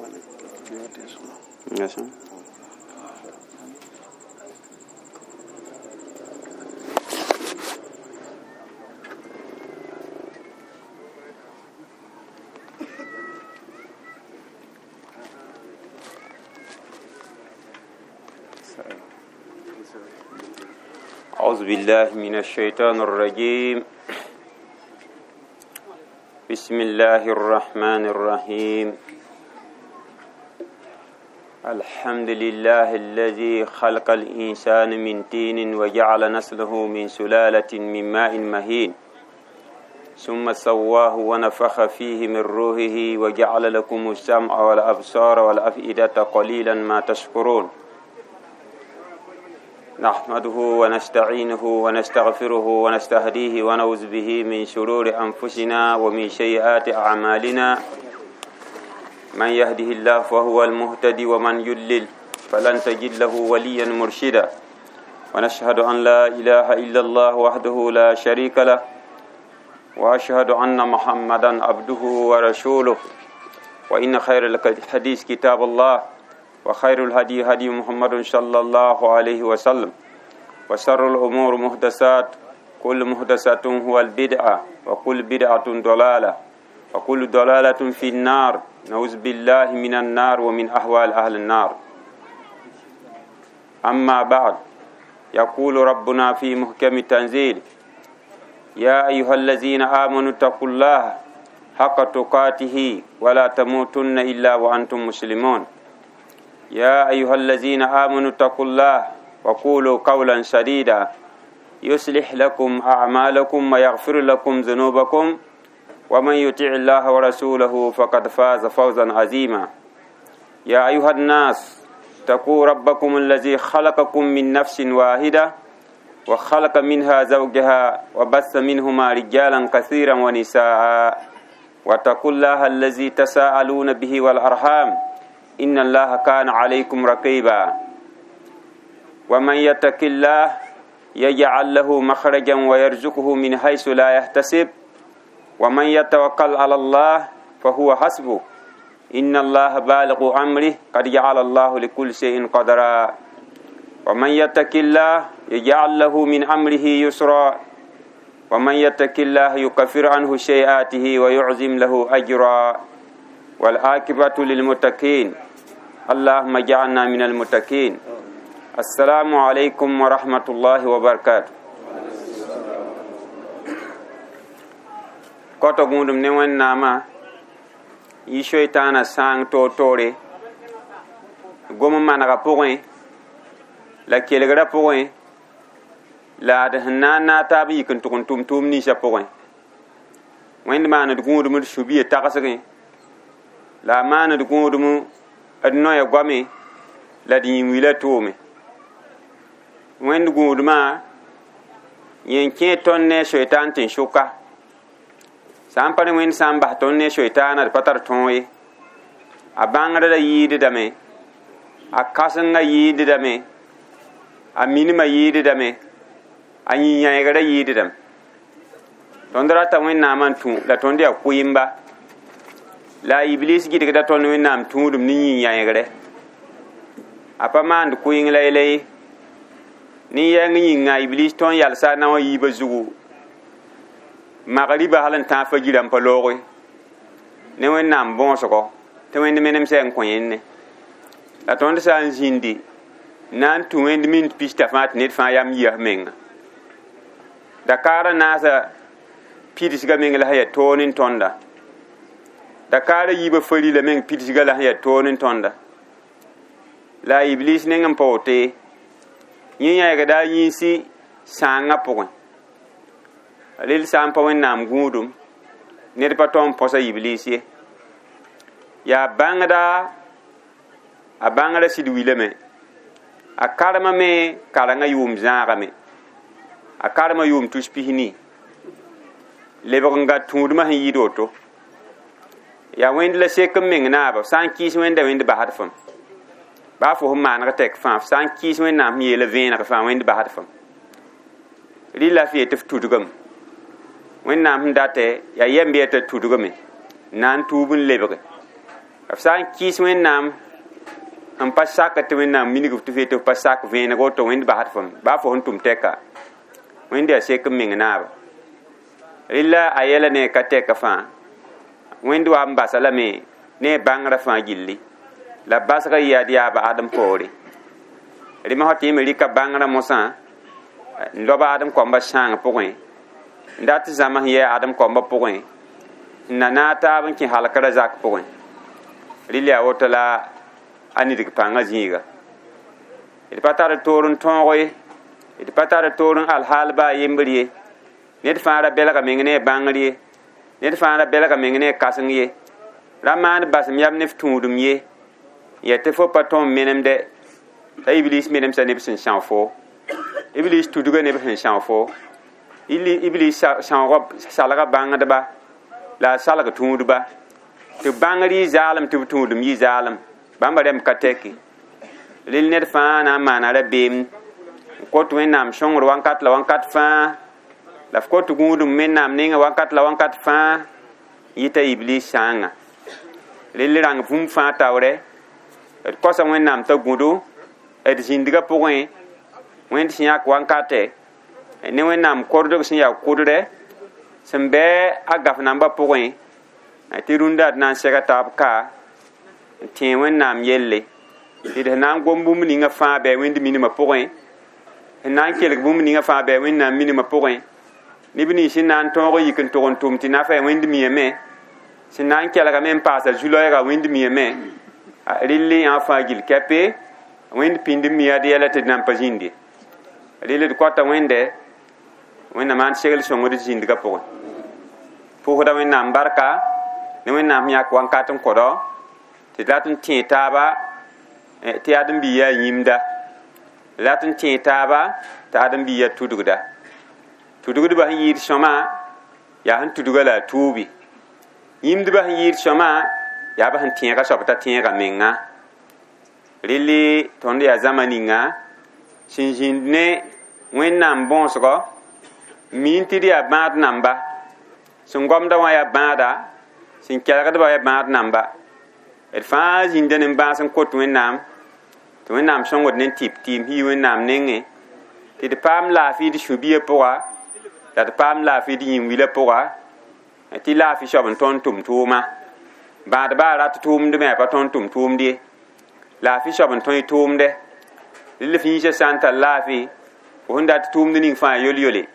أعوذ بالله من الشيطان الرجيم. بسم الله الرحمن الرحيم. الحمد لله الذي خلق الإنسان من طين وجعل نسله من سلالة من ماء مهين، ثم سواه ونفخ فيه من روحه وجعل لكم السمع والأبصار والأفئدة قليلا ما تشكرون. نحمده ونستعينه ونستغفره ونستهديه ونعوذ به من شرور أنفسنا ومن سيئات أعمالنا. من يهده الله فهو المهتدي ومن يضلل فلن تجد له وليا مرشدا. ونشهد أن لا إله إلا الله وحده لا شريك له، وأشهد أن محمدا عبده ورسوله. وإن خير الحديث كتاب الله، وخير الهدي هدي محمد صلى الله عليه وسلم، وشر الأمور محدثات، كل محدثة هو البدعة، وكل بدعة ضلالة، وكل ضلالة في النار. نعوذ بالله من النار ومن أهوال أهل النار. أما بعد، يقول ربنا في محكم التنزيل: يا أيها الذين آمنوا اتقوا الله حق تقاته ولا تموتن إلا وأنتم مسلمون. يا أيها الذين آمنوا اتقوا الله وقولوا قولا سديدا يصلح لكم أعمالكم ويغفر لكم ذنوبكم، ومن يطع الله ورسوله فقد فاز فوزا عظيما. يا أيها الناس اتقوا ربكم الذي خلقكم من نفس واحدة وخلق منها زوجها وبث منهما رجالا كثيرا ونساء، واتقوا الله الذي تساءلون به والأرحام إن الله كان عليكم رقيبا. ومن يتق الله يجعل له مخرجا ويرزقه من حيث لا يحتسب، ومن يتوكل على الله فهو حسبه، إن الله بالغ أمره قد جعل الله لكل شيء قدرا. ومن يتق الله يجعل له من أمره يسرا، ومن يتق الله يكفر عنه سيئاته ويعظم له أجرا. والعاقبة للمتقين، اللهم اجعلنا من المتقين. السلام عليكم ورحمة الله وبركاته. Koto gũudum ne Wẽnnaamã yɩ soitaanã sãang toor-toore gom n manegã pʋgẽ la kelgrã pʋgẽ la d sẽn na n naag taab n yik n tʋg n tʋm tʋʋm ninsã pʋgẽ. Wẽnd maand gũudum d sũ-biã tagsgẽ la a maand gũudum d noya goame la d yĩn-wilã tʋʋme. Wẽnd gũudmã yẽ n kẽe tõnd ne a soitaan tɩ n sʋka. Sã n pa ne Wẽnd sã n bas tõnd ne soitaanã d pa tar tõog ye. A bãngrã la yɩɩdame, a kãsengã yɩɩdame, a minimã yɩɩdame, a yĩn-yãegrã yɩɩdame. Tõnd rata Wẽnnaamã n tũ la tõnd yaa kʋɩmba. La Iblis gɩdgda tõnd Wẽnnaam tũudum ne yĩn-yãegrɛ. A pa maand kʋɩng la yɛla ye. Nin-yɛng yĩnga Iblis tõnd yalsa a nao a yiibã zugu magriba hal n tãag fajirã n pa looge ne Wẽnnaam võosgo tɩ Wẽnd menemsã n kõ yẽnne. La tõnd sã n zĩndi na n tũ Wẽnd minut pista fãa tɩ ned fãa yam yias menga. Dakaarã naasa pidsgã meng la sẽn yaa toor ne tõnda. Dakaarã yiibã fari la meng pidsgã la sẽn yaa toor ne tõnda. La Iblis neng n pa woto ye. Yẽ yãegda a yĩnsi sãangã pʋgẽ. Rel sã n pa Wẽnnaam gũudum ned pa tõe n põsa Iblis ye. Yaa bãngda a bãngrã sɩd wilame. A karema me karengã yʋʋm zãagame. A karema yʋʋm tus pis-nii. Lebg n ga tũudmã sẽn yɩɩd woto. Yaa Wẽnd la sek n meng naaba sã n kɩɩs Wẽnda Wẽnd basd fãm. Baa fo sẽn maaneg tɛk fãa, f sã n kɩɩs Wẽnnaam sẽn yeela vẽeneg fãa Wẽnd basd fãm. Rɩla f yet tɩ f tudgame. Wẽnnaam sẽn datɛ yaa yɛm bɩ yaa t'a tudgame na n tuub n lebge. F sã n kɩɩs Wẽnnaam n pa sak tɩ Wẽnnaam minig f tɩ f yetɩ f pa sak vẽeneg woto, Wẽnd basd fom baa fo sẽn tʋm tɛka, Wẽnd yaa sek n meng naaba. Rɩla a yɛla ne ka tɛka fãa, Wẽnd wa n basa lame ne bãngrã fãa gilli la basga yɩ yaa yaaba Adem poore. Rɩ mosã tɩ yẽ me rɩka bãngrã mosã n lob Adem koambã sãang pʋgẽ, n dat zãms n yɛɛ Adem koambã pʋgẽ, n na naag taab n kẽ halkrã zak pʋgẽ. Rɩl yaa woto la a nidg pãngã zĩiga. D pa tar toor n tõog ye, d pa tar toor n alhaal baa yembr ye. Ned fãa ra belga meng ne a bãngr ye, ned fãa ra belga meng ne a kãseng ye. Ra maan basem yam ne f tũudem ye, n yaa tɩ fo pa tõe n menemdɛ t'a Iblis menemsa neb sẽn são fo. Iblis tudga neb sẽn são fo. Iblis sãoogã salga bãngdba la a salg tũudba. Tɩ bãngr yɩ zaalem tɩ b tũudem yɩ zaalem. Bãmba rẽmb ka tɛke. Rel ned fãa na n maana rabeem n kot Wẽnnaam sõngr wakat la wakat fãa, la f kot gũudum Wẽnnaam nengã wakat la wakat fãa, yɩta Iblis sãanga. Rel rãng bũmb fãa taoorɛ, d kosa Wẽnnaam t'a gũdo d zĩndgã pʋgẽ, Wẽnd sẽn yãk wankatɛ, ne Wẽnnaam kordg sẽn yaa kʋdrɛ, sẽn bɩ a gaf nambã pʋgẽ, tɩ rũndã d na n sɛga taab ka n tẽe Wẽnnaam yelle. Tɩ d sẽn na n gom bũmb ninga fãa bɩ Wẽnd minimã pʋgẽ, sẽn na n kelg bũmb ninga fãa bɩ Wẽnnaam minimã pʋgẽ, neb nins sẽn na n tõog n yik n tʋg n tʋm tɩ nafa Wẽnd miame, sẽn na n kelgame n paasa zu-loɛɛga Wẽnd miame, rɩl yã fãa gill kɛpe, Wẽnd pĩnd n mi ad yɛla tɩ d nan pa zĩnd ye. Rɩl d kɔta Wẽnde, Wẽnnaam maan segl sõngd d zĩndgã pʋgẽ. Pʋʋsda Wẽnnaam barka ne Wẽnnaam sẽn yãk wakat n kõdo tɩ d rat n tẽe taaba tɩ ãdem-biig yaa yĩmda, rat n tẽe taaba tɩ ãdem-biig yaa tudgda. Tudgdbã sẽn yɩɩd sõma yaa sẽn tudga la a tuubi. Yĩmdbã sẽn yɩɩd sõma yaa b sẽn tẽega soab t'a tẽega menga. Rɩl tõnd yaa zãma ninga sẽn zĩnd ne Wẽnnaam bõosgɔ, miin tɩ d yaa bãad namba, sẽn gomda wã yaa bãada, sẽn kelgdbã yaa bãad namba. D fãa zĩnda ne bãas n kot Wẽnnaam, tɩ Wẽnnaam sõngd ne tɩp tɩɩm yi Wẽnnaam nengẽ, tɩ d paam laafɩ d sũ-biã pʋga, la d paam laafɩ d yĩn-wilã pʋga, tɩ laafɩ soab n tõnd tʋm tʋʋma. Bãadbã rat tʋʋmd me a pa tõnd tʋm tʋʋmd ye. Laafɩ soab n tõe tʋʋmdɛ. Rɩl f yĩnsã sã n tar laafɩ, fo sẽn dat tʋʋmd ning fãa yol-yole.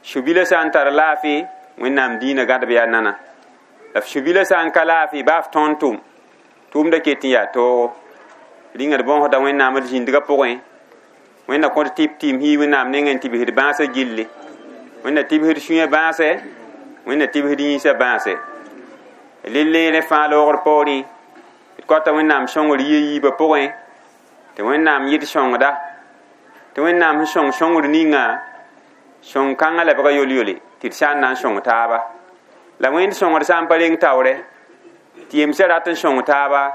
Sũ-bilã sã n tar laafɩ, Wẽnnaam dĩinã gãdb yaa nana. La f sũ-bilã sã n ka laafɩ, baa f tõnd tʋm, tʋʋmdã ket n yaa toogo. Rĩnga d bõosda Wẽnnaam d zĩndgã pʋgẽ. Wẽnna kõt tɩp tɩɩm yi Wẽnnaam nengẽ n tɩbsd bãasã gilli. Wẽnna tɩbsd sũyã bãasɛ, Wẽnna tɩbsd yĩnsã bãasɛ. Rɩl rẽ fãa loogr poorẽ, d kõta Wẽnnaam sõngr yɩ yiibã pʋgẽ, tɩ Wẽnnaam yɩd sõngda, tɩ Wẽnnaam sẽn sõng sõngr ninga, sõng kãngã lebga yol-yole, tɩ d sã n na n sõng taaba. La Wẽnd sõngr sã n pa reng taoorɛ, tɩ yemsã rat n sõng taaba,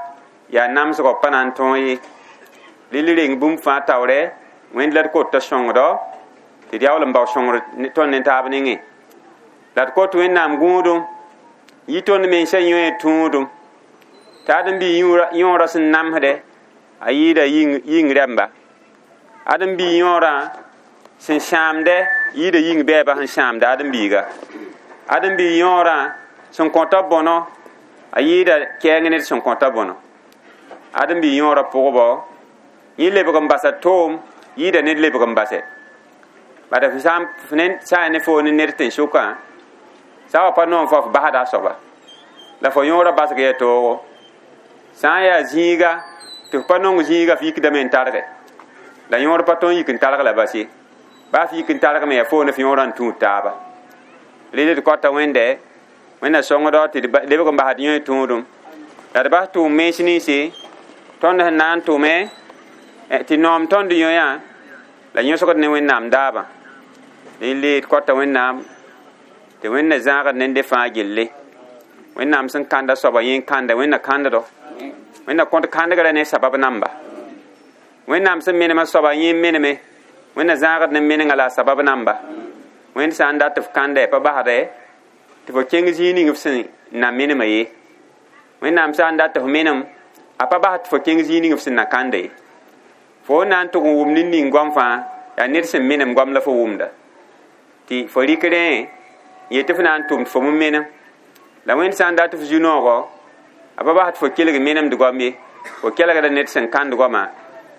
yaa namsgɔ pa na n tõog ye. Rɩl reng bũmb fãa taoorɛ, Wẽnd la d kot t'a sõngdɔ, tɩ d yaool n bao sõngr tõnd ne taab nengẽ. La d kot Wẽnnaam gũudum, yɩ tõnd mensã yõe tũudum, tɩ ãdem-biig yõorã sẽn namsdɛ, a yɩɩda yĩng rɛmba. Ãdem-biig yõorã sẽn sãamdɛ, yɩɩda yĩng bɛɛba sẽn sãamda ãdem-biiga. Ãdem-biig yõorã sẽn kõta bõno, a yɩɩda kɛɛng ned sẽn kõta bõno. Ãdem-biig yõorã pʋgbɔ, yẽ lebg n basa toom, yɩɩda ned lebg n basɛ. Bala f sã n ne foo ne ned tẽn-sʋkã, sã wa pa noom fo f basda a soaba, la fo yõorã basg yaa toogo. Sã n yaa zĩiga, tɩ f pa nong zĩiga, f yikdame n targe. La yõor pa tõe n yik n targ la bas ye. Baa f yik n targme yaa foo ne f yõorã n tũud taaba. Rɩl d kõta Wẽnde, Wẽnna sõngdɔ tɩ d lebg n basd yõe tũudum. La d bas tʋʋm mens ninse, tõnd sẽn na n tʋme, tɩ noom tõnd yõyã, la yõsgd ne Wẽnnaam daabã. Rɩl d kõta Wẽnnaam tɩ Wẽnna zãagd nende fãa gilli. Wẽnnaam sẽn kãnda soaba yẽ n kãnda, Wẽnna kãnddo. Wẽnna kõt kãndgrã ne sabab namba. Wẽnnaam sẽn menemã soaba yẽ n meneme, Wẽnna zãagd ne menengã la a sabab namba. Wẽnd sã n dat f kãnda pa basdɛ, tɩ fo kẽng zĩig ning f sẽn na menemã ye. Wẽnnaam sã n dat tɩ f menem a pa bas tɩ fo kẽng zĩig ning f sẽn na kãnda ye. Fo na n tʋg n wʋm ned ning goam fãa yaa ned sẽn menem goam la fo wʋmda tɩ fo rɩk rẽ n yet tɩ f na n tʋm tɩ fo me menem la Wẽnd sã n dat tɩ f zu-noogɔ a pa bas tɩ fo kelg menemd goam ye fo kelgda ned sẽn kãnd goama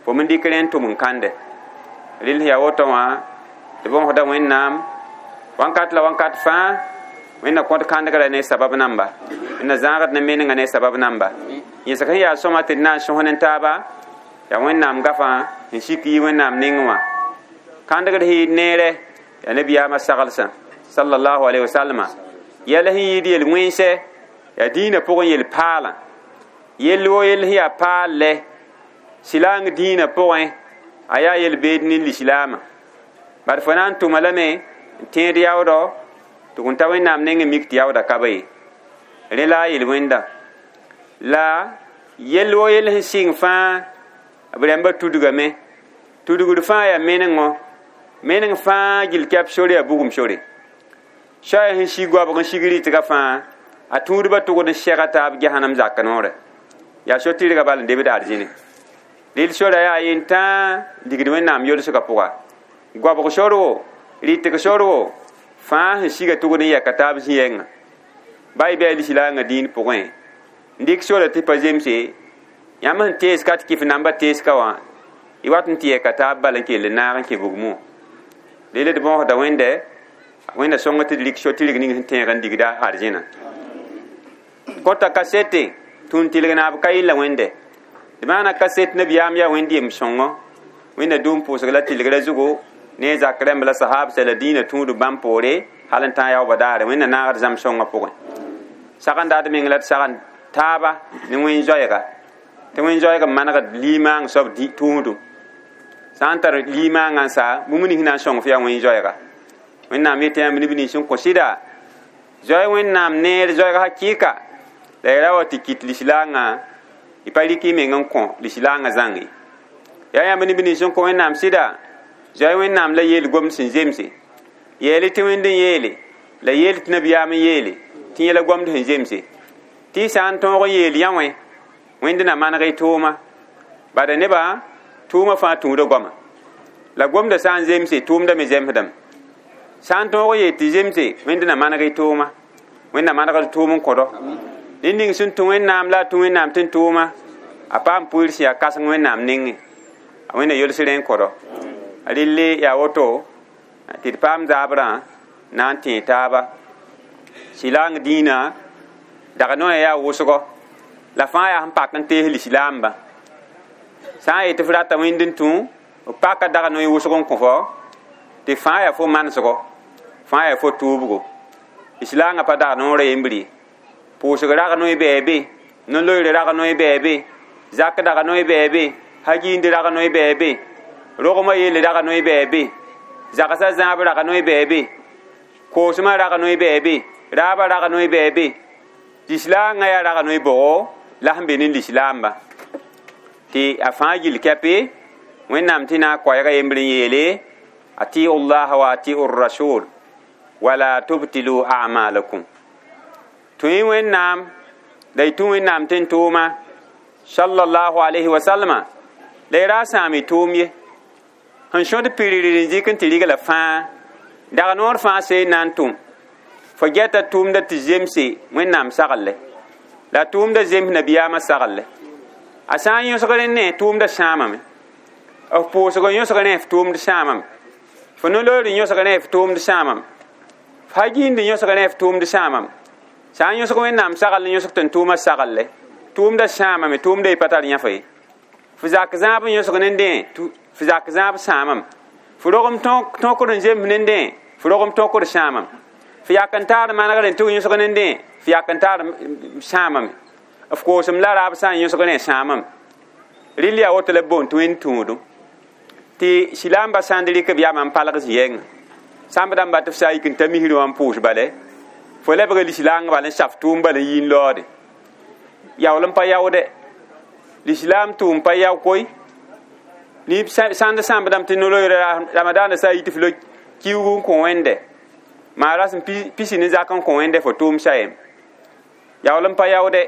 fo me dɩk rẽ n tʋm n kãnde rɩl yaa woto wã tɩ bõsda Wẽnnaam wãnkat la wãnkat fãa Wẽnna kõt kãndgrã ne sabab namba Wẽnna zãagd ne menengã ne sabab namba yẽsg sẽn yaa sõma tɩ d na n sõs ne taaba yaa Wẽnnaam gafã n sik yi Wẽnnaam nengẽ wã kãndgd sẽn yɩɩd neere yaa nabiyaamã saglsã sallallahu alaihi wasallama yɛl sẽn yɩɩd yel-wẽnsɛ yaa dĩinã pʋgẽ yel-paalã yell wo yell sẽn yaa paal lɛ silaang dĩinã pʋgẽ a yaa yel-beed ne lislaamã bad fo na n tʋma lame n tẽed yaoodɔ tɩ gũn ta Wẽnnaam nengẽ mik tɩ yaooda ka ba ye rẽ la a yel-wẽnda la yell wo yell sẽn sɩng fãa b rãmbã tudgame tudgd fãa yaa menengõ meneng fãa gill kɛp sore yaa bugum sore soaya sẽn sig goabg n sig rɩtga fãa a tũudbã tʋgd n sɛga taab gesanam zak noorɛ yaa so-tɩrgã bal n debd arzĩne rɩl sora yaa yentãa digd Wẽnnaam yolsgã pʋga goabg sor wo rɩtg sor wo fãa sẽn siga tʋgd n yɛka taab zĩ-yɛngã ba y bɩ a lislaangã dĩin pʋgẽ n dɩk sora tɩ pa zemse yãmb sẽn tees ka tɩ kɩf namba teeska wã y wat n tɩ yɛka taab bal n kell n naag n kẽ bugmẽ wã rel d bõosda Wẽnde Wẽnna sõng tɩ d rɩk so-tɩrg ning sẽn tẽeg n digda arzẽna kõta kasete tũun tɩlg naab ka yella Wẽnde d maana kaset nabiyaam yaa Wẽnd yem sõngo Wẽnna dũum pʋʋsg la tɩlgrã zugu ne zak rãmb la sahabsã la dĩinã tũud bãmb poore hal n tãag yaoobã daare Wẽnna naagd zãmb sõngã pʋgẽ sag n dat meng la d sag n taaba ne wẽn-zoɛɛga tɩ wẽn-zoɛɛg n manegd limaang soab tũudum sã n tar limaangã n sa bũmb nins na n sõng f yaa wẽn-zoɛɛga Wẽnnaam yetɩ yãmb neb nins sẽn kõ sɩda zoe Wẽnnaam neer zoɛɛg hakɩɩka la y ra wa tɩ kɩt lislaangã y pa rɩk y meng n kõ lislaangã zãng ye yaa yãmb neb nins sẽn kõ Wẽnnaam sɩda zoe Wẽnnaam la yeel gomd sẽn zemse yeel tɩ Wẽnd n yeele la yeel tɩ nabiyaam n yeele tɩ yẽla gomd sẽn zemse tɩ y sã n tõog n yeel yã wẽ Wẽnd na maneg y tʋʋma bada nebã tʋʋmã fãa tũuda goama la gomdã sã n zemse tʋʋmda me zemsdame sã n tõog n yeel tɩ zemse Wẽnd na maneg y tʋʋma Wẽnd na manegd tʋʋm n kõdo ned ning sẽn tũ Wẽnnaam la a tũ Wẽnnaam tɩ n tʋʋma a paam pʋɩr sẽn yaa kãseng Wẽnnaam nengẽ a Wẽnna yols rẽ n kõdo relle yaa woto tɩ d paam zaabrã na n tẽe taaba silaang dĩinã dag noya yaa wʋsgɔ la fãa yaa sẽn pak n tees lislaambã sã n yet tɩ f rata Wẽnd n tũ b paka dag noy wʋsg n kõ fo tɩ fãa yaa fo manesgɔ fãa yaa fo tʋʋbgo lislaangã pa dag noorã yembr ye pʋʋsg rag noy bɛɛ be no-loeer rag noy bɛɛ be zak dag noy bɛɛ be hagind rag noy bɛɛ be rogmã yell rag noy bɛɛ be zagsã zãab rag noy bɛɛ be koosmã rag noy bɛɛ be raabã rag noy bɛɛ be lislaangã yaa rag noy bʋgo la sẽn be ne lislaamba tɩ a fãa gill kɛpe Wẽnnaam tɩ na n koɛɛga yembr n yeele atiu llaha wa atiu rasul wala tubtilu amalakum tũ-y Wẽnnaam la y tũ Wẽnnaam tɩ n tʋʋma sallallahu alayhi wa sallama la y ra sãam y tʋʋm ye sẽn sõd pirir n zɩk n tɩ rigla fãa dag noor fãa see n na n tʋm fo gɛta tʋʋmda tɩ zemse Wẽnnaam saglle la tʋʋmda zems nabiyaamã saglle a sã n yõsg rẽ ne tʋʋmda sãamame f pʋʋsg yõsg rẽ f tʋʋmd sãamame fo no-loeer yõsg rẽ f tʋʋmd sãamame f hagind yõsg rẽ f tʋʋmd sãamame sã n yõsg Wẽnnaam sagl n yõsg tɩ n tʋʋmã saglle tʋʋmda sãamame tʋʋmda y pa tar yãfa ye f zak zãab n yõsg nendẽ f zak zãab sãamame f rogem tõkr n zems nendẽ f rogem tõkr sãamame f yak n taar manegr n tʋg yõsg nendẽ f yak n taar sãamame f koosem la raab sã n yõsg rẽ sãamame rɩl yaa woto la b boond tɩ Wẽnd tũudum tɩ silaambã sãnd rɩk b yamã n palg zĩ-yɛngã sãmb dãmba tɩ f sã n yik n ta misrẽ wã n pʋʋs bale fo lebga lislaangã bal n saf tʋʋm bal n yi n laoode yaool n pa yaoode lislaam tʋʋm pa yao koe nib sãnd sãmbdame tɩ no-loeer ramadaanã sã n yit f lo kiuug n kõ Wẽnde maa rasem pisi ne zak n kõ Wẽnde fo tʋʋm sa yem yaool n pa yaoode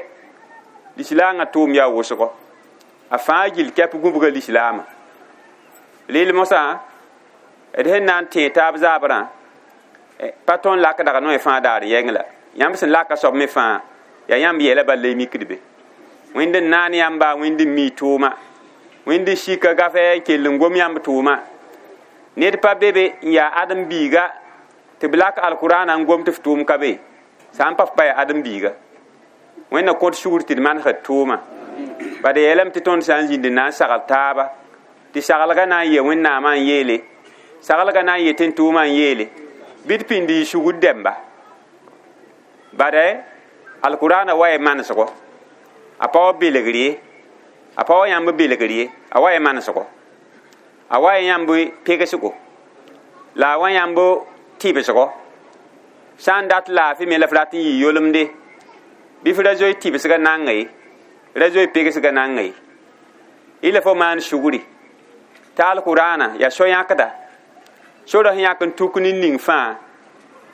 Lislaangã tʋʋm yaa wʋsgo a fãa gill kɛp gũbga lislaamã rɩl mosã d sẽn na n tẽeg taab zaabrã pa tõnd lak dag noe fãa daar yɛng la yãmb sẽn laka soab me fãa yaa yãmb yɛla bal la y mikd be wẽnd n naan yãmba wẽnd n mi tʋʋma wẽnd n sika gafɛ n kell n gom yãmb tʋʋma ned pa be be n yaa ãdem-biiga tɩ b lak alkʋraanã n gom tɩ f tʋʋm ka be sã n pa f pa yaa ãdem-biiga wẽnna kõt sugr tɩ d manesd tʋʋma bad yeelame tɩ tõnd sã n zĩnd n na n sagl taaba tɩ saglga na n yee wẽnnaamã n yeele saglga na n yetɩ n tʋʋmã n yeele bɩ d pĩnd y sugr dɛmba bad alkʋraanã wa ya manesgo a pa wa belgr ye a pa wa yãmb belgr ye a wa ya manesgo a wa ya yãmb pegsgo la a wa yãmb tɩbsgo sã n dat laafɩ me la f rat n yɩ yolemde bɩ f ra zoe tɩbsgã nanga ye ra zoe pegsgã nanga ye y la fo maan sugri t'a alkʋraanã yaa so-yãkda sora sẽn yãk n tuk ne ning fãa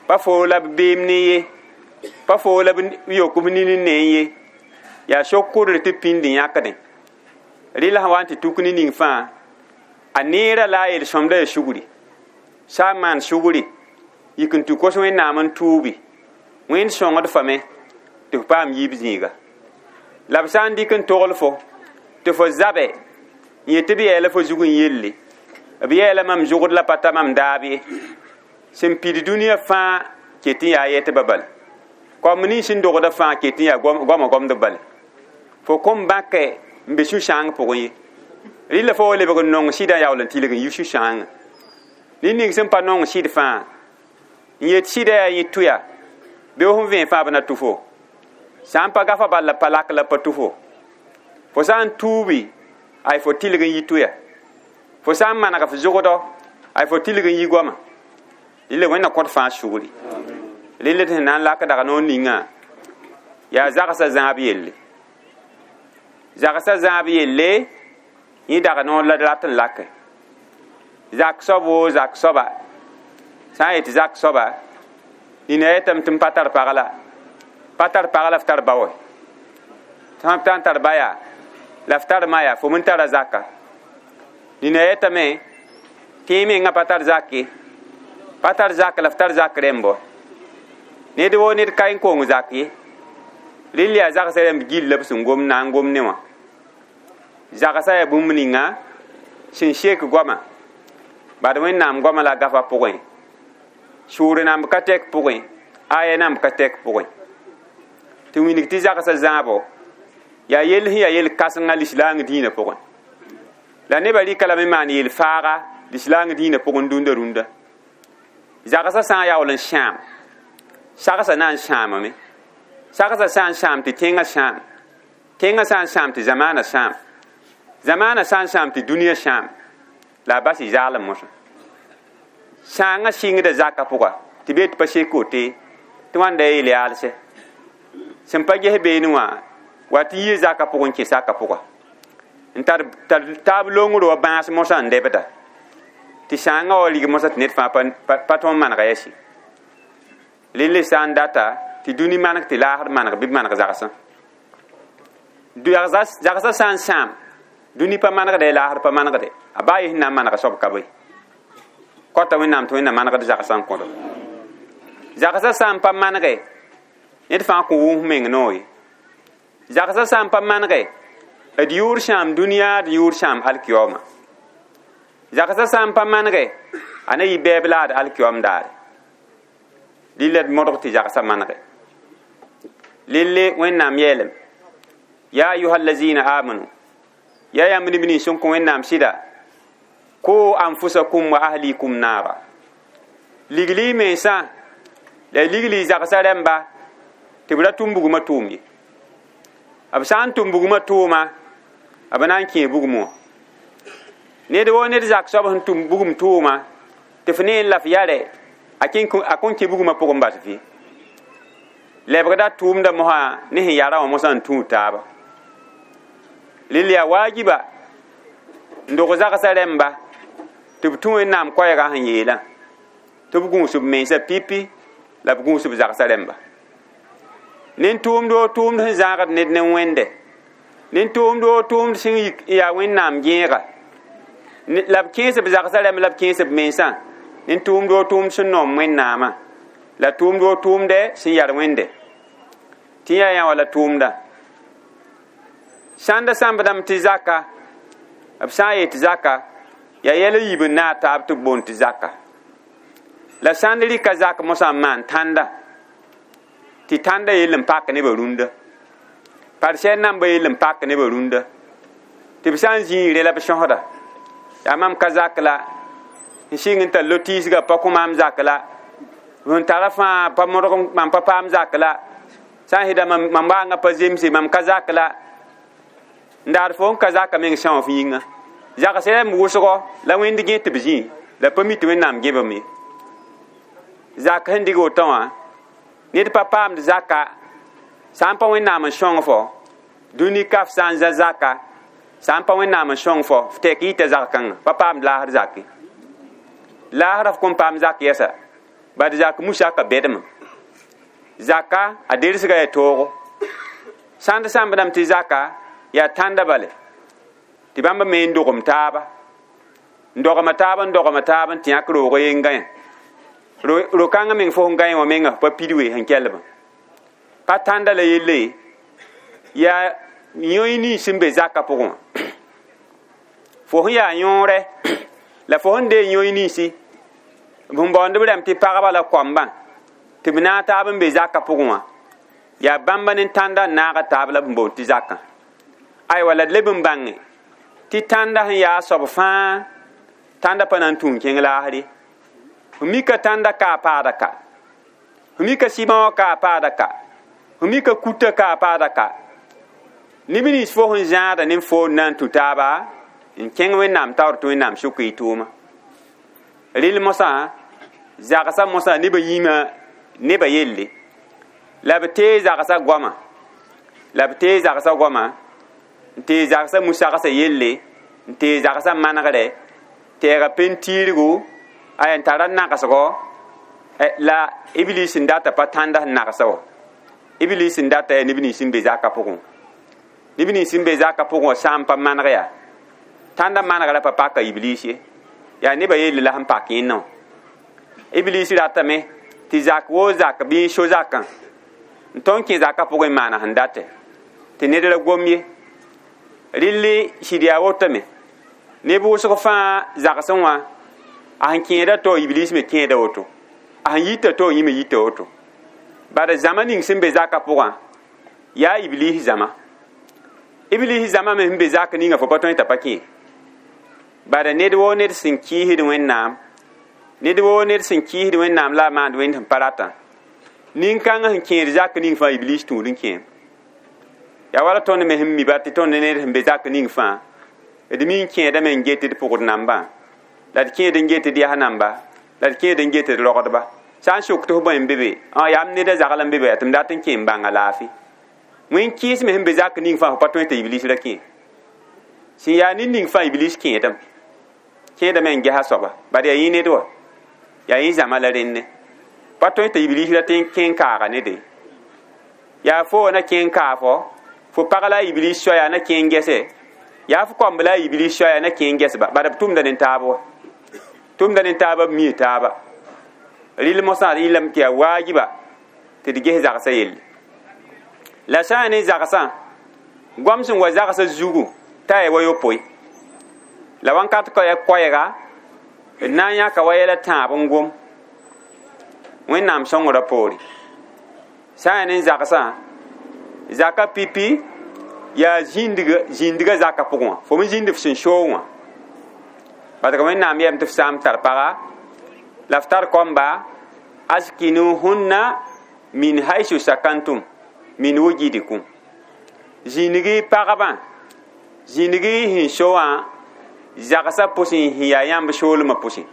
pa foo la b beem ne ye pa foo la b yok b nin n ne ye yaa so-kʋdr tɩ pĩnd n yãkdẽ rɩla sẽn wa n tɩ tuk ne ning fãa a neerã la a yel-sõmda yaa sugri sã n maan sugri yik n tɩ kos wẽnnaam n tuubi wẽnd sõngd fame tɩ f paam yiib zĩiga la b sã n dɩk n togl fo tɩ fo zabɛ n yet tɩ b yɛɛla fo zug n yelle b yɛɛla mam zʋgd la pa ta mam daab ye sẽn pid dũniyã fãa ket n yaa yɛtbã bale kom nins sẽn dogda fãa ket n yaa goamã gomdb bale fo kõn bãkɛ n be sũ-sãang pʋgẽ ye rɩla fo wa lebg n nong sɩdã yaool n tɩlg n yi sũ-sãangã ned ning sẽn pa nong sɩd fãa n yet sɩda yaa yẽ tʋya bɩ fõn vẽe fãa b na tʋ fo sã n pa gafa bal la pa lak la pa tʋ fo fo sã n tuubi ay fo tɩlg n yi tʋya fo sã n maneg f zʋgdɔ ay fo tɩlg n yi goamã rɩla wẽnna kõt fãa sugri rɩla tɩ sẽn na n lak dag noor ningã yaa zagsã zãab yelle zagsã zãab yelle yẽ dag noor la d rat n lake zak soab woo zak soaba sã n yetɩ zak soaba nina yetame tɩ m pa tar pag la pa tar pag la f tar ba wɛ sã n tar ba yaa la f tar ma yaa fo m tara zaka nina yetame tɩ yẽ mengã pa tar zak ye pa tar zak la f tar zak rẽmbɔ ned woo ned ka n kong zak ye rɩl yaa zagsã rãmb gill la b sẽn gom na n gom ne wã zagsã yaa bũmb ninga sẽn sek goamã bad wẽnnaam goamã la gafa pʋgẽ sʋʋr namb ka tɛk pʋgẽ aya namb ka tɛk pʋgẽ tɩ wilg tɩ zagsã zãabo yaa yell sẽn yaa yel-kãsenga lislaang dĩinã pʋgẽ la nebã rɩka lame maan yel-faaga lislaang dĩinã pʋgẽ dũnda rũndã zagsã sã n yaool n sãam sagsã na n sãamame sagsã sã n sãam tɩ tẽngã sãam tẽngã sã n sãam tɩ zamaanã sãam zamaanã sã n sãam tɩ dũniyã sãam la a bas y zaalem mosã sãangã sɩngda zakã pʋga tɩ bee tɩ pa sek wote tɩ wãnda ya yel-yaalsɛ sẽn pa ges beene wã wa tɩ yɩ zakã pʋgẽ kẽ saka pʋga n tar taab longr wa bãas mosã n dɛbda tɩ sãangã wa rig mosã tɩ ned fãa pa tõnd manega yɛse rẽnd sã n data tɩ dũni maneg tɩ laasd maneg bɩ b maneg zagsã zagsã sã n sãam dũni pa manegdɛ laasd pa manegdɛ a baa yẽ sẽn na n manega soab ka be kɔta wẽnnaam tɩ wẽnna manegd zagsã n kõdo zagsã sã n pa manege ned fãa kõ wʋms meng noor ye zagsã sã n pa manege d yʋʋr sãam dũniyã d yʋʋr sãam alkiyooma zagsã sã n pa manege a na yɩ bɛɛb la ad alkiyoom daare rɩla d modg tɩ zagsã manege lelle wẽnnaam yeelame ya ayuha allazina amanu ya yãmb neb nins sẽn kõ wẽnnaam sɩda ko anfusakum wa ahlikum naara ligli mensã la ligli zagsã rãmba tɩ b ra tʋm bugmã tʋʋm ye b sã n tʋm bugmã tʋʋma b na n kẽe bugum wã ned woo ned zak soab sẽn tʋm bugum tʋʋma tɩ f ne la f yare a kõn kẽ bugmã pʋgẽ bas fɩ lebgda tʋʋmda mosã ne sẽn yara wã mosã n tũud taaba rɩl yaa waajiba n dog zagsã rãmba tɩ b tũ wẽnnaam koɛɛgã sẽn yeelã tɩ b gũus b mensã pipi la b gũus b zagsã rãmba nen tʋʋmd woo tʋʋmd sẽn zãagd ned ne wẽnde Nin tʋʋmd woo tʋʋmd sẽn yaa Wẽnnaam gẽega la b kẽes b zagsã rãmb la b kẽes b mensã nin tʋʋmd woo tʋʋmd sẽn noom Wẽnnaamã la tʋʋmd woo tʋʋmdɛ sẽn yar Wẽnde tɩ yaa yã wala tʋʋmdã sãnda sãmbdame tɩ zaka b sã n yet zaka yaa yɛl n yiib n naag taab tɩ b boond tɩ zaka la sãnd rɩka zak mosã n maan tãnda tɩ tãnda yell n pak nebã rũndã parsɛr nambã yell n pak nebã rũndã tɩ b sã n zĩig re la b sõsda yaa mam ka zak la n sɩng n tar lo-tiisgã pa kõ maam zak la n tara fãa pa modg mam pa paam zak la sã n sɩda mam waanga pa zemse mam ka zak la n daar fo n ka zaka meng sã wã f yĩnga zags rãmb wʋsgo la Wẽnd gẽ tɩ b zĩ la pa mi tɩ Wẽnnaam gẽbame zak sẽn dɩg woto wã ned pa paamd zaka sã n pa Wẽnnaam n sõng fo dũni ka f sã n za zaka sã n pa Wẽnnaam n sõng fo f tɛk yita zag-kãngã pa paamd laasr zake laasra f kõn paam zak yɛsa bad zak musaka bɛdme zaka a dersga yaa toogo sãnd sãmbdame tɩ zaka yaa tãnda bale tɩ bãmba me n dogem taaba n dogma taaba n dogma taaba n tɩ yãk roog yen gãe ro-kãngã meng fo sẽn gãe wã menga pa pid we sẽn kelbã pa tãnda la yelle yaa yõe nins sẽn be zakã pʋgẽ wã fo sẽn yaa yõore la fo sẽn deeg yõe ninsi b sẽn baoond b rãmb tɩ pagba la koambã tɩ b naag taab n be zakã pʋgẽ wã yaa bãmba ne tãnda n naaga taab la b sẽn boond tɩ zakã aywa la d leb n bãnge tɩ tãnda sẽn yaa soab fãa tãnda pa na n tũ n kẽng laasr ye f mika tãnda ka a paada ka f mika sɩbã wã ka a paada ka f mika kuta ka a paada ka neb nins fo sẽn zãada ne fo n na n tũ taaba n kẽng Wẽnnaam taoor tɩ Wẽnnaam sʋk y tʋʋma rɩl mosã zagsã mosã nebã yĩmã nebã yelle la b tee zagsã goama la b tee zagsã goama n tee zagsã musagsã yelle n tee zagsã manegre tɛɛga pentiirgu aya n tara nagsgo la Iblis n data pa tãnda sẽn nagsa wa Iblis n data yaa neb nins n be zakã pʋgẽ neb nins n be zakã pʋgẽ wã sã n pa maneg yaa tãnda manegrã pa paka Iblis ye yaa nebã yelle la sẽn pak yẽnna wã Iblis ratame tɩ zak woo zak bɩ n so zakã n tõnd kẽ zakã pʋgẽ n maana sẽn datɛ tɩ ned ra gom ye rɩlli sɩd yaa wotome neb wʋsg fãa zagsẽ wã a sẽn kẽeda to Iblis me kẽeda woto a sẽn yita to yẽ me yita woto bad zãma ning sẽn be zakã pʋgã yaa Iblis zãma Iblis zãma me sẽn be zak ninga fo pa tõe t'a pa kẽ bad ned woo ned sẽn kɩɩsd Wẽnnaam ned woo ned sẽn kɩɩsd Wẽnnaam la a maand Wẽnd sẽn pa ratã nin-kãngã sẽn kẽed zak ning fãa Iblis tũud n kẽem yaa wala tõnd me sẽn mi ba tɩ tõnd ned sẽn be zak ning fãa d mi n kẽedame n get d pʋgd nambã la d kẽed n get d yas namba la d kẽed n get d rogdba sã n sok tɩ f bõe n be be yaa m neda zagl n be be yaa tɩ m dat n kẽ n bãnga laafɩ wẽn kɩɩs me sẽn be zak ning fãa fo pa tõe tɩ Iblis ra kẽ sẽn yaa ned ning fãa Iblis kẽedame kẽedame n gesa soaba bad yaa yẽ ned wa yaa yẽ zãma la rẽnne pa tõe tɩ Iblis ra tɩ n kẽ n kaaga nede yaa fo na kẽ n kaa fo fo pag la a Iblis soaya na kẽ n gɛse yaa fo koamb la a Iblis soaya na kẽ n gɛsba bad b tʋmda ne taab wa tʋmda ne taaba b mii taaba rɩl mosã yɩlame tɩ yaa waajiba tɩ d ges zagsã yelle la sã n yaa ne zagsã goam sẽn wa zagsã zugu t'a yaa wa yopoe la wãnkat koɛɛga d na n yãka wa yɛla tãab n gom Wẽnnaam sõngrã poore sã n yaa ne zagsã zaka pipi yaa zĩndgã zakã pʋgẽ wã fo me zĩnd f sẽn soog wã parce que Wẽnnaam yɛm tɩ f sã n tar paga la f tar koamba askinuhunna min haisu sakantum min wujidikum zĩnig pagbã zĩnig sẽn so wã zagsã pʋsẽ sẽn yaa yãmb soolmã pʋsẽ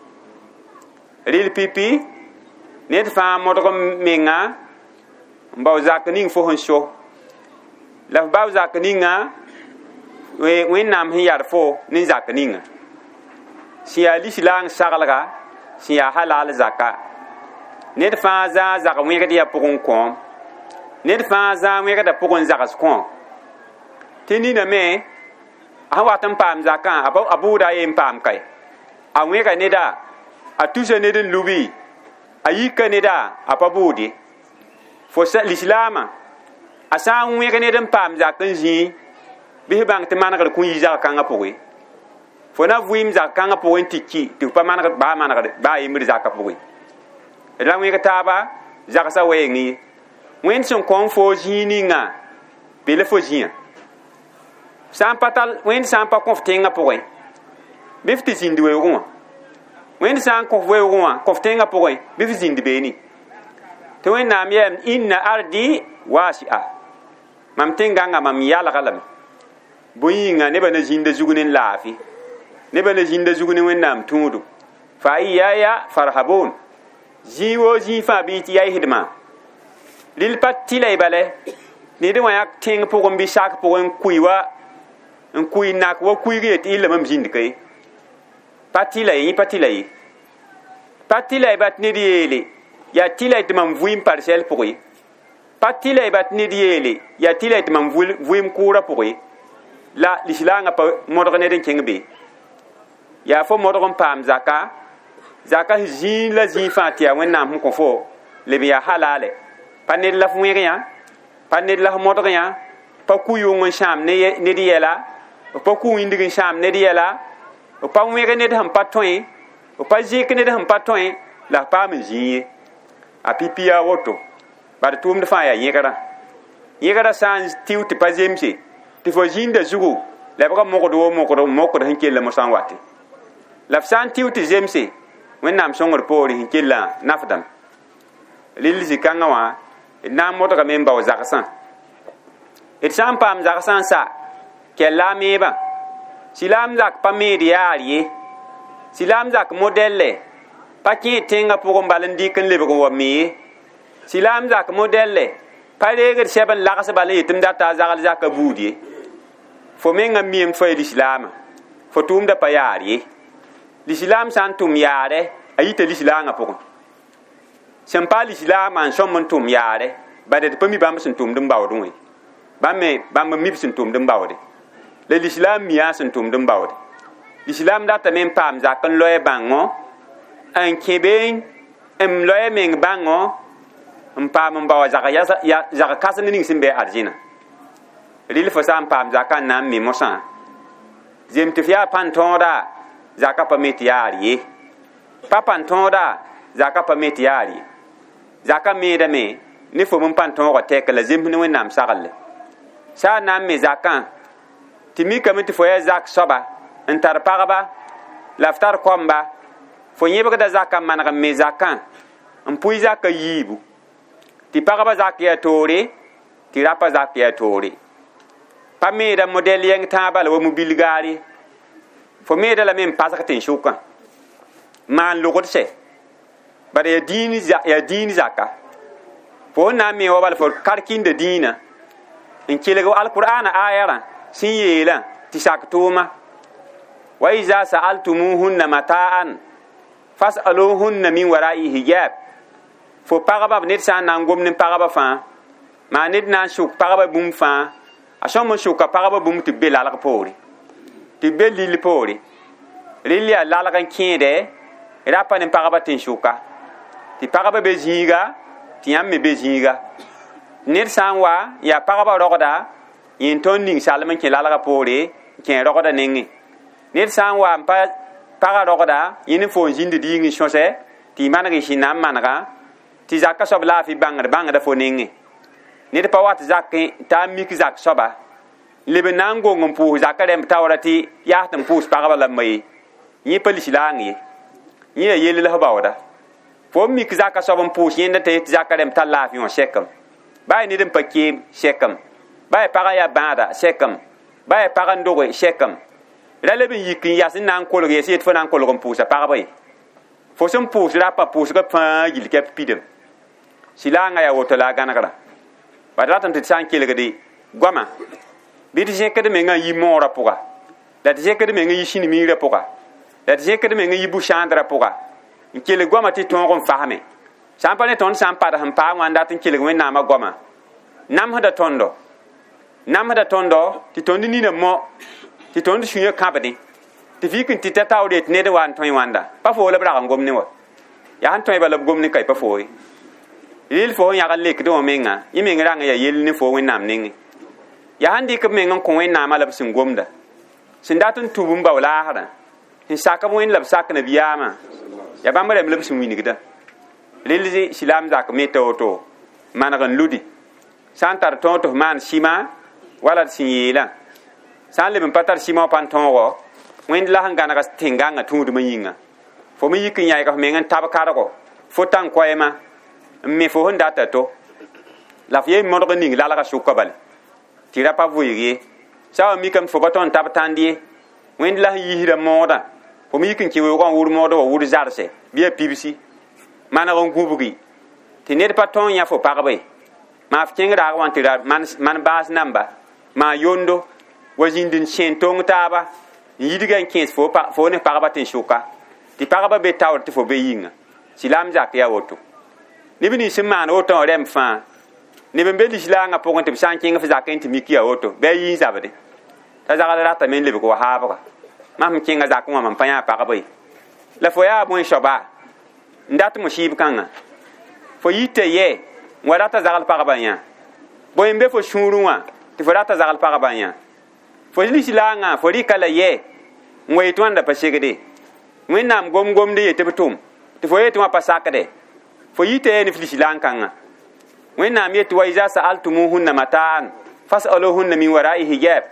rɩl pipi ned fãa modg menga n bao zak ning fo sẽn so la f bao zak ninga Wẽnnaam sẽn yar fo ne zak ninga sẽn yaa lislaang saglga sẽn yaa halal zaka ned fãa zãa zag wẽgd yaa pʋgẽ kõom ned fãa zãa wẽgda pʋgẽ zags kõom Tɩ nina me a sẽn wat n paam zakã a bʋʋda a yen paam kae a wẽga neda a tusa ned n lubi a yika neda a pa bʋʋd ye fo lislaamã a sã n wẽg ned n paam zak n zĩi bɩ f bãng tɩ manegr kõ yi zag-kãngã pʋgẽ fo na vɩɩm zag-kãngã pʋgẽ tɩ ki tɩ f pa manegd baa manegd baa yembr zakã pʋgẽ la wẽg taaba zagsã weeng ye wẽnd sẽn kõ fo zĩig ninga be la fo zĩã sã n pa tar wẽnd sã n pa kõ f tẽngã pʋgẽ bɩ f tɩ zĩnd weoogẽ wã wẽnd sã n kõ f weoogẽ wã kõ f tẽngã pʋgẽ bɩ f zĩnd beene tɩ wẽnnaam yeelame inna ardi wasi'a mam tẽn-gãngã mam yalga lame bõe yĩnga nebã na zĩnda zug ne laafɩ nebã na zĩnda zug ne wẽnnaam tũudo fa iyaya farhabun zĩig woo zĩig fãa bɩ tɩ yaɩsdmã rɩl pa tɩla y bale ned wã yaa tẽng pʋgẽ bɩ sak pʋgẽ n kʋɩ wa n kʋɩ nak wa kuig yet illa mam zĩnd ka ye pa tɩla ye yẽ pa tɩla ye pa tɩla y bat ned yeele yaa tɩla y tɩ mam vɩɩm parsɛl pʋgẽ ye pa tɩla y bat ned yeele yaa tɩla y tɩ mam vɩɩm kʋʋrã pʋgẽ ye la lislaangã pa modg ned n kẽng be yaa fo modg n paam zaka zaka zĩig la zĩig fãa tɩ yaa wẽnnaam sẽn kõ fo leb n yaa halale pa ned la f wẽg yã pa ned la f modg yã pa ku-yʋng n sãam ned yɛla pa ku-wĩndg n sãam ned yɛla pa wẽg ned sẽn pa tõe pa zẽk ned sẽn pa tõe la f paam n zĩig ye a pipi yaa woto bad tʋʋmd fãa yaa yẽgrã yẽgrã sã n tɩ tɩ pa zemse tɩ fo zĩnda zugu la b ga mogd wo mokd sẽn kell mosã n wate la f sã n tɩ tɩ zemse wẽnnaam sõngr poore sẽn kellã nafdame rɩl zĩ-kãngã wã d na n modgame n bao zagsã d sã n paam zagsã n sa kɛlla a meebã silaam zak pa meed yaar ye silaam zak modɛlle pa kẽed tẽngã pʋgẽ bal n dɩk n lebg n wa me ye silaam zak modɛlle pa reegd sɛb n lags bal n yet m data a zagl zakã buud ye fo mengã miame fa ye lislaamã fo tʋʋmda pa yaar ye lislaam sã n tʋm yaarɛ a yita lislaangã pʋgẽ sẽn pa lislaamã n sõm n tʋm yaarɛ bad d pa mi bãmb sẽn tʋmd n baoodẽ wã bãmb me bãmb n mi b sẽn tʋmd n baoode la lislaam mia sẽn tʋmd n baoode lislaam datame n paam zak n loe bãngo n kẽ be n loe meng bãngo n paam n bao zag kãsem ning sẽn be arzẽna rɩl fo sã n paam zakã n na n me mosã zem tɩ f yaa pãn-tõoda zaka pa me tɩ yaar ye pa pãn-tõoda zaka pa me tɩ yaar ye zaka meedame ne fo n pãn-tõogã tɛk la zems ne wẽnnaam saglle sã n na n me zakã tɩ mikame tɩ fo yaa zak soaba n tar pagba la f tar kɔmba fo yẽbgda zakã maneg n me zakã n pʋɩ zakã yiibu tɩ pagba zak yaa toore tɩ rapa zak yaa toore pa meeda modɛl yɛng tãabã la wa mu-bilgaare fo meeda lame n pasg tẽn-sʋkã maan logd sɛ bala yaa dĩin zaka fo n na n me wa bala fo karkĩnda dĩinã n kelg alqur'ana ayarã sẽn yeelã tɩ sak tʋʋma wa iza sa'altumuhunna mata'an fas'aluhunna min wara'i hijab fo pagba ned sã n na n gom ne pagba fãa maa ned na n sʋk pagba bũmb fãa a sõm n sʋka pagba bũmb tɩ b be lalg poore tɩ b be lill poore rɩl yaa lalg n kẽede rapa ne pagba tẽn-sʋka tɩ pagba be zĩiga tɩ yãmb me be zĩiga ned sã n wa yaa pagba rogda yẽn tõnd ning salem n kẽ lalgã poore n kẽ rogda nengẽ ned sã n wa n pa pagã rogda yẽnd n foon zĩnd diing n sõsɛ tɩ y maneg y sẽn na n manega tɩ zakã soab laafɩ bãngd bãngda fo nengẽ ned pa wat zakẽ t'a mik zak soaba leb n na n gong n pʋʋs zakã rẽmb taoora tɩ yaa tɩ n pʋʋs pagba la ma ye yẽ pa lislaang ye yẽ yaa yell la f baooda fo n mik zakã soab n pʋʋs yẽnda t'a yet zakã rẽmb tar laafɩ wã sɛkem baa yaa ned n pa keem sɛkem baa yaa pagã yaa bãada sɛkem baa yaa pag n doge sɛkem ra leb n yik n yas n na n kolg yɛs yet fo na n kolg n pʋʋsa pagba ye fo sẽn pʋʋs rapa pʋʋsgã fãa yil kɛp pidem silaangã yaa woto la a gãnegrã bad ratame tɩ d sã n kelgde goama bɩ d zẽkd mengã n yi moorã pʋga la d zẽkd meng n yi sĩn-miirã pʋga la d zẽkd meng n yi bu-sãandrã pʋga n kelg goamã tɩ tõog n fasme sã n pa ne tõnd sã n pad sẽn paam wã n dat n kelg wẽnnaamã goamã namsda tõndo Namsda tõndo tɩ tõnd nina mo tɩ tõnd sũyã kãbdẽ tɩ f yik n tɩ ta taoor yetɩ ned n wa n tõe wãnda pa foo la b rag n gom ne wa yaa sẽn tõe bala b gom ne ka pa foo ye rɩl fo sẽn yãg n lekdẽ wã menga yẽ meng rãng yaa yell ne fo Wẽnnaam nengẽ yaa sẽn dɩk b meng n kõ Wẽnnaamã la b sẽn gomda sẽn dat n tũb n bao laasrã sẽn sak b Wẽnd la b sak nabiyaamã yaa bãmb rẽmb la b sẽn wilgda rɩl silaam zak me ta woto maneg n ludi sã n tar tõog tɩ f maan sɩma wala d sẽn yeelã sã n leb n pa tar sɩma wã pa n tõogo Wẽnd la sẽn gãneg tẽn-gãngã tũudmã yĩnga fo me yik n yãyg f meng n tab kargo fo tãn koɛɛmã n me fo sẽn data to la f yen modg n ning lalgã sʋka bale tɩ ra pa vʋɩg ye sã wa mikame tɩ fo pa tõnd tab tãnd ye Wẽnd la sẽn yiisda moodã fo me yik n kẽ weoogã n wʋr moodã wa wʋr zarse bɩ a pibsi maneg n gũbgi tɩ ned pa tõe n yã fo pagba ye maa f kẽng raag wã tɩ ra man baas namba maa yondo wa zĩnd n sẽen tong taaba n yidga n kẽes fo ne pagba tɩ n sʋka tɩ pagba be taoor tɩ fo be yĩnga silaam zak yaa woto neb nins sẽn maan woto wã rɛmb fãa neb n be lislaangã pʋgẽ tɩ b sã n kẽng f zakẽ tɩ mik yaa woto bɩ a yi n zabde t'a zagl ratame n lebg wa haabga mam sẽn kẽngã zakẽ wã mam pa yã pagba ye la fo yaa bõe soaba n dat musɩɩb kãngã fo yita yɛ n wa rata zagl pagba yã bõe n be fo sũurẽ wã tɩ fo rata zagl pagba yã fo lislaangã fo rɩka la yɛ n wa yetɩ wãnda pa segde Wẽnnaam gom-gomd yetɩ b tʋm tɩ fo yetɩ wã pa sakde fo yita yɛ ne f lislaang kãngã Wẽnnaam yetɩ wa iza sa'altumuhunna mataan fas'aluhunna min wara'i hijab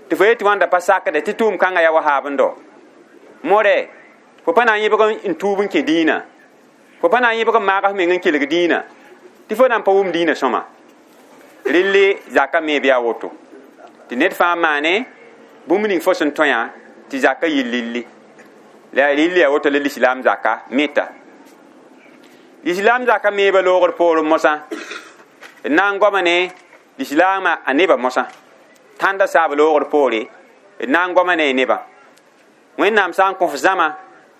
tɩ fo yetɩ wãnda pa sakde tɩ tʋʋm kãngã yaa wa haabendo more fo pa na n yẽbg n tuub n kẽ dĩinã fo pa na n yẽbg n maag f meng n kelg dĩinã tɩ fo na n pa wʋm dĩinã sõma relle zaka me bɩ a woto tɩ ned fãa maane bũmb ning fo sẽn tõe tɩ zaka yɩ lilli la rɩl yaa woto la lislaam zaka meta lislaam zaka meeba loogr poorẽ mosã d na n goama ne lislaamã a nebã mosã tãnda saab loogr poore d na n goama ne nebã Wẽnnaam sã n kõ f zãma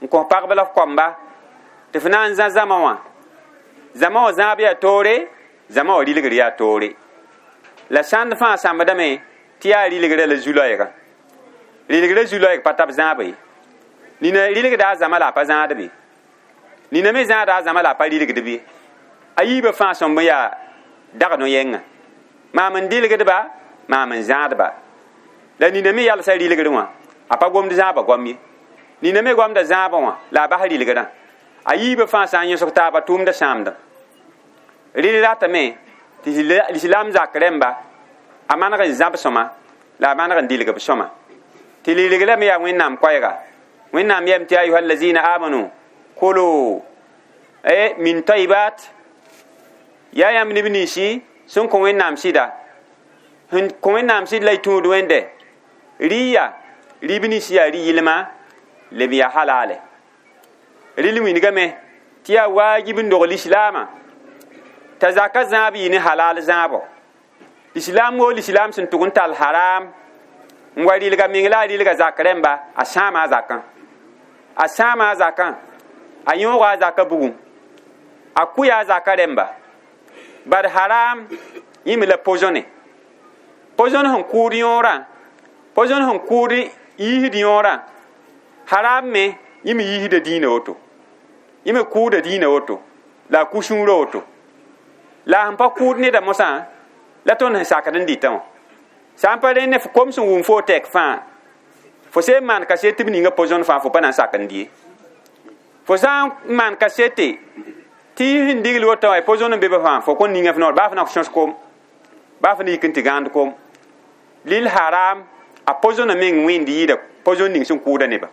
n kõ pagb la f koamba tɩ f na n zã zãma wã zãma wã zãab yaa toore zãma wã rɩlgr yaa toore la sãnd fãa sãmbdame tɩ yaa rɩlgrã la zu-loɛɛgã rɩlgrã zu-loɛɛg pa tab zãaba ye nina rɩlgda a zãma la a pa zãad be nina me zãada a zãma la a pa rɩlgd be a yiibã fãa sõmb n yaa dag no-yɛngã maam n dɩlgdba maam n zãadba la nina me yalsa rɩlgrẽ wã a pa gomd zãaba goam ye nina me goamda zãabã wã la a bas rɩlgrã a yiibã fãa sã n yõsg taaba tʋʋmda sãamdã rɩl ratame tɩ lislaam zak rẽmba a maneg n zãb sõma la a maneg n dɩlg b sõma tɩ lilgrame yaa Wẽnnaam koɛɛga Wẽnnaam yɛm tɩ ayuha allazina amanu kulu min tayyibat yaa yãmb neb ninsi sẽn kõ Wẽnnaam sɩda sẽn kõ Wẽnnaam sɩd la y tũud wẽnde rɩ-ya rɩb nins yaa rɩ-yɩlma leb yaa halale rɩl wilgame tɩ yaa waajib n dog lislaamã t'a zaka zãab yɩ ne halal zãabo lislaam woo lislaam sẽn tʋg n tall haram n wa rɩlga meng la a rɩlga zak rẽmba a sãama a zakã a sãama a zakã a yõoga a zaka bugum a kʋya a zaka rẽmba bad haram yẽ me la pozone pozone sẽn kʋʋd yõorã pozone sẽn kʋʋd yiisd yõorã haram me yẽ me yiisda dĩinã woto yẽ me kʋʋda dĩinã woto la a kʋ sũurã woto la sẽn pa kʋʋd neda mosã la tõnd sẽn sakd n dɩtã wã sã n pa rẽ ne f kom sẽn wʋm fo tɛk fãa fo sẽn maan kaset tɩ b ninga pozone fãa fo pa na n sak n dɩ ye fo sã n maan kasete tɩ sẽn digl woto wã pozone n be ba fãa fo kõn ninga f noor baa f na sõs kom baa f na yik n tɩ gãand kom lil haram a pozone meng wẽnd yɩɩda pozone ning sẽn kʋʋda nebã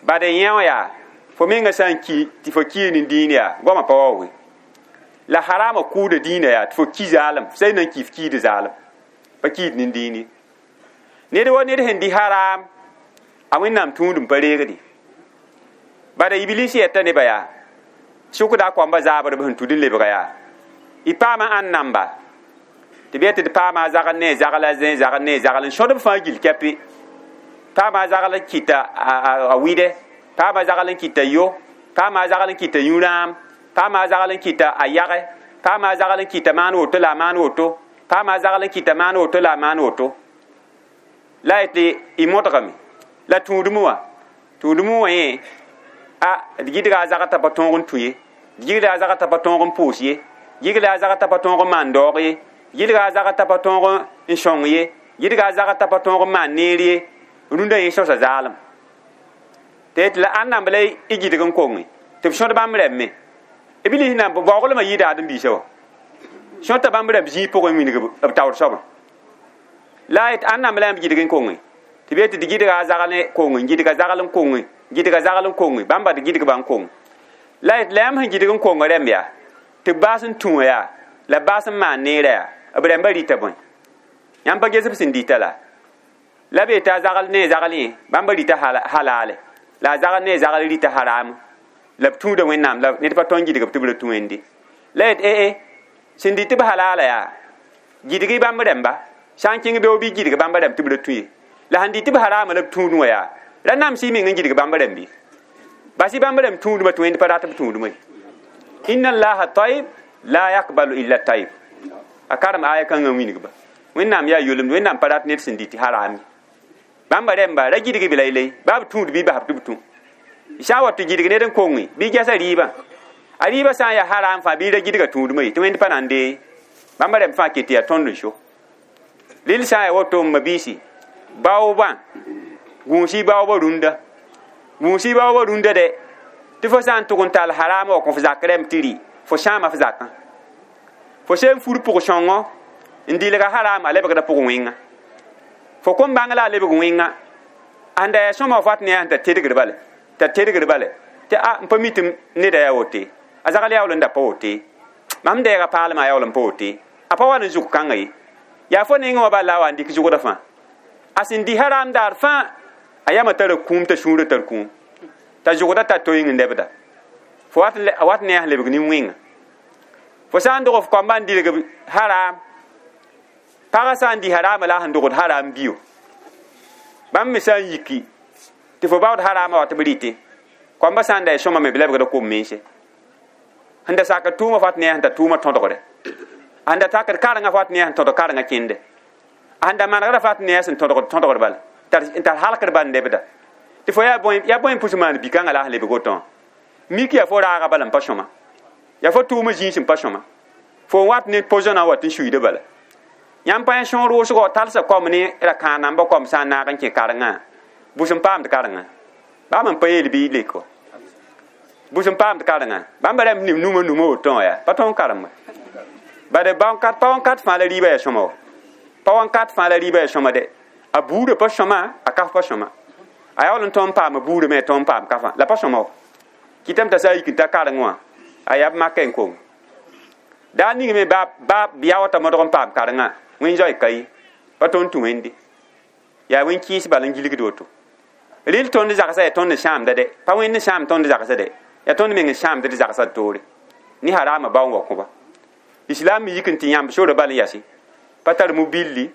bad n yẽ wã yaa fo menga sã n ki tɩ fo ki ne dĩin yaa goamã pa waooge la harama kʋʋda dĩinã yaa tɩ fo ki zaalem sã y na n ki f kiida zaalem pa kiid nin dĩin ye ned wa ned sẽn dɩ haram a Wẽnnaam tũud n pa reegde bada iblis yɛta nebã yaa sʋkda a koamba zaabr b sẽn tud n lebga yaa y paama ãn namba tɩ b yetɩ d paama a zagl ne zagl a zẽ zagl ne zagl n sõdb fãa gill kɛpe paama a zagl n kɩta a wɩdɛ paama a zagl n kɩta yo paama a zagl n kɩta yũ-rãam paama a zagl n kɩta a yage paama a zagl n kɩta maan woto la a maan woto Paama a zagl n kɩta maan woto la a maan woto la yetɩ y modgame la tũudmẽ wã tũudmẽ wã yẽ a d gɩdga a zagr t'a pa tõog n tũ ye, d gɩdga a zagr t'a pa tõog n pʋʋs ye, gɩdga a zagr t'a pa tõog n maan daoog ye, gɩdga a zagr t'a pa tõog n sõng ye, gɩdga a zagr t'a pa tõog n maan neer ye. Rũndã yẽ sõsa zaalem tɩ yetɩ la ãnd la y gɩdg n konge tɩ b sõd bãmb rɛmbme b lis na baooglmã yɩɩda ãdem-biisã wã sõta bãmb rɛmb zĩig pʋgẽ wilg b taoor soabã la yet ãnd la yãmb gɩdg n konge tɩ b yetɩ d gɩdga a zagl konge, gɩdga zagl n konge, gɩdga zagl n konge, bãmba d gɩdg ba n konge la yet la yãmb sẽn gɩdg n konga rɛmb yaa tɩ b baas n tũ yaa la baas n maan neerã yaa b rɛmbã rɩta bõe yãmb pa ges b sẽn dɩta la la be t'a zagl ne zagl yẽ bãmba rɩta halaale la a zagl ne zagl rɩta haram la b tũuda Wẽnnaam la ned pa tõe n gɩdg b tɩ b ra tũ wẽnde la yet ee sẽn dɩt b halaala yaa gɩdg-y bãmb rɛmba sã n kẽng beoog bɩ gɩdg bãmba rɛmb tɩ b ra tũ ye la sẽn dɩt b harama la b tũudẽ wã yaa ra nams y meng n gɩdg bãmb rɛmb ye bas y bãmb rɛmb tũudmã tɩ wẽnd pa rat b tũudmã ye. Inna allaha tayib la yakbalu illa tayib a karem aya kãngã wilgba Wẽnnaam yaa yolemd Wẽnnaam pa rat ned sẽn dɩt haram ye. Bãmba rɛmba ra gɩdg b laylay baa b tũud bɩ bas tɩ b tũ sã n wa tɩ gɩdg ned n konge bɩ gɛsa rɩɩbã a rɩɩbã sã n yaa haram fãa bɩ ra gɩdga tũudmã ye tɩ wẽnd pa na n dee bãmba rɛmb fãa ket tɩ yaa tõnd n so rɩl sã n yaa woto n mabiisi baoobã gũus-y baoobã rũndã gũus-y baoobã rũndã dɛ tɩ fo sã n tʋg n tall harama wa kõ f zak rɛmb tɩ rɩ fo sãama f zakã fo seen fur pʋg-sõngo n dɩlga haram a lebgda pʋg wẽnga fo kõn bãng la a lebg wẽnga ãnda yaa sõma f wat ne yaa t'a tedgr bale t'a tedgr bale tɩ a n pa mi tɩ neda yaa wote a zagl yaool n da pa wote mam deega paalmã yaool n pa wote a pa wa ne zʋg kãngã ye yaa fo nengẽ wã bal la a wa n dɩk zʋgdã fãa a sẽn dɩ haram daar fãa a yama tara kũum t'a sũurã tar kũum t'a zʋgda tar toeng n lebda fo wat ne yaa sẽn lebg nin-wẽnga fo sã n dog f koamba n dɩlg haram pagã sã n dɩ harama la a sẽn dogd haram bio bãmb me sã n yiki tɩ fo baood harama wa tɩ b rɩtẽ koambã sã n da ya sõma me b lebgda kom mense sẽn da sakd tʋʋmã f wat ne yaa sẽn tar tʋʋmã tõdgre sẽn da takd karengã f wat ne yaa sẽn tõdg karengã kẽnde sẽn da manegda f wat ne yaa sẽn tõdgd tõdgr bala n tar halkd bal n lebda tɩ fo yaa bõe n pʋs maan bi-kãngã la a sẽn lebg woto mik yaa fo raaga bala n pa sõma yaa fo tʋʋmã zĩis n pa sõma fo n wat ne pozõnã wa tɩ n suiida bala yãmb pa yã sõor wʋsgo talsa kom ne ra kãag namba kom sã n naag n kẽ karengã bʋs n paamd karengã bãmb n pa yeel bɩ lek wa bʋs n paamd karengã bãmba rãmb nim numa numa woto wã yaa pa tõnd karemba bade pa wãnkat fãa la rɩɩbã yaa sõma wa pa wãnkat fãa la rɩɩbã yaa sõma dɛ a buudã pa sõma a kaf pa sõma a yaool n tõnd n paama buudã me a tõnd n paam kafã la pa sõma wa kɩtame t'a sã n yik n ta kareng wã a yaa b makã n kong daa ning me ba yaoota modg n paam karengã wẽn zoe ka ye pa tõnd tũ wẽnde yaa wẽn kɩɩs bal n gilgd woto rɩl tõnd zagsã yaa tõnd n sãamda dɛ pa wẽnd n sãam tõnd zagsã dɛ yaa tõnd meng n sãamd d zagsã d toore ne harama bao n wa kõ-ba islam me yik n tɩ yãmb sora bal n yase pa tar mobilli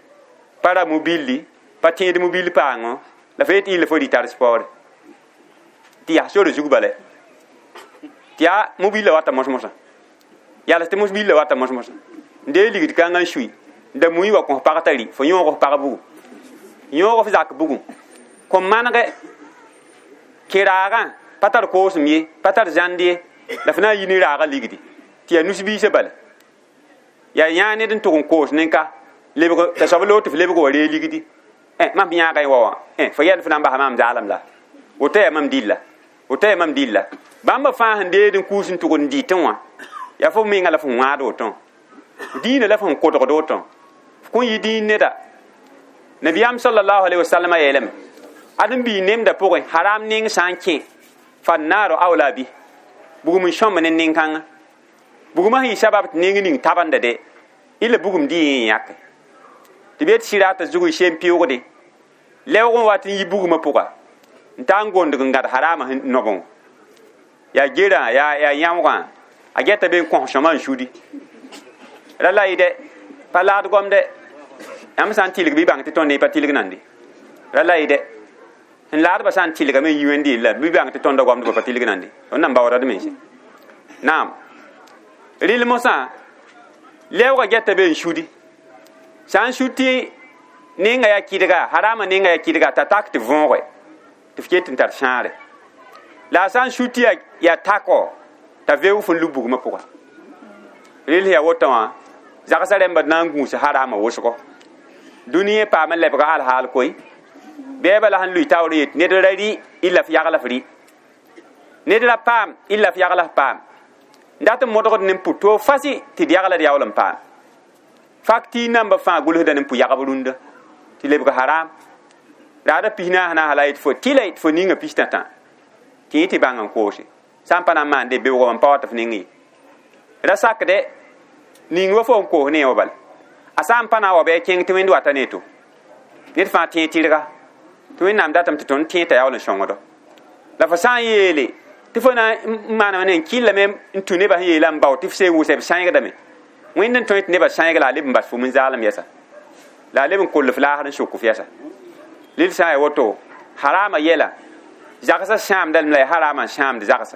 pa ra mobilli pa tẽed mobil paangõ la fo yet illa fo rɩ tar spɔɔre tɩ yaa sora zug bala tɩ yaa mobillã wata mos-mosã yals tɩ mobillã wata mos-mosã n dee ligd kãngã n sui da mui wa kõ pag t'a rɩ fo yõog f pag bugum yõog f zak bugum kõ manegɛ kẽ-raagã pa tar koosem ye pa tar zãnd ye la fo na n yi ne raagã ligdi tɩ yaa nus-biisã bala yaa yãag ned n tʋg n koos nin-ka lebg t'a soab loog tɩ f lebg wa ree ligdi mam yãaga y wa wã fo yɛl fo na n basa maam zaalem la woto yaa mam dilla woto yaa mam dilla bãmba fãa sẽn deed n kuus n tʋg n dɩtẽ wã yaa fo menga la fo wãad woto diinã la fo sẽn kodgd woto f kõn yɩ dĩin neda nabiyaam sallallahu alaihi wasallam yeelame ad n bii nemdã pʋgẽ haram ning sã n kẽ fannaaro awla bi bugum n sõmb ne nin-kãngã bugmã sẽn yɩ sabab tɩ neng ning tabenda dɛ ila bugum dɩ yẽ yãke tɩ b yet sɩrata zug y sem pɩʋgde lɛoog n wat n yi bugmã pʋga n taa n gondg n gãd harama nobẽ yaa gerã yaa yãoogã a gɛta be n kõs sõma n sudi ra la yɩ dɛ pa laad goam dɛ yãmb sã n tɩlg bɩ bãng tɩ tõnd ne pa tɩlg nande ra la yɩ dɛ n laadbã sã n tɩlgame n yi wẽnd yella bɩ bãng tɩ tõnda goamdbã pa tɩlg nande tõnd na n baoodad mense naam rɩl mosã lɛoogã gɛta be n sudi Sã n su tɩ nenga yaa kɩdga, harama nenga yaa kɩdga, t'a tak tɩ võoge tɩ f ket n tar sãare. La a sã n su tɩ yaa takɔ, t'a veoog f n lub bugmã pʋga. Rel yaa woto wã, zagsã rẽmba na n gũus harama wʋsgo. Dũni paam n lebga alhaal koe. Bɛɛba la sẽn lʋɩ taoor yet ned ra rɩ illa f yagl f rɩ. Ned ra paam illa f yagl f paam. Dat n modgd ne n pʋ toog fasi tɩ d yagla d yaool n paam. Faktiir namba fãa gʋlsda ne n pʋ yagb rũndã tɩ lebg haram. Raada 44 la yet fo tɩla tɩ fo ninga 63 tɩ yẽ tɩ bãng n koose. Sã n pa na n maande beoogã n pa wa tɩ f ning ye. Ra sakde ning wa fo n koos ne wã bala. A sã n pa na n wa bɩ a kẽng tɩ Wẽnd wata ne to. Ned fãa tẽeg tɩrga tɩ Wẽnnaam datame tɩ tõnd tẽeg t'a yaool n sõngdo. La fo sã n yeele tɩ fo na n maaname ne n kɩllame n tũ nebã sẽn yeela n bao tɩ f see wʋsɛ b sãengdame. Wẽnd n tõe tɩ nebã sãeng la a leb n bas fo n zaalem yɛsa. La a leb n koll f laasr n sok f yɛsa. Lel sã n yaa woto, harama yɛla zagsã sãamdame la yaa harama n sãamd zagsã.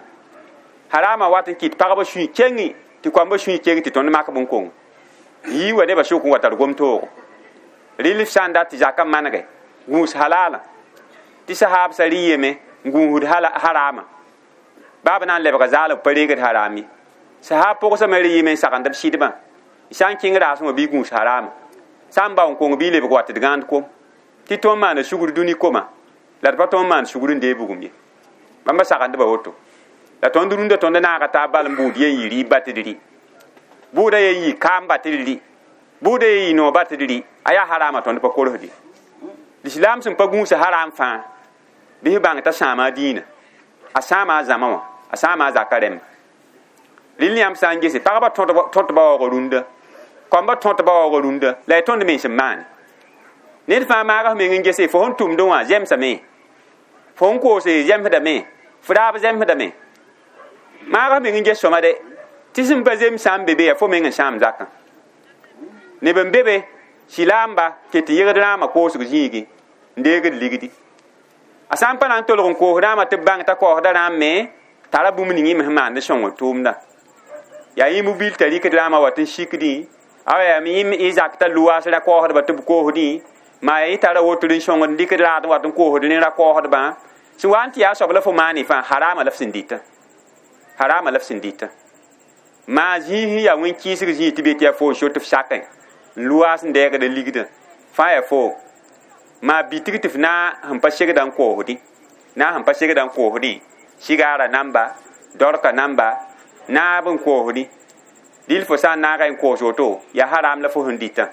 Harama wat n kɩt pagba sũy kengi tɩ koamba sũy keng tɩ tõnd mak bõn-kong. Yii wa nebã sʋk n wa tar gom-toogo. Rɩl f sã n dat tɩ zakã manege gũus halaalã tɩ sahaabsã rɩ yeme n gũusd harama. Baa b na n lebga zaal b pa reegd haram ye. Sahaab pʋgsã me rɩ yeme n sagend b sɩdbã. Sã n kẽng raasẽ wã bɩ gũus harama. Sã n bao n kong bɩ lebg wa tɩ d gãand kom. Tɩ tõnd maana sugr dũni koma la d pa tõnd maan sugr n deeg bugum ye. Bãmba sagendba woto. La tõnd rũndã tõnd naaga taab bal n buud yen yɩ rɩɩb ba tɩ d rɩ. Buudã yen yɩ kaam ba tɩ d rɩ. Buudã yen yɩ noog ba tɩ d rɩ. A yaa harama tõnd pa korsd ye. Lislaam sẽn pa gũus haram fãa bɩ f bãng t'a sãama a dĩinã. A sãama a zãma wã, a sãama a zaka rẽmba. Rɩl yãmb sã n gese pagba tõt ba waoog rũndã, koamba tõt ba waoog rũndã, la y tõnd mens n maane. Ned fãa maaga f meng n gese fo sẽn tʋmdẽ wã zemsame, fo sẽn koose zemsdame, f raab zemsdame. Maaga f meng n ges sõma de, tɩ sẽn pa zems sã n be be yaa fo meng n sãam zakã. Neb n be be silaamba ket tɩ yegd rãamã koosg zĩigi n deegd ligdi. A sã n pa na n tolg n koos rãamã tɩ b bãng t'a kaoosda rãam me tara bũmb ning yẽ me sẽn maand n sõngd tʋʋmdã. Yaa yĩmb bil t'a rɩkd rãamã wa tɩ n sikdẽ, a yaa yẽ zak t'a lʋwaas ra kaoosdba tɩ b koosdẽ, maa yaa yẽ tara wotr n sõngd n dɩkd raad n wat n koosd ne ra kaoosdbã. Sẽn wa n tɩ yaa soab la fo maane fãa harama la f sẽn dɩtã. Harama la f sẽn dɩtã. Maa zĩis yaa wẽn-kɩɩsg zĩig tɩ be tɩ yaa fo n sot f sakẽ n lʋwaas n dɛɛgd ligdã fãa yaa fo. Maa bitg tɩ f na sẽn pa segda n koosdẽ, na sẽn pa segda n koosdẽ, sigaara namba, dorka namba, naab n koosdẽ. Dɩl fo sã n naaga n koos woto, yaa haram la fo sẽn dɩtã.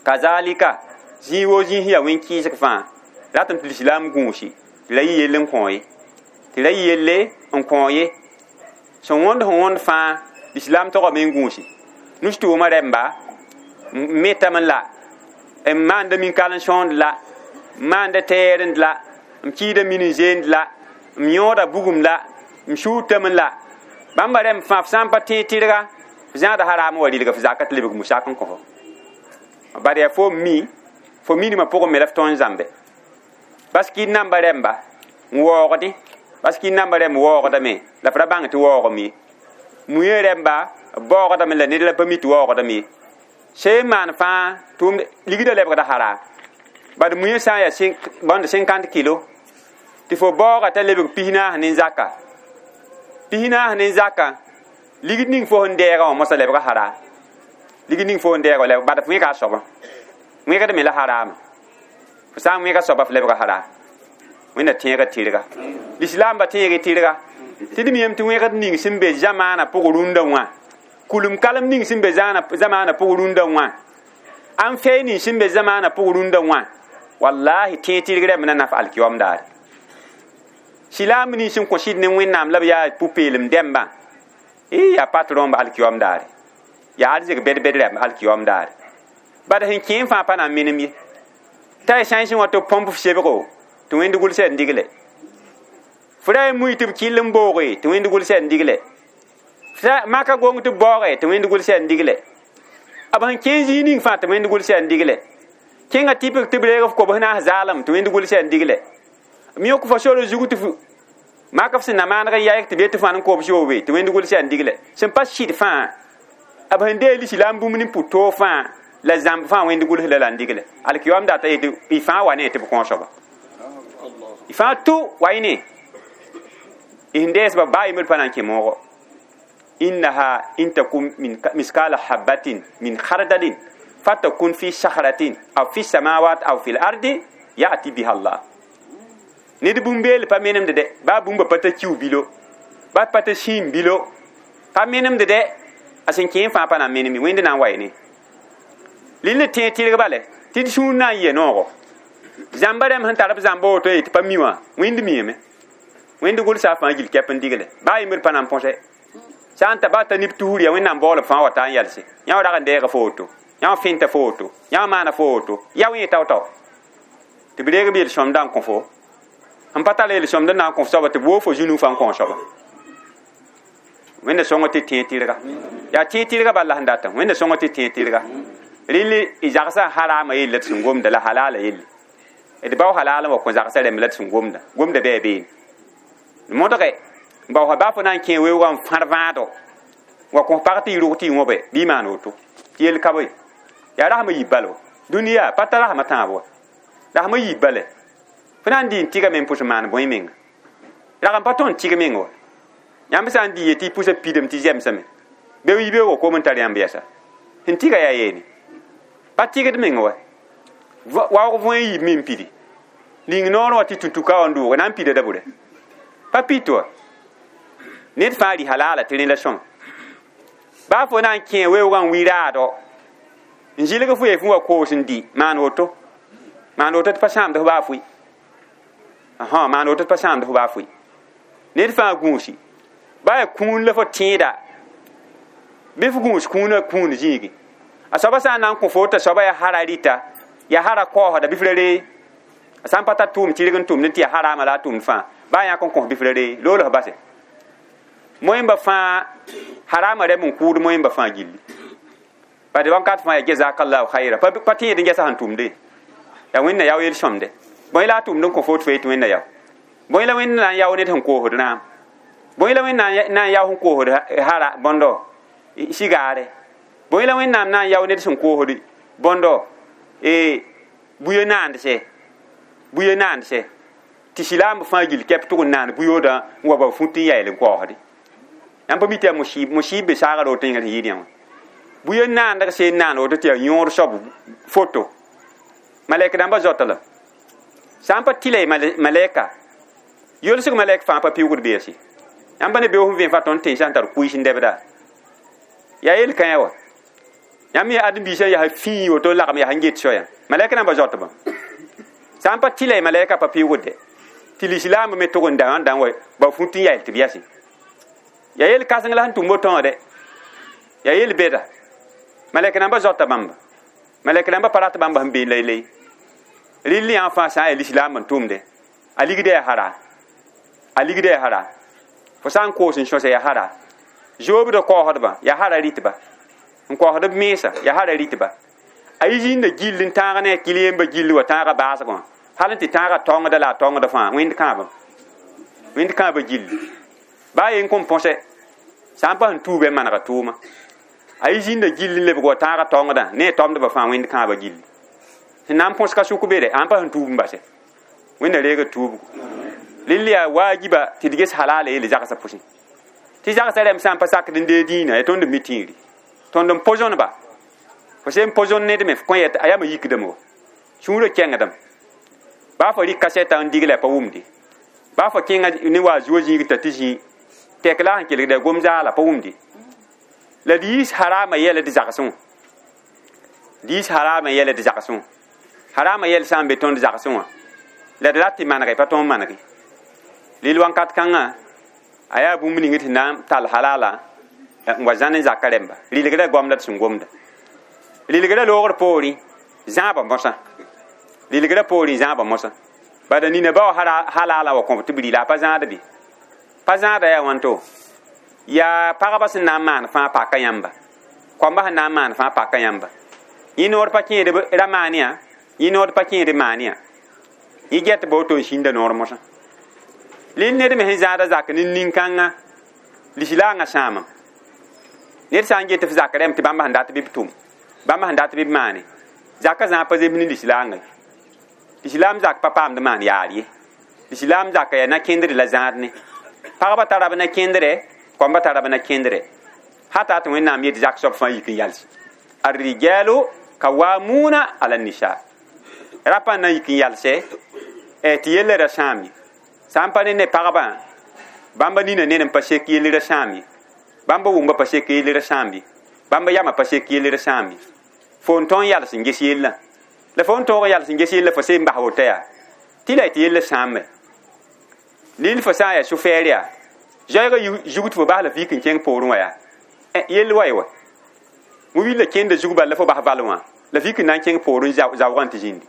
Kazalika, zĩig woo zĩis yaa wẽn-kɩɩsg fãa, ratame tɩ lislaam gũusi tɩ ra yɩ yell n kõ ye. Tɩ ra yɩ yelle n kõ ye. Sẽn wõnd fãa, lislaam togame n gũusi. Nus-tʋʋmã rẽmba, n metame la, n maanda min-kal n sõond la, n maanda tɛɛrend la, n kiida min n zeend la, n yõoda bugum la, n shuutame la. Bãmba rẽmb fãa f sã n pa tẽeg tɩrga, f zãada haram wa rɩlga f zaka tɩ lebg musak n kõ fo. Bad yaa fo mi, fo minimã pʋgẽ me la f tõe n zãmbe. Baskir namba rẽmba n waoogdẽ, baskir namba rẽmb waoogdame la f ra bãng tɩ waoogame ye. Muiã rẽmba b baoogdame la ned la pa mi tɩ waoogdame ye. Sẽn maan fãa tʋʋmd ligdã lebgda haram. Bad muiã sã n yaa bõnd 50 kilo tɩ fo baooga t'a lebg 44 ne zaka. 44 ne zaka ligd ning fo sẽn dɛɛgã wã mosã lebga haram. Ligd ning fo sẽn dɛɛgã lebg bad f wẽga a soabã. Wẽgd me la harama. Fo sã n wẽga soaba f lebga haram. Wẽnna tẽega tɩrga. Lislaamba tẽeg tɩrga. Tɩ d miyame tɩ wẽgd ning sẽn be zamaanã pʋg rũndã wã, kulum kalem ning sẽn be zamaanã pʋg rũndã wã, ãn fɛɛ ning sẽn be zamaanã pʋg rũndã wã, wallahi tẽeg tɩrg rẽmb na naf alkiyoam daare. Silaam ning sẽn kõ sɩd ne Wẽnnaam la b yaa pʋ-peelem dẽmbã, yaa patron b alkiyoam daare. Yaa arzɩg bed-bed rẽmb alkiyoam daare. Bad sẽn kẽem fãa pa na n menem ye. T'a y sãensẽ wã tɩ b põmp f sebgo tɩ Wẽnd gʋlsɛ n digle. F ra y mui tɩ b kɩll n booge tɩ Wẽnd gʋlsɛ n digle. Maka gong tɩ b baooge tɩ Wẽnd gʋlsɛ n digle. B sẽn kẽe zĩig ning fãa tɩ Wẽnd gʋlsɛ n digle. Kẽnga tɩpg tɩ b reeg f kobs naas zaalem tɩ Wẽnd gʋlsɛ n digle. M yõk fo sor zug tɩ f mak f sẽn na maaneg n yaɩg tɩ be tɩ f n kobs yoobe tɩ Wẽnd gʋlsɛ n digle. Sẽn pa sɩd fãa, b sẽn deeg lislaam bũmb ne pʋ-toog fãa, La zãmb fãa wẽnd gʋls la la n digle alkiyom data yetɩ y fãa wa ne tɩ b kõ soaba y fãa tʋ wa y ne y sẽn deesba baa yembr pa na n kẽ moogo innaha in takun min miskala habatin min khardalin fatakun fi sakhratin aw fi samawat aw fi al-ardi ya'ti biha Allah ned bũmb-beel pa menemd dɛ baa bũmba pa ta kiu bilo ba pa ta sĩim bilo pa menemd dɛ a sẽn kẽ fãa pa na n meneme wẽnd na n wa y ne lill tẽeg tɩrg bale tɩ d sũur na n yɩa noogo zãmba rãmb sẽn tar b zãmba woto yetɩ pa mi wã wẽnd miame wẽnd gʋlsa a fãa gil kɛp n digle baa yembr pa na n põse sã n ta baa ta neb tusr ya wẽnnaam baoolb fãa wa taa n yalse yã wa rag n deega fo woto yã wa fẽnta fo woto yã wa maana fo woto ya wẽ tao-tao tɩ b reeg b yel-sõmdã n kõ fo n pa tar yel-sõmd n na n kõ f soaba tɩ b woog fo zũnu fã n kõ soaba wẽnda sõng tɩ tẽeg tɩrga yaa tẽeg tɩrga bal la sẽn datã wẽnda sõng tɩ tẽeg tɩrga rɩl y zagsã harama yelle d sẽn gomda la halala yelle d bao halala wa kõ zagsã rẽmb la d sẽn gomda gomda bɩ a beene modge bao baa fo na n kẽ weoogã n fãr vãado wa kõ pag tɩ y rog tɩ y wõbe bɩ y maan woto tɩ yel ka bõe yaa rasmã yiib bal wa dũniyã pa ta rasmã tãab wa rasmã yiib bale fo na n dɩ n tɩgame n pʋs n maan bõe menga rag n pa tõnd tɩg meng wa yãmb sã n dɩ yetɩ y pʋsa pidame tɩ zemsame be yibeoogã kom n tar yãmb yɛsa sẽn tɩga yaa yeene pa tɩgd meng wa waoog võe yiib me n pidi ning noor wã tɩ tũ-tʋka wã n doog na n pida da bʋre pa pit wa ned fãa rɩ halala tɩ rẽ la sõma baa fo na n kẽ weoogã n wi raado n zɩlg fo ye fũ wa koos n dɩ maan woto tɩ pa sãamd f baa fʋɩ maan woto tɩ pa sãamd f baa fʋɩ ned fãa gũusi baa yaa kũun la fo tẽeda bɩ f gũus kũunã kũun zĩigi a soaba sã n na n kõ fo t'a soaba yaa hara rɩta yaa hara kaoosda bɩ f ra ree a sã n pa tar tʋʋm tɩrg n tʋmd tɩ yaa haraama la a tʋmd fãa baa yãk n kõs bɩ f ra ree loolg base moẽmba fãa harama rɛm n kʋʋd moẽmba fãa gilli bad wãnkat fãa yaa jazakallahu khayra pa tẽed n gɛsa sẽn tʋmde yaa wẽnna yao yel-sõmde bõe la a tʋmd n kõ fo tɩ fo yetɩ wẽnna yao bõe la wẽnd na n yao ned sẽn koosd rãam bõe la wẽnnaam na n yao sẽn koosd hara bõndo sigaare bõe la wẽnnaam na n yao ned sẽn koosd bõndo buyo naandse tɩ silaamb fãa gil kɛp tʋg n naan buyoodã n wa ba fut n yael n kaoosde yãmb pa mi tɩ yaa musib be saagr woto yẽnga sẽn yɩɩd yã wã buyo naandg seen naan woto tɩ yaa yõor soab foto malɛk dãmbã zoata la sã n pa tɩla malɛka yolsg malɛk fãa pa piʋgd beese yãmb ne beoog sẽn vẽ fa tõnd tẽnsã n tar kuiis n dɛbda yaa yel-kãyã wa yãmb yaa ãdem-biisã yaa fĩi woto lagem yaa sẽn get soayã malɛk rãmbã zoatbã sã n pa tɩla malɛka pa piʋgde tɩ lislaambã me tʋg n da wã n dãn wa ba fut n yael tɩ b yase yaa yel-kãseng la sẽn tʋm woto dɛ yaa yel-bɛda malɛk rãmbã zoata bãmba malɛk rãmbã pa rat bãmba sẽn bee laylay rɩl yã fãa sã n yaa lislaam n tʋmde a ligda yaa hara a ligda yaa hara fo sã n koos n sõsa yaa hara zoobdã kaoosdbã yaa hara rɩtba n kaoosd b mensa yaa hara rɩtba a yi zĩnda gill n tãag ne a kil yemba gill wa tãaga baasgã wã hal n tɩ tãaga tɔngda la a tɔngda fãa wẽnd kãabã gilli baa yen kõn põse sã n pa sẽn tuubã manega tʋʋma a yi zĩnda gill n lebg wa tãaga tɔngdã ne a tɔmdbã fãa wẽnd kãabã gilli sẽn na n põs ka sʋk be dɛ ãn pa sẽn tuub n base wẽnna reega tuubgo rɩl yaa waajiba tɩ d ges halala yelle zagsã pʋsẽ tɩ zagsã rãmb sã n pa sakd n dee dĩinã yaa tõnd n mi tĩiri tõnd n pozõneba fo sẽn pozõn ned me f kõ a yama yikdame wa sũurã kẽngdame baa fo rɩk kasɛta n digla pa wʋmde baa fo kẽnga ne wa zuo zĩig t'a tɩ zĩ tɛk la sẽn kelgda gom zaala pa wʋmde la d yiis harama yɛla d zagsẽ wã d yiis harama yɛla d zagsẽ wã harama yɛl sã n be tõnd zagsẽ wã la d rat tɩ manege pa tõnd manege lil wãnkat kãngã a yaa bũmb ning tɩ na n tall halala n wa zãn n zaka rẽmba rɩlgrã goam la d sẽn gomda rɩlgrã loogr poorẽ zãabã mosã rɩlgrã poorẽ zãabã mosã bada nina bao halala wa kõb tɩ b rɩla a pa zãad bɩ pa zãada yaa wãnto yaa pagba sẽn na n maan fãa paka yãmba koamba sẽn na n maan fãa paka yãmba yẽ noor pa kẽed ra maan yã yẽ noor pa kẽed maan yã yẽ get ba woto n sĩnda noor mosã lel ned me sẽn zãada zak ne nin-kãngã lislaangã sãamam ned sã n get f zak rẽmb tɩ bãmb sẽn dat bɩ b tʋm Bãmb sẽn dat bɩ b maane zaka zã pa zems ne lislaangã. Lislaam zak pa paamd maan yaar ye. Lislaam zaka yaa na-kẽndre la zãad ne. Pagba tara b na-kẽndrɛ, kɔmbã tara b na-kẽndrɛ. Hata tɩ Wẽnnaam yet zak soab fãa yik n yals. Arrijalu kawamuna ala nisa. Rapa na yik n yalse tɩ yella ra sãam ye. Sã n pa ne pagbã, bãmba nina ned n pa sek yell ra sãam ye. Bãmba wʋmba pa sek yell ra sãam ye. Bãmba yama pa sek yell ra sãam ye. Fo n tõe n yals n ges yellã. La fo n tõog n yals n ges yella fo seen bas woto yaa. Tɩ la y tɩ yella sãame. Lil fo sã n yaa sʋfɛɛr yaa. Zoɛɛgã zug tɩ fo bas la f yik n kẽng poorẽ wã yaa. Yell wa ye wa. Mo-wil la kẽnda zug bala la fo bas val wã. La f yik n na n kẽng poorẽ zaoogã tɩ zĩndi.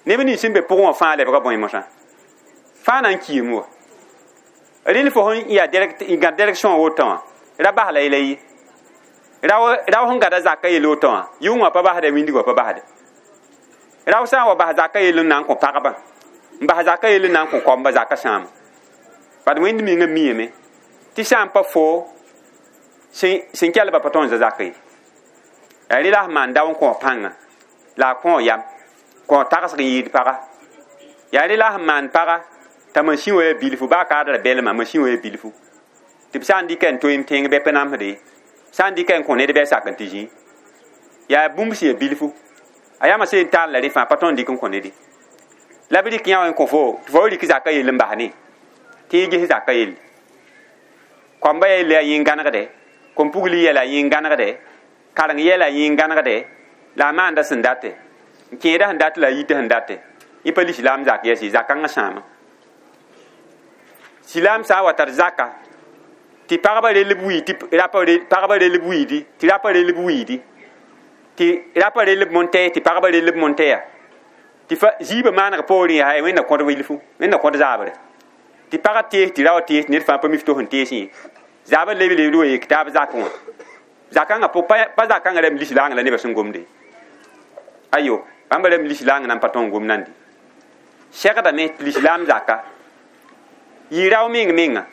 Neb nins sẽn be pʋgẽ wã fãa lebga bõe mosã. Fãa na n kiime wa. Rɩl fo sẽn yaa gãd direction woto wã. Ra bas la yela ye. Rao sẽn gada zaka yel woto wã. Yʋng wã pa basda, wĩndg wã pa basda. Rao sã n wa bas zaka yel n na n kõ pagba. N bas zaka yel n na n kõ koamba zaka sãama. Bad Wẽnd mengã miame tɩ sã n pa fo sẽn kelba pa tõe n za zaka ye. Yaa rɩ la sẽn maan dao n kõ pãnga la a kõ yam kõ tagsg n yɩɩd paga. Yaa rɩ la sẽn maan paga t'a masĩ wã yaa bilfu baa kaadra belmã masĩ wã yaa bilfu. Tɩ b sã n dɩka n toeem tẽng bɩ pa namsde, sã n dɩka n kõ ned bɩ a sak n tɩ zĩ. Yaa bũmb sẽn yaa bilfu. A yamã seen taal la rẽ fãa pa tõe n dɩk n kõ ned ye. La b rɩk yã wã n kõ fo tɩ fo rɩk zaka yell n bas ne. Tɩ y ges zaka yelle. Koamba yelle yaa yẽn gãnegde, kom-pugli yɛla yẽn gãnegde, kareng yɛla yẽn gãnegde, la a maanda sẽn date. N kẽeda sẽn dat la a yita sẽn date. Yẽ pa lislaam zak yɛs ye, zakãngã sãama. Silaam sã n wa tar zaka tɩ pagba rell b wiid, tɩ pagba rell b wiidi, tɩ rapa rell b wiidi, tɩ rapa rell b montɛɛ, tɩ pagba rell b montɛɛya. Tɩ fa ziibã maaneg poorẽ yaa Wẽnna kõd wilfu, Wẽnna kõd zaabre. Tɩ pagã tees tɩ rao tees ned fãa pa mi f to sẽn tees yẽ. Zaabã leb lebd wa yek taab zakẽ wã. Zakãngã pa zakãngã rãmb lislaangã la nebã sẽn gomde. Ayo, bãmba rãmb lislaangã nan pa tõe n gom nandi. Segdame tɩ lislaam zaka. Yɩ rao meng menga.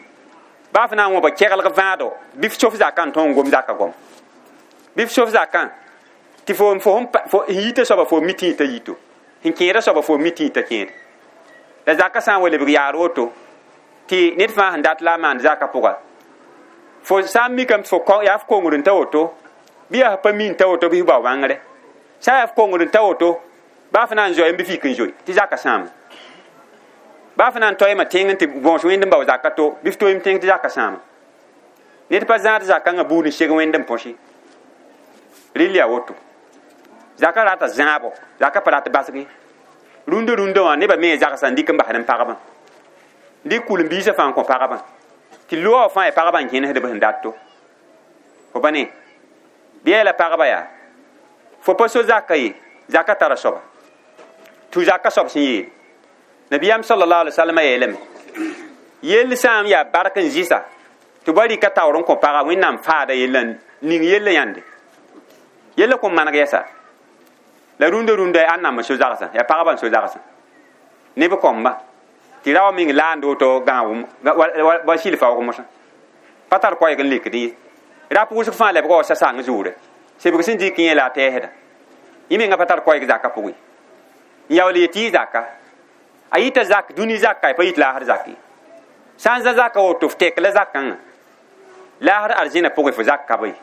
Baa f na n wõba keglg vãado, bɩ f sof zakã n tõe n gom zaka gom. Bɩ f sof zakã tɩ fo yita soaba fo mi tɩ t'a yito. Sẽn kẽeda soaba fo mi tɩ t'a kẽed. La zaka sã n wa lebg yaar woto tɩ ned fãa sẽn dat la a maand zaka pʋga. Fo sã n mikame tɩ fo yaa f kongr n ta woto, bɩ yaa f pa mi n ta woto bɩ f bao bãngre. Sã n yaa f kongr n ta woto, baa f na n zoe n bɩ fik n zoe tɩ zaka sãama. Baa f na n toeema tẽng n tɩ bõos wẽnd n bao zaka to, bɩ f toeem tẽng tɩ zaka sãama. Ned pa zãad zakãngã buud n seg wẽnd n põsi. Rɩl yaa woto. Zaka rata zãabo, zaka pa rat basg ye. Rũndã rũndã wã nebã me zagsã n dɩk n basd n pagbã. Dɩk kul-n-biisã fãa n kõ pagbã. Tɩ loa fãa yaa pagbã n kẽnesd b sẽn dat to. Fo pa ne? Bɩ yaa la pagba yaa. Fo pa so zaka ye, zaka tara soaba. Tɩ zaka soab sẽn yeel. Nabiyaam sallallahu alaihi wasallam yeelame. Yell sã n yaa bark n zɩsa tɩ ba rɩka taoor n kõ paga Wẽnnaam faada yella ning yella yãnde. Yella kõn maneg yɛsa. La rũndã rũndã yaa ãnnam n so zagsã, yaa pagba n so zagsã. Neb kõmba. Tɩ rao meng laand woto gãag wa sɩl faoog mosã. Pa tar koɛɛg n lekd ye. Rap wʋsg fãa lebga wa sasang zuure. Sebg sẽn dɩk yẽ la a tɛɛsda. Yẽ menga pa tar koɛɛg zaka pʋgẽ. N yaool yetɩ yɩ zaka. A yita zak, dũni zaka, pa yit laasr zak ye. Sã n za zaka woto f tek la zakãngã. Laasr arzẽna pʋgẽ fo zak ka be.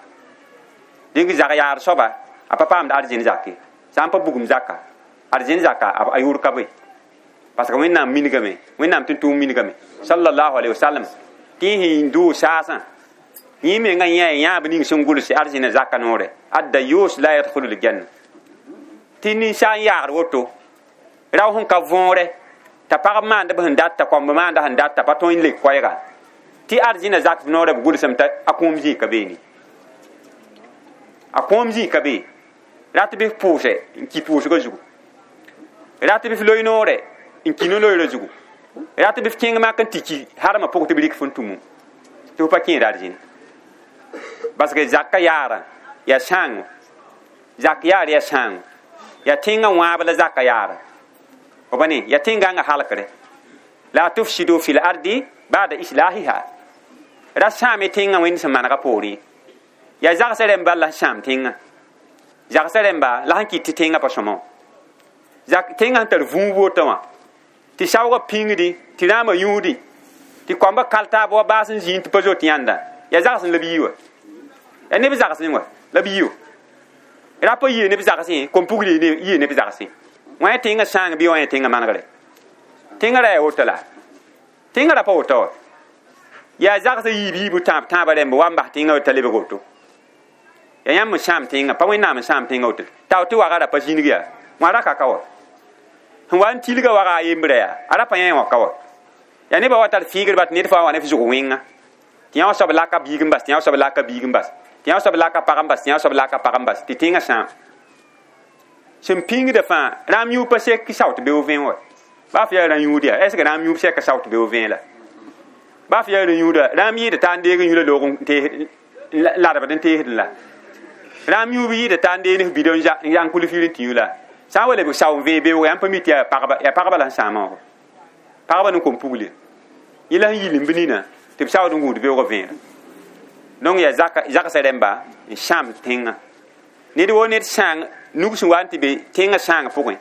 Dẽng zag yaar soaba, a pa paamd arzẽn zak ye. Sã n pa bugum zaka, arzẽn zaka a yʋʋr ka be. Parce que Wẽnnaam mingame, Wẽnnaam tʋm-tʋʋm mingame. Sallallahu alaihi wasallam. Tɩ sẽn dʋʋ saasã. Yẽ menga yã yãab ning sẽn gʋls arzẽna zaka noore. Adda yʋʋs la yadkhulu l-janna. Tɩ ninsaal n yaagd woto. Rao sẽn ka võore, t'a pagb maanda b sẽn dat, t'a kɔmb maanda sẽn dat, t'a pa tõe n lek koɛɛga. Tɩ arzẽna zak noorã b gʋlsame t'a a kũum zĩig ka beene. A kũum zĩig ka be. Rat bɩ f pʋʋsɛ n ki pʋʋsgã zugu. Rat bɩ f loe noorɛ n ki no-loeerã zugu. Rat bɩ f kẽng mak n tɩ ki harmã pʋgẽ tɩ b rɩk f n tũmu. Tɩ f pa kẽed arzẽna. Parce que zaka yaarã yaa sãango. Zak yaar yaa sãango. Yaa tẽngã wãab la zaka yaarã. Fo pa ne? Yaa tẽngãngã halkre. La tufsidu fil ardi ba'da islahiha. Ra sãame tẽngã Wẽnd sẽn manegã poorẽ. Yaa zagsã rẽmb bal la sãam tẽngã. Zagsã rẽmba la sẽn kɩt tɩ tẽngã pa sõma wã tẽngã sẽn tar vũub woto wã tɩ saoogã pĩngdĩ tɩ rãamã yũudĩ tɩ koambã kal taab wa baas n zĩig tɩ pa zoet yãnda yaa zags la b yi wa yaa neb zagsẽ wa la b yi rapa yɩ neb zagsẽ kom-pugl yɩ neb zagsẽ wã ya tẽngã sãang bɩ wã ya tẽngã manegre tẽngã ra yaa woto la tẽngã ra pa woto wa yaa zagsã yiib yiibu tãab tãabã rẽmb wa n bas tẽngã t'a lebg woto yaa yãmb n sãam tẽngã pa wẽnnaam n sãam tẽngã woto tao tɩ waga ra pa zĩnig yaa wã ra ka ka wa sẽn wa n tilga waga a yembrã yaa a ra pa yã wã ka wa yaa nebã wa tar fɩɩgdba tɩ ned fãa wa ne f zʋg wẽnga tɩ yã wã soab laka biig n bas tɩ yã wã soab laka biig n bas tɩ yã wã soab laka pag n bas tɩ yã wã soab laka pag n bas tɩ tẽngã sãam sẽn pĩngda fãa rãam yũub pa sek sao tɩ beoog vẽe wa baa f yaa rã yũud yaa est ce que rãam yũub sɛka sao tɩ beoog vẽe la baa f yaa rã yũuda rãam yɩɩda taa n deeg n yũla loog n ladbd n teesdẽ la rãam yũub yɩɩda taa n deeg ne f bida n yang kul fir n tɩ yũ la sã n wa lebg sao n vẽe beooga yãmb pa mi tɩ yaa pagba la sẽn sãamã wã pagba ne kom-pugl yẽ la sẽn yil n bɩ nina tɩ b saood n gũud beoogã vẽera donc yaa zagsã rẽmba n sãam tẽngã ned woo ned sãang nug sẽn wa n tɩ be tẽngã sãang pʋgẽ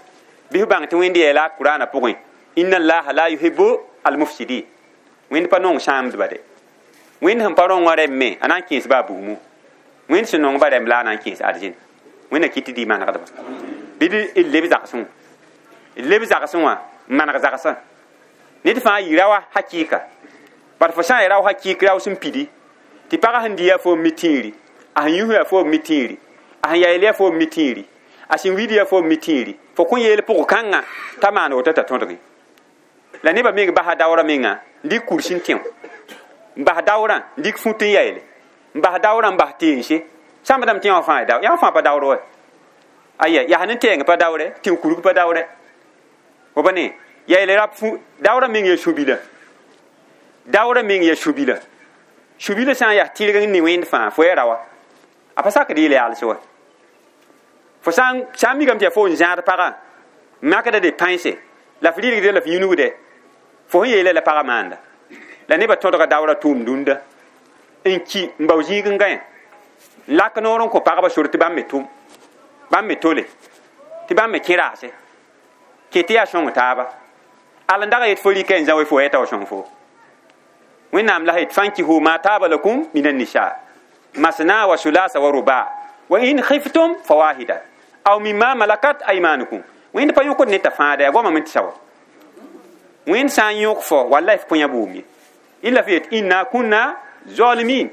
bɩ f bãng tɩ wẽnd yeela a kuraanã pʋgẽ inna allaha la yuhibu almufsidin wẽnd pa nong sãamdba de wẽnd sẽn pa rõngã rẽmb me a na n kẽes baa bugmu wẽnd sẽn nong ba rẽmb la a na n kẽes arzẽn wẽnna kɩt tɩ dɩ manegdba bɩ d leb zagsẽ wã d leb zagsẽ wã n maneg zagsã ned fãa yɩ raoã hakɩɩka bat fo sã n ya rao hakɩɩk rao sẽn pidi tɩ pagã sẽn dɩ yaa fo n mi tĩiri a sẽn yus yaa fo n mi tĩiri a sẽn yayl yaa fo n mi tĩiri a sẽn wid yaa fo n mi tĩiri fo kõn yeel pʋg kãngã t'a maan woto t'a tõdge la nebã meng basa daoorã menga n dɩk kurs n tẽ n bas daoorã n dɩk fut n yaeele n bas daoorã n bas teense sãmbdame tẽ wã fãa yã fãa pa daoor wa aya yaa ne tɛɛng pa daoorɛ tẽn kurg pa daoorɛ fo pa ne yaeele rap daoorã meng yaa sũ-bila daoorã meng yaa sũ-bila sũ-bila sã n yaa tɩrg n ne wẽnd fãa fo ya raoa a pa sakd yeel yaalse wa fo sã n mikame tɩ yaa fo n zãad pagã makda de pãense la f rɩlgde la f yũnugde fo sẽn yeela la pagã maanda la nebã tõdga daoorã tʋʋm dũnda n ki n bao zĩig n gãe n lak noor n kõ pagba sor tɩ bãmb me tʋm bãmb me tole tɩ bãmb me kẽ raase ket tɩ yaa sõng taaba al n dag yet fo rɩka n zã we fo yɛta wa sõng fo wẽnnaam la yet fankihu ma taaba lakum min annisa masna wa sulasa wa ruba wa in khiftum fawahida aw mimma malakat aymanukum wẽnd pa yõkd ne t'a fãada yaa goamame tɩ sawa wẽnd sã n yõk fo wallay f kõ yã bʋʋm ye illa f yet inna kunna zalimin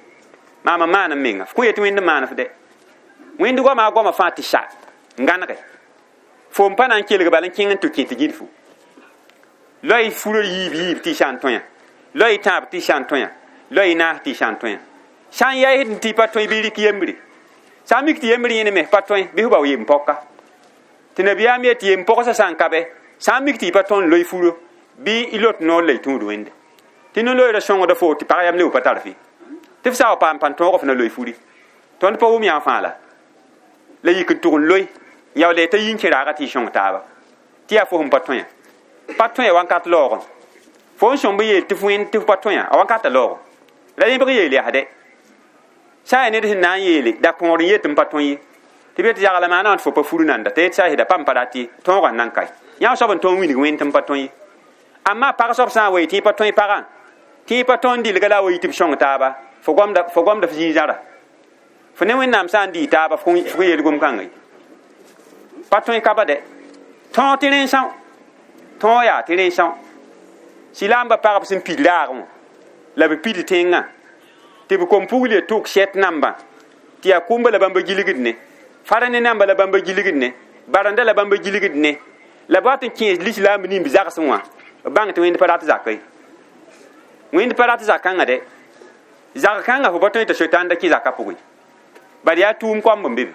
maama maan n menga f kõ yetɩ wẽnd n maan f de wẽnd goama a goama fãa tɩ sa n gãnege fo n pa na n kelg bala n kẽng n tɩ kẽ tɩ gĩdfu loy furor yiib yiib tɩ y sã n tõe loy tãab tɩ y sã n tõe loy naas tɩ y sã n tõe sã n yaɩsd tɩ pa tõe bɩ rɩk yembre sã n mik tɩ yembr yẽne me pa tõe bɩ f bao yem pɔka tɩ nabiyaam yet tɩ yem pɔgsã sã n ka bɛ sã n mik tɩ y pa tõnd loy furo bɩ y lot noor la y tũud wẽnde tɩ no-loeera sõngda fo tɩ pag yam le pa tar fɩ tɩ f sa wa paam pãn tõog f na loy furi tõnd pa wʋm yã fãa la la yik n tʋg n loe yaool t'a yi n kẽ raaga tɩ y sõng taaba tɩ yaa fo sẽn pa tõe pa tõe wãnkat laoogẽ fo n sõmb yeel tɩ f wẽnd tɩ f pa tõe a wãnkata laoogẽ la yẽbg yeel yaa sã n yaa ned sẽn na n yeele da kõor n yet n pa tõe ye tɩ b yet yagla maana wã tɩ fo pa fur nanda t'a yet sa pa n pa rat ye tõogã n nan kae yã soab n tõe n wilg wẽnd tɩ n pa tõe ye amma pag soab sã n wa yetɩ y pa tõe pagã tɩ y pa tõe n dilga la a wa yɩ tɩ b sõng taaba fo gomda f zĩig-zãra fo ne wẽnnaam sã n dɩ taaba f kõ yeel gom-kãnga ye pa tõe ka ba dɛ tõog tɩ rẽn-são tõog yaa tɩ rẽn-são silaambã pagb sẽn pid raagẽ wã la b pid tẽngã tɩ b kom-pugl ye tʋk sɛt nambã tɩ yaa kʋmba la bãmba gilgd ne fara ne namba la bãmba gilgd ne barãnda la bãmba gilgd ne la b wat n kẽes lislaamb nimb zagsẽ wã b bãng tɩ wẽnd pa rat zaka ye wẽnd pa rat zak-kãngã dɛ zak-kãngã fo pa tõe t'a sotãnda kẽ zakã pʋgẽ bad yaa tʋʋm koamb n be be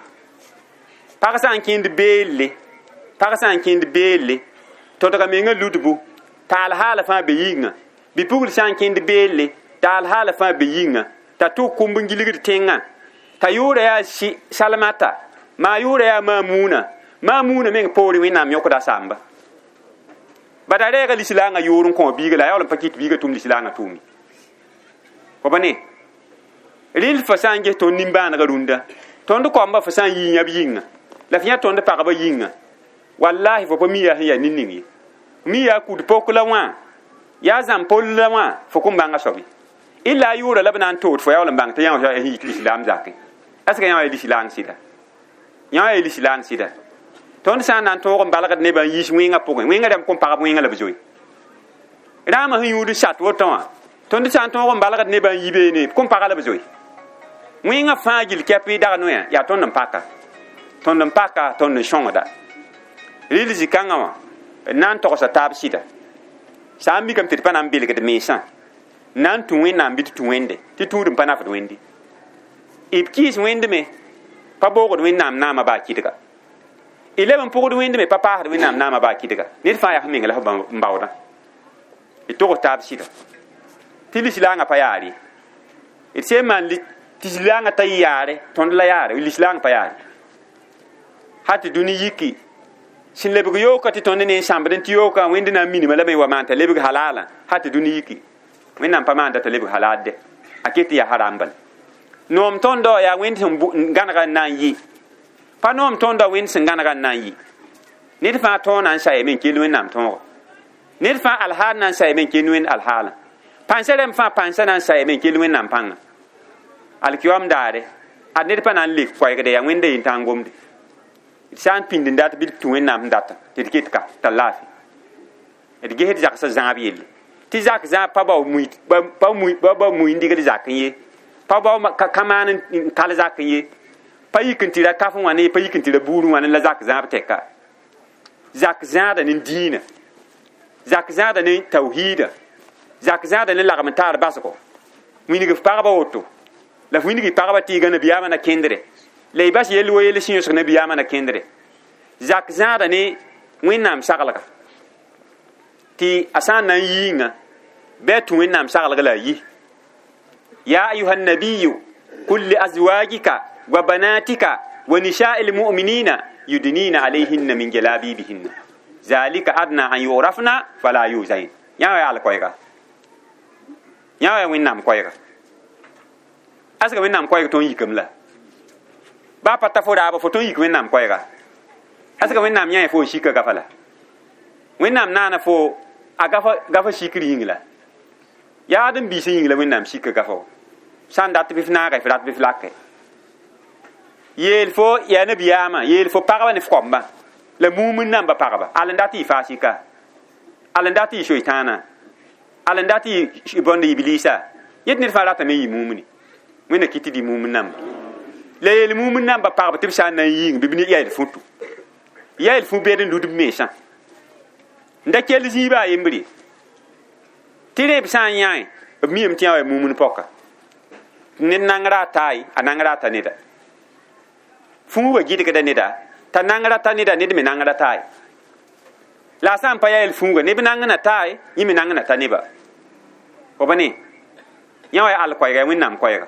pag sã n kẽnd beelle pag sã n kẽnd beelle tõdga mengã ludbu taal haala fãa be yĩnga bi-pugl sã n kẽnd beelle taal haala fãa be yĩnga t'a tʋk kũmb n gilgd tẽngã t'a yʋʋra yaa salmata maa yʋʋra yaa maamuuna maamuuna meng poorẽ wẽnnaam yõkda samba bad a reega lislaangã yʋʋr n kõ biiga la a yaool n pa kɩt biigã tʋm lislaangã tʋʋme fo pa ne rɩl fa sã n ges tõnd nimbãanegã rũndã tõnd koambã fa sã n yii yãb yĩnga La f yã tõnd pagba yĩnga wallahi fo pa mi yaa sẽn yaa nin-ning ye mi yaa kud pok la wã yaa zãm pol la wã fo kõn bãnga soab ye illa a yʋʋra la b na n tood fo yaool n bãng tɩ yã wã sẽn yit lislaam zakẽ est ce que yã wã yaa lislaang sɩda yã wã yaa lislaang sɩda tõnd sã n na n tõog n balgd nebã n yiis wẽngã pʋgẽ wẽngã rãmb kõn pagb wẽngã la b zoe rãamã sẽn yũud sat woto wã tõnd sã n tõog n balgd nebã n yi beene kõn paga la b zoe wẽngã fãa gill kɛp y dag noyã yaa tõnd n paka tõnd n paka tõnd n sõngda rɩl zĩ-kãngã wã n na n togsa taab sɩda sã n mikame tɩ d pa na n belgd mensã na n tũ wẽnnaam bɩ tɩ tũ wẽnde tɩ tũud n pa nafd wẽnde b kɩɩs wẽnd me pa boogd wẽnnaam naamã baa kɩdga y leb n pʋgd wẽnd me pa paasd wẽnnaam naamã baa kɩdga ned fãa yaa f meng la f n baoodã d togs taab sɩda tɩ lislaangã pa yaar ye d sẽn maan tɩ lislaangã t'a yɩ yaare tõnd la yaare lislaang pa yaare hal tɩ dũni yiki sẽn lebg yooka tɩ tõnd ne n sãmbd n tɩ yooka wẽnd na n minima la me wa maan t'a lebg halaalã hal tɩ dũni yiki wẽnnaam pa maanda t'a lebg halaal dɛ a ket tɩ yaa haram bala noom tõndɔ yaa wẽnd sẽn gãnega n na n yɩ pa noom tõndɔ wẽnd sẽn gãnega n na n yɩ ned fãa tõog na n sayame n kell wẽnnaam tõogo ned fãa alhaal na n sayame n kell wẽnd alhaalã pãnsa rãmb fãa pãnsa na n sayame n kell wẽnnaam pãnga alkiyoam daare ad ned pa na n lek koɛɛgde yaa wẽnda yen tã n gomde d sã n pĩnd n dat bɩ d tũ wẽnnaam sẽn data tɩ d ket ka t'a laafɩ d gesd zagsã zãab yelle tɩ zak zãab pa bao mui n dɩgd zakẽ ye pa bao ka maan n kal zakẽ ye pa yik n tɩ ra kaf wã ne pa yik n tɩ ra buur wã ne la zak zãab tɛka zak zãada ne diinã zak zãada ne tawhiida zak zãada ne lagm n taar basgo wilg f pagba woto la f wilg pagba tɩ y gã nabiyaamã na kẽndre la y bas yell wo yell sẽn yõsg nabiyaamã na kẽndre zak zãada ne wẽnnaam saglga tɩ a sã n na n yiinga bɩ a tũ wẽnnaam saglg la a yi ya ayuha nabiyu kul li azwajika wa banatika wa nisa'i lmu'minina yudnina alayhinna min jalabibihinna zalika adna an yurafna fala yuzain yã wa yaa al-koɛɛga yã wa yaa wẽnnaam koɛɛga asga wẽnnaam koɛɛg tõnd yikame la baa pa ta fo raaba fo tõnd yik wẽnnaam koɛɛga asga wẽnnaam yã fo n sika gafa la wẽnnaam naana fo a gafa sikr yĩng la yaad n biisã yĩng la wẽnnaam sika gafa wa sã n dat bɩ f naaga f rat bɩ f lake yeel fo yaa nabiyaamã yeel fo pagba ne f koambã la mumn namba pagba al n dat yɩ fasika al n dat yɩ soetãana al n dat yɩ bõnd iblisa yet ned fãa ratame yɩ mumni wẽnna kɩ tɩ dɩ mumn namba la yeel mumn namba pagb tɩ b sã n na n yĩng bɩ b ne yael futu yael fu bed n lud b mensã n da kell zĩiba a yembre tɩ rẽ b sã n yãe b miame tɩ yã wa mumn pɔka ned nangra a taay a nangra a ta neda fuuga gɩdgda neda t'a nangra ta neda ned me nangra taay la a sã n pa yaa yel fuuga neb nangna taay yẽ me nangna ta neba fo pa ne yã wa yaa all koɛɛga yaa wẽnnaam koɛɛga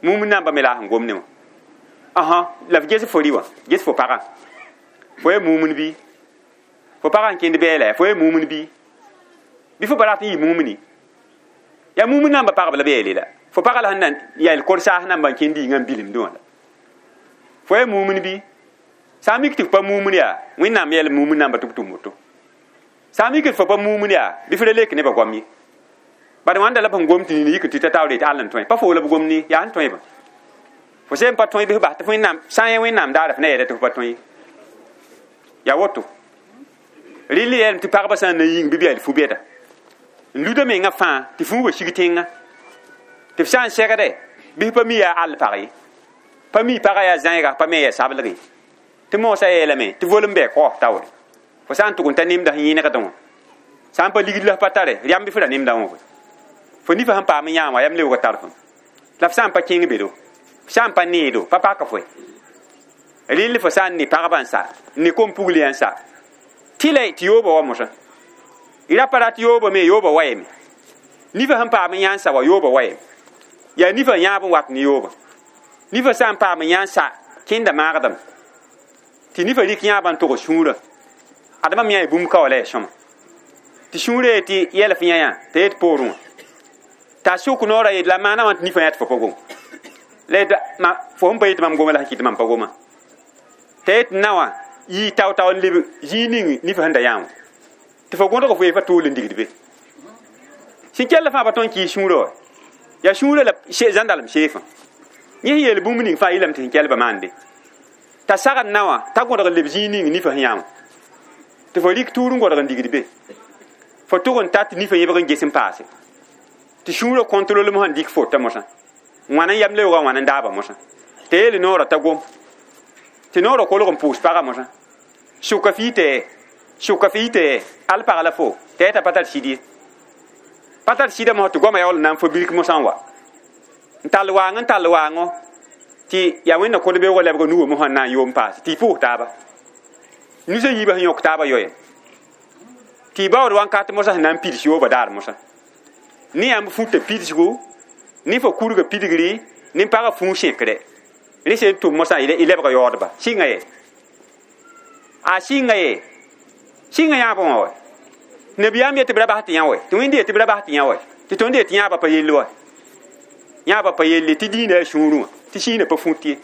mumn namba me la a sẽn gom ne wã ãsã la f ges fo rɩ wã ges fo pagã fo yaa mumn bɩ fo pagã n kẽnd bɛɛla fo yaa mumn bɩ bɩ fo pa rat n yɩ mumni yaa mumn namba pagb la bɛɛle la fo pagã la sẽn na yael kor-saas namba n kẽnd yĩngã n bilimdẽ wã la fo yaa mumn bɩ sã n mik tɩ f pa mumn yaa wẽnnaam yɛl mumn namba tɩ b tʋm woto sã n mik tɩ fo pa mumn yaa bɩ f ra lek nebã goam ye bad wãnda la b sẽn gom tɩ nini yik tɩ ta taoor yetɩ all n tõe pa foo la b gom ne yaa sẽn tõebã fo sẽn pa tõe bɩ f bas tɩ wẽnnaam sã n yã wẽnnaam daara f na yɛɛda tɩ f pa tõe yaa woto rɩl yɛlem tɩ pagba sã n na yĩng bɩ b yaa fu bɛda n luda mengã fãa tɩ fuuga sig tẽngã tɩ f sã n segde bɩ f pa mi yaa all pag ye pa mi pagã yaa zãiga pa me yaa sablg ye tɩ moosã yeelame tɩ volem bɛɛ kaof taoore fo sã n tʋg n ta nemda sẽn yẽnegdẽ wã sã n pa ligd la f pa tare rãmb bɩ f ra nemda wã fo nifa sẽn paam n yãa wã yam leoog tar fõm la f sã n pa kẽng bedo f sã n pa needo pa pak foe rɩl fo sã n ne pagba n sa n ne kom-pugl yã n sa tɩ la tɩ yooba wa mosã y ra pa rat yooba me yooba wayame nifa sẽn paam n yã n sa wa yooba wayame yaa nifa yãab n wat ne yooba nifa sã n paam n yã n sa kẽnda maagdame tɩ nifa rɩk yãabã n tog sũurã adama me yã bũmb ka wa la yaa sõma tɩ sũurã ye tɩ yɛl f yã yã t'a yet poorẽ wã t'a sʋk noorã yet la maana wã tɩ nifa yã tɩ fo pa gom la yet fo sẽn pa yetɩ mam goma la sẽn kɩt mam pa goma T'a yet nawa yɩ tao-tao n leb zĩig ning nifã sẽn da yã wã tɩ fo gõdg fo ye fa tool n digd be sẽn kell fãa pa tõe n kɩɩs sũurã wa yaa sũurã la zãndalem seefã yẽ sẽn yeel bũmb ning fãa yɩlame tɩ sẽn kelba maande t'a sagd na wã t'a gõdg n leb zĩig ning nifã sẽn yã wã tɩ fo rɩk tuur n gõdg n digd be fo tʋg n ta tɩ nifã yẽbg n ges n paase tɩ sũurã kõntrolem sẽn dɩk fota mosã wãn n yam leoogã wãn n daaba mosã tɩ yeele noorã t'a gom tɩ noorã kolg n pʋʋs pagã mosã sʋka fɩ tɩ al pag la fo tɩ ya t'a pa tar sɩd ye pa tar sɩda mosã tɩ goamã yaool n na n fo birk mosã n wa n tall waango tɩ yaa wẽnna kod-beoogã lebga nuwã mosã n na n yoom paase tɩ y pʋʋs taaba nusã yiibã sẽn yõk taabã yoe tɩ y baood wãnkat mosã sẽn na n pids yooba daar mosã ne yãmb futa pidsgo ne fo kurga pidgri ne pagã fũu sẽkre rẽ sẽn tʋm mosã y lebga yaoodba sɩnga ye a sɩnga ye sɩnga yãabã wã wa nabiyaam yetɩ b ra bas tɩ yã wa tɩ wẽnd yetɩ b ra bas tɩ yã wa tɩ tõnd yetɩ yãabã pa yell wa yãabã pa yelle tɩ dĩinã yaa sũurẽ wã tɩ sĩinã pa fũt ye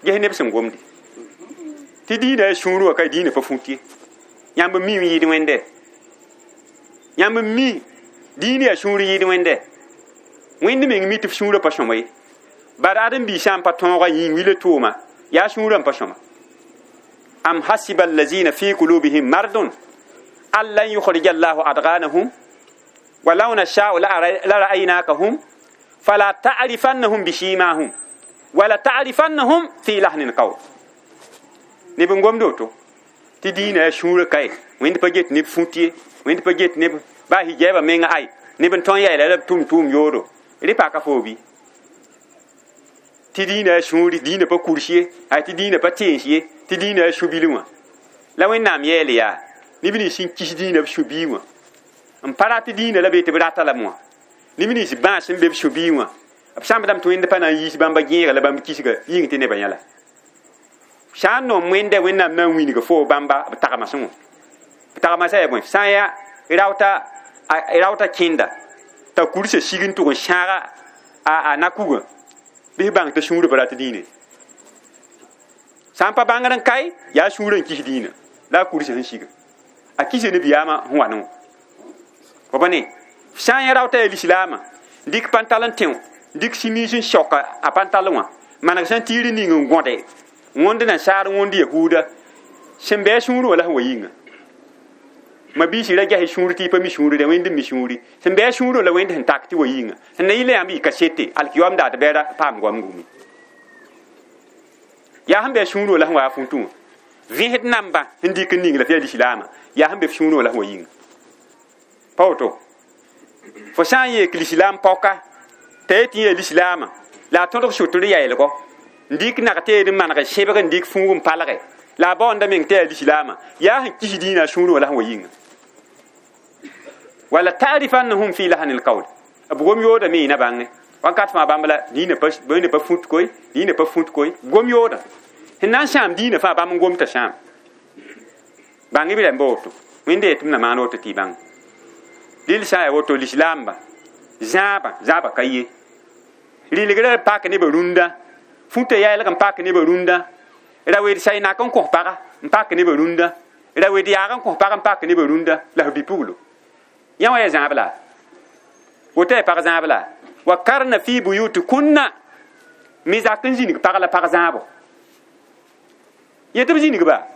ges neb sẽn gomde tɩ dĩinã yaa sũurẽ wã ka dĩinã pa fũt ye yãmb n mi n yɩɩd wẽnde yãmb n mi dĩinã yaa sũur yɩɩd wẽnde wẽnd meng mi tɩ f sũurã pa sõma ye bara ãdem-biig sã n pa tõoga yĩng wila tʋʋma yaa sũurã n pa sõma am hasiba allazina fi qulubihim mardun an lan yukhrija allahu adghanahum walau nasha'u la ra'aynakahum fala ta'rifannahum bishimahum wala ta'rifannahum fi lahnil qawl neb n gomd woto tɩ dĩinã yaa sũurã kae wẽnd pa get neb fũt ye wẽnd pa get neb baa hijɛɛbã menga ay neb n tõe n yaeela la b tʋm tʋʋm yoodo rẽ paka foo bɩ tɩ dĩinã yaa sũuri dĩinã pa kurs ye ay tɩ dĩinã pa tẽens ye tɩ dĩinã yaa sũ-bil wã la wẽnnaam yɛɛl yaa neb nins sẽn kis dĩinã b sũ-bii wã n pa rat dĩinã la be tɩ b rata lame wã neb nins bãas sẽn be b sũ-bii wã b sãmbdame tɩ wẽnd pa na n yiis bãmba gẽega la bãmb kisga yĩng tɩ nebã yã la sã n nom wẽnda wẽnnaam na n wilg fo bãmba b tagmasẽ wã b tagmasã yaa bõe sã n yaa raota kẽnda t'a kursa sig n tʋg n sãaga a nakugã bɩ f bãng t'a sũurã pa rat dĩinã sã n pa bãngr n kae yaa sũurã n kis dĩinã la a kursa sẽn siga a kisa nabiyaamã sẽn wa ne wã fo pa ne sã n yã raota yaa lislaamã dɩk pãntal n tẽ dɩk simiis n saoka a pãntal wã maneg sẽn tiir ning n gõde wõnd nasaar wõnd yahuuda sẽn bɩ a sũurẽ wã la sẽn wa yĩnga ma biisi ra ges sũur tɩ y pa mi sũuri wẽnd n mi sũuri sẽn bɩ a sũurẽ la wẽnd sẽn tak tɩ wa yĩnga sẽn na yɩla yãmb yɩ kasete alkiyoam dat bɛra paam goam gumi yaa sẽn bɩ a sũurẽ wã la sẽn wa a fũtũ wã vẽsd namba sẽn dɩk n ning la fɩ yaa lislaamã yaa sẽn be f sũurẽ wã la sẽn wa yĩnga pa woto fo sã n yeek lislaam paoka t'a yetɩ yaa lislaamã la a tõdg sʋtr yaelgo n dɩk nag-teed n maneg sẽbg n dɩk fũug n palge la a baoonda meng t'a yaa lislaamã yaa sẽn kis dĩinã a sũurẽ wã la sẽn wa yĩnga wala ta'rifannahum fi lahnil qawl b gom yooda me yĩna bãnge wãnkat fãa bãmb la dĩinã pa fũt koe dĩinã pa fũt koe gom yooda sẽn na n sãam dĩinã fãa bãmb n gom t'a sãam bãng b rãmba woto wẽnde yetɩ m na maan woto tɩ y bãng dɩl sã n yaa woto lislaamba zãabã zãabã ka ye rɩlgrã pak nebã rũndã fũta yaelg n pak nebã rũndã ra wed saynak n kõs paga n pak nebã rũndã ra wed yaag n kõs pag n pak nebã rũndã la f bi-puglo yã wã yaa zãab la woto yaa pag zãab la wa karna fi buyutikunna me zak n zĩnig pag la pag zãabo yetɩ b zĩnig ba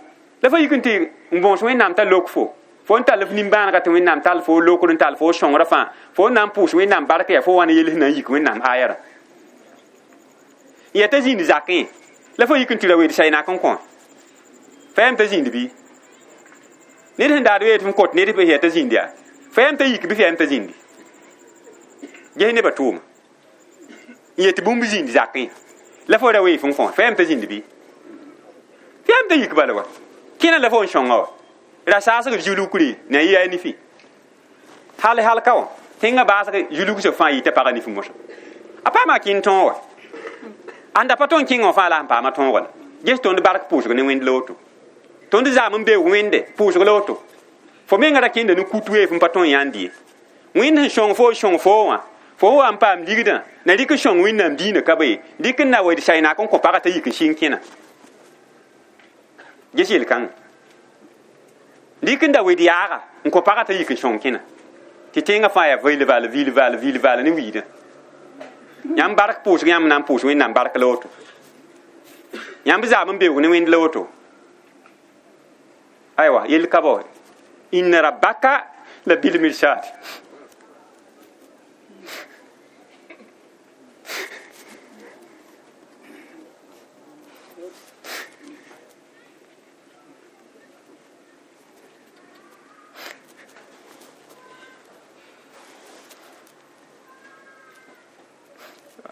la fa yik n tɩ n bõos wẽnnaam t'a lok fo fo n tall f nimbãanega tɩ wẽnnaam tall fo lokr n tall fo sõngrã fãa fo n na n pʋʋs wẽnnaam bark yaa fo wa ne yels na n yik wẽnnaam ayarã yaa t'a zĩnd zakẽ la fo yik n tɩ ra wed saynak n kõ fa yam t'a zĩnd bɩ ned sẽn daad wee tɩ f kot ned f yaa t'a zĩnd yaa fa yam t'a yik bɩ f yam t'a zĩndi ges nebã tʋʋma n yetɩ bũmb zĩnd zakẽ la fo ra wee f n kõ fa yam t'a zĩnd bɩ f yam t'a yik bala wa kẽna la fo n sõnga wa ra saasg zulukre na yɩ yaa nifi hal hal ka wã tẽngã baasg zulugsã fãa yita pagã nif mosã a paama kẽnd tõog wa ãnda pa tõe n kẽngã wã fãa la sẽn paama tõogo la ges tõnd bark pʋʋsg ne wẽnd la woto tõnd zaam n beoog wẽnde pʋʋsg la woto fo menga ra kẽnda ne kut wee f n pa tõe n yãnd ye wẽnd sẽn sõng fo sõng fo wã fo wa n paam ligdã na rɩk n sõng wẽnnaam dĩinã ka be ye rɩk n na wed saynak n kõ pagã t'a yik n sɩng kẽna Ges yel-kãngã dɩk n da wed yaaga n kõ pagã t'a yik n sõng kẽna tɩ tẽngã fãa yaa vil val vil val vil val ne wiidã yãmb bark pʋʋsg yãmb na n pʋʋs Wẽnnaam bark la woto yãmb zaam n beoog ne Wẽnd la woto aywa yell ka bao inna rabbaka la bil mirsad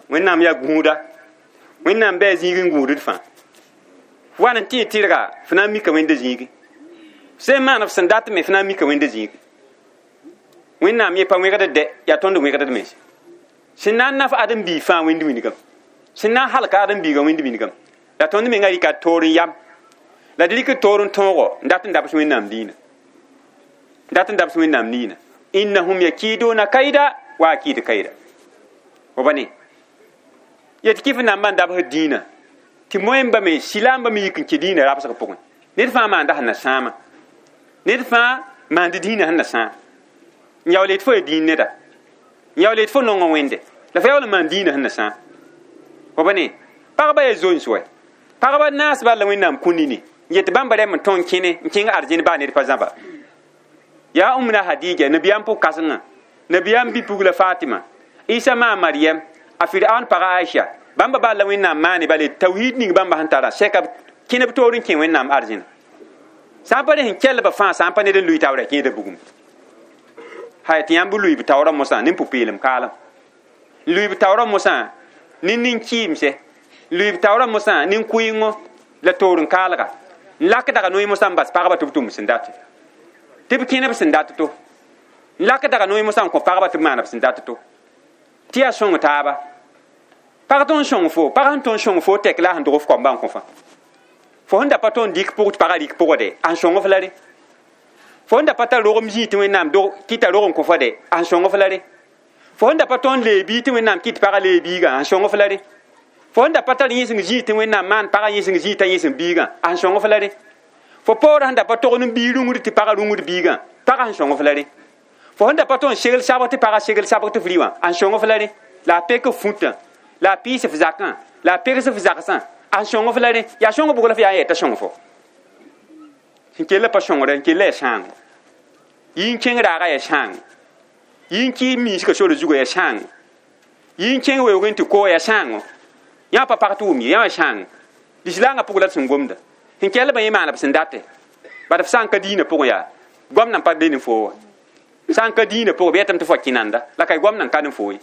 Wẽnnaam yaa gũuda Wẽnnaam bɩ a zĩig n gũudd fãa wan n tɩ tɩrga fo na n mika Wẽnda zĩigi sẽn maan f sẽn dat me fo na n mika Wẽnda zĩigi Wẽnnaam yẽ pa wẽgd dɛ yaa tõnd wẽgd mens sẽn na n naf ãdem-biig fãa Wẽnd wingame sẽn na n halka ãdem-biigã Wẽnd wingame la tõnd menga rɩka toor n yam la d rɩk toor n tõogo n dat n dabs Wẽnnaam diinã n dat n dabs Wẽnnaam niinã innahum yakiduna kaida wa akidu kaida wa ba ne yet kɩf nambã n dabsd dĩinã tɩ moẽmba me silaambã me yik n kẽ dĩinã rabsg pʋgẽ ned fãa maanda sẽn na sãama ned fãa maand dĩinã sẽn na sãam n yaool yet fo ya dĩin neda n yaool yet fo nongã Wẽnde la fo yaool n maan dĩinã sẽn na sãam fo ba ne pagba yaa zoens wɛ pagba naas bal la Wẽnnaam kũ nini n yet bãmba rɛm n tõn kẽne n kẽng arzẽn baa ned pa zãba yaa Umna Hadija nabiyaam pʋg-kãsengã nabiyaam bi-pugla Fatima Isa maa Mariam a Firaun paga Aisha bãmba bal la Wẽnnaam maane bale tawhid ning bãmba sẽn tara sɛka kẽneb toor n kẽ Wẽnnaam arzẽna sã n pa rẽ sẽn kɛlba fãa sã n pa ned n lʋɩ taoora kẽeda bugum hay tɩ yãmb lʋɩ b taoorã mosã ne pʋ-peelem kaalem n lʋɩ b taoorã mosã ne nin-kɩɩmse n lʋɩ b taoorã mosã ne kʋɩngo la toor n kaalga n lak daga noy mosã n bas pagba tɩ b tʋm sẽn date tɩ b kẽneb sẽn dat to n lak daga noy mosã n kõ pagba tɩ b maan b sẽn dat to tɩ yaa sõng taaba pag tõn sõng fo pag sẽn tõn sõng fo tɛk la a sẽn dog f koamba n kõ fã fo sẽn da pa tõn dɩk pʋg tɩ pagã rɩk pʋgde a sẽn sõng f la re fo sẽn da pa tar rogem zĩig tɩ Wẽnnaam dog kɩta rog n kõ fa de a sẽn sõng f la re fo sẽn da pa tõn lee biig tɩ Wẽnnaam kɩt pagã lee biigã a sẽn sõng f la re fo sẽn da pa tar yẽseng zĩig tɩ Wẽnnaam maan pagã yẽseng zĩig t'a yẽseng biigã a sẽn sõng f la re fo paoorã sẽn da pa tog n biig rũngd tɩ pagã rũngd biigã pagã sẽn sõng f la re fo sẽn da pa tõn segl sabg tɩ pagã segl sabg tɩ f rɩ wã a sẽn sõng f la re la a pek f fũtã la a pɩɩs f zakã la a pegs f zagsã a sẽn sõng f la rẽ yaa sõng bʋg la f yaa n yɛta sõng fo sẽn kell pa sõngre n kell yaa sãango yɩ n kẽng raaga yaa sãango yɩ n kɩɩs miisgã sore zugã yaa sãango yɩ n kẽng weoog n tɩ koo yaa sãango yã pa pag tɩ wʋm ye yã yaa sãango lislaangã pʋg la d sẽn gomda sẽn kellbã yẽ maana b sẽn date bad f sã n ka diinã pʋgẽ yaa goamna n pa be ne foo wa sã n ka diinã pʋgẽ b yetame tɩ fo kẽnanda la ka goamna n ka ne foo ye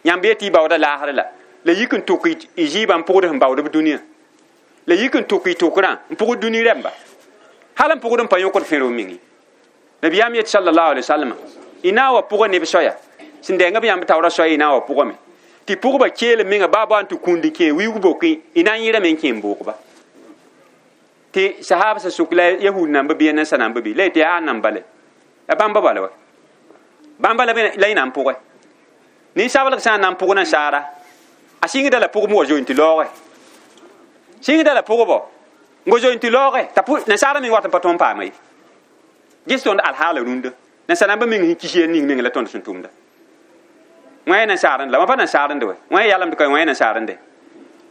yãmb yetɩ y baooda laasr la la yik n tʋk y zɩɩbã n pʋgd sẽn baood b dũniyã la yik n tʋk y tʋkrã n pʋgd dũni rɛmba hal n pʋgd n pa yõkd fẽrg meng nabiyaam yet sallallahu alaihi wasallam y na n wa pʋgã neb soaya sẽn dɛnga b yãmb taoorã soaya y na n wa pʋgame tɩ pʋgba keelem menga baa baa n tɩ kũnd n kẽ wiig boke y na n yẽrame n kẽ n boogba tɩ sahab sã sʋk la yahud namba bɩ ya nansa namba bɩ la yetɩ yaa a namba le la bãmba bala wa bãmba la y na n pʋgɛ ninsablg sã n na n pʋg nasaara a sɩngda la pʋgem wa zoe tɩ laooge sɩngda la pʋgbɔ n go zoe tɩ laooge t'a nasaara meng wat n pa tõnd paama ye ges tõnd alhaala rũndã nasaar namba meng sẽn kis ning meng la tõnd sẽn tʋmda wã nasaarẽnd la wã pa nasaarẽnd wɛ wã yalemd ka wã nasaarẽnde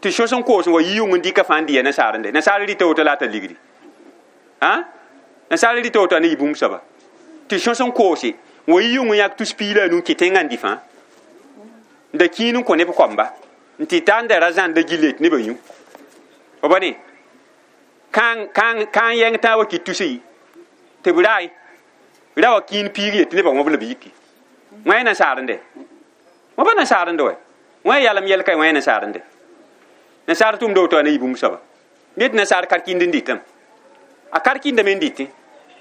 tɩ sõs n koos n wa yɩ yʋng n dɩka fãa n dɩ ya nasaarẽnde nasaar rɩta woto la a t'a ligdi nasaar rɩta woto a ne yɩ bũmb soaba tɩ sõs n koose n wa yɩ yʋng n yãk tus piig la a nu n kẽ tẽngã n dɩ fãa n da kĩin n kõ neb koamba n tɩ ta n da ra zãn da gillet nebã yũ fo ba ne kãang yɛng tãa wa kɩt tusi tɩ b rae ra wa kĩin piig yetɩ nebã wõb la b yiki wã ya nasaarẽnde wã pa nasaarẽnde wɛ wã ya yalem yɛl ka wã ya nasaarẽnde nasaar tʋmda woto a ne yɩ bũmb soaba yetɩ nasaar karkĩnd n dɩtame a karkĩndame n dɩtẽ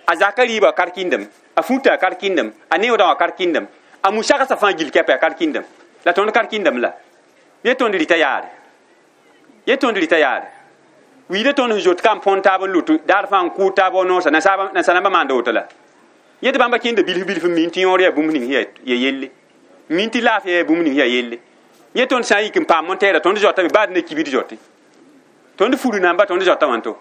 a zaka rɩɩbã a karkĩndame a fũta a karkĩndame a neoodã wã karkĩndame a musagsã fãa gil kɛpa a karkĩndame la tõnd karkĩndame la ye tõnd rɩta yaare ye tõnd rɩta yaare wiida tõnd sẽn zot ka n põn taab n lut daar fãa n kʋʋd taab wa noosã nasaar nambã maanda woto la yetɩ bãmba kẽnda bilf bilf n min tɩ yõor yaa bũmb ning ya yelle min tɩ laafɩ yaa bũmb ning ya yelle yẽ tõnd sã n yik n paam montɛɛra tõnd zoatame baad ne kibd zote tõnd furu namba tõnd zoata wãnto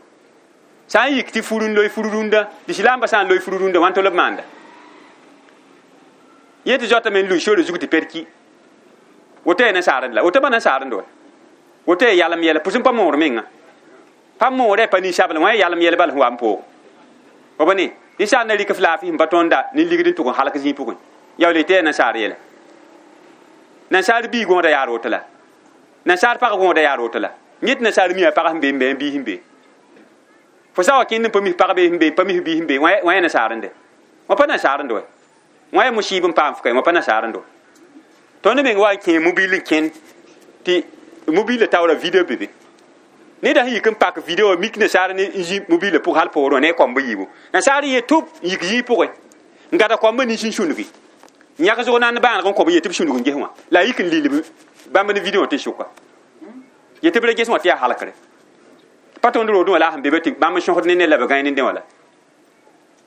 Sã n yik tɩ fur n loe fur rũndã lislaambã sã n loe fur rũndã wãn tɩ b maanda yẽ tɩ zoatame n lui sore zug tɩ ped ki woto yaa nasaarend la woto pa nasaarend wa woto yaa yalem yɛla pʋs n pa moor menga pa moorã pa ninsabl wã yaa yalem yɛl bal sẽn wa n poogo wa ba ne ninsaal na rɩk f laafɩ sẽn pa tõnda ne ligd n tʋg n halk zĩig pʋgẽ yaool tɩ yaa nasaar yɛla nasaar bii gõoda yaa roto la nasaar pag gõoda yaa roto la yẽ tɩ nasaar mi a pag sẽn be n be n bii sẽn be fo sa wa kẽnd n pa mis pag bee sẽn be pa mis bii sẽn be wã yaa nasaarende wã pa nasaarend wa wã yaa musiib n paam f ka wã pa nasaarend wa tõnd meng wa n kẽ mobil n kẽnd tɩ mobilã taoora video be be neda sẽn yik n pak video mik nasaar ne n zĩ mobilã pʋg hal poorẽ wã ne a koamb yiibu nasaar ye tʋb n yik zĩig pʋgẽ n gada koambã nins n sũngi n yãk zʋg nan bãaneg n kõb n yet tɩ b sũnug n ges wã la a yik n lilb bãmb ne video wã tɩ sʋka yet tɩ b ra ges wã tɩ yaa halkre pa tõnd roodẽ wã la a sẽn be be tɩ bãmb n sõsd ne ned la b gãe ne dẽ wã la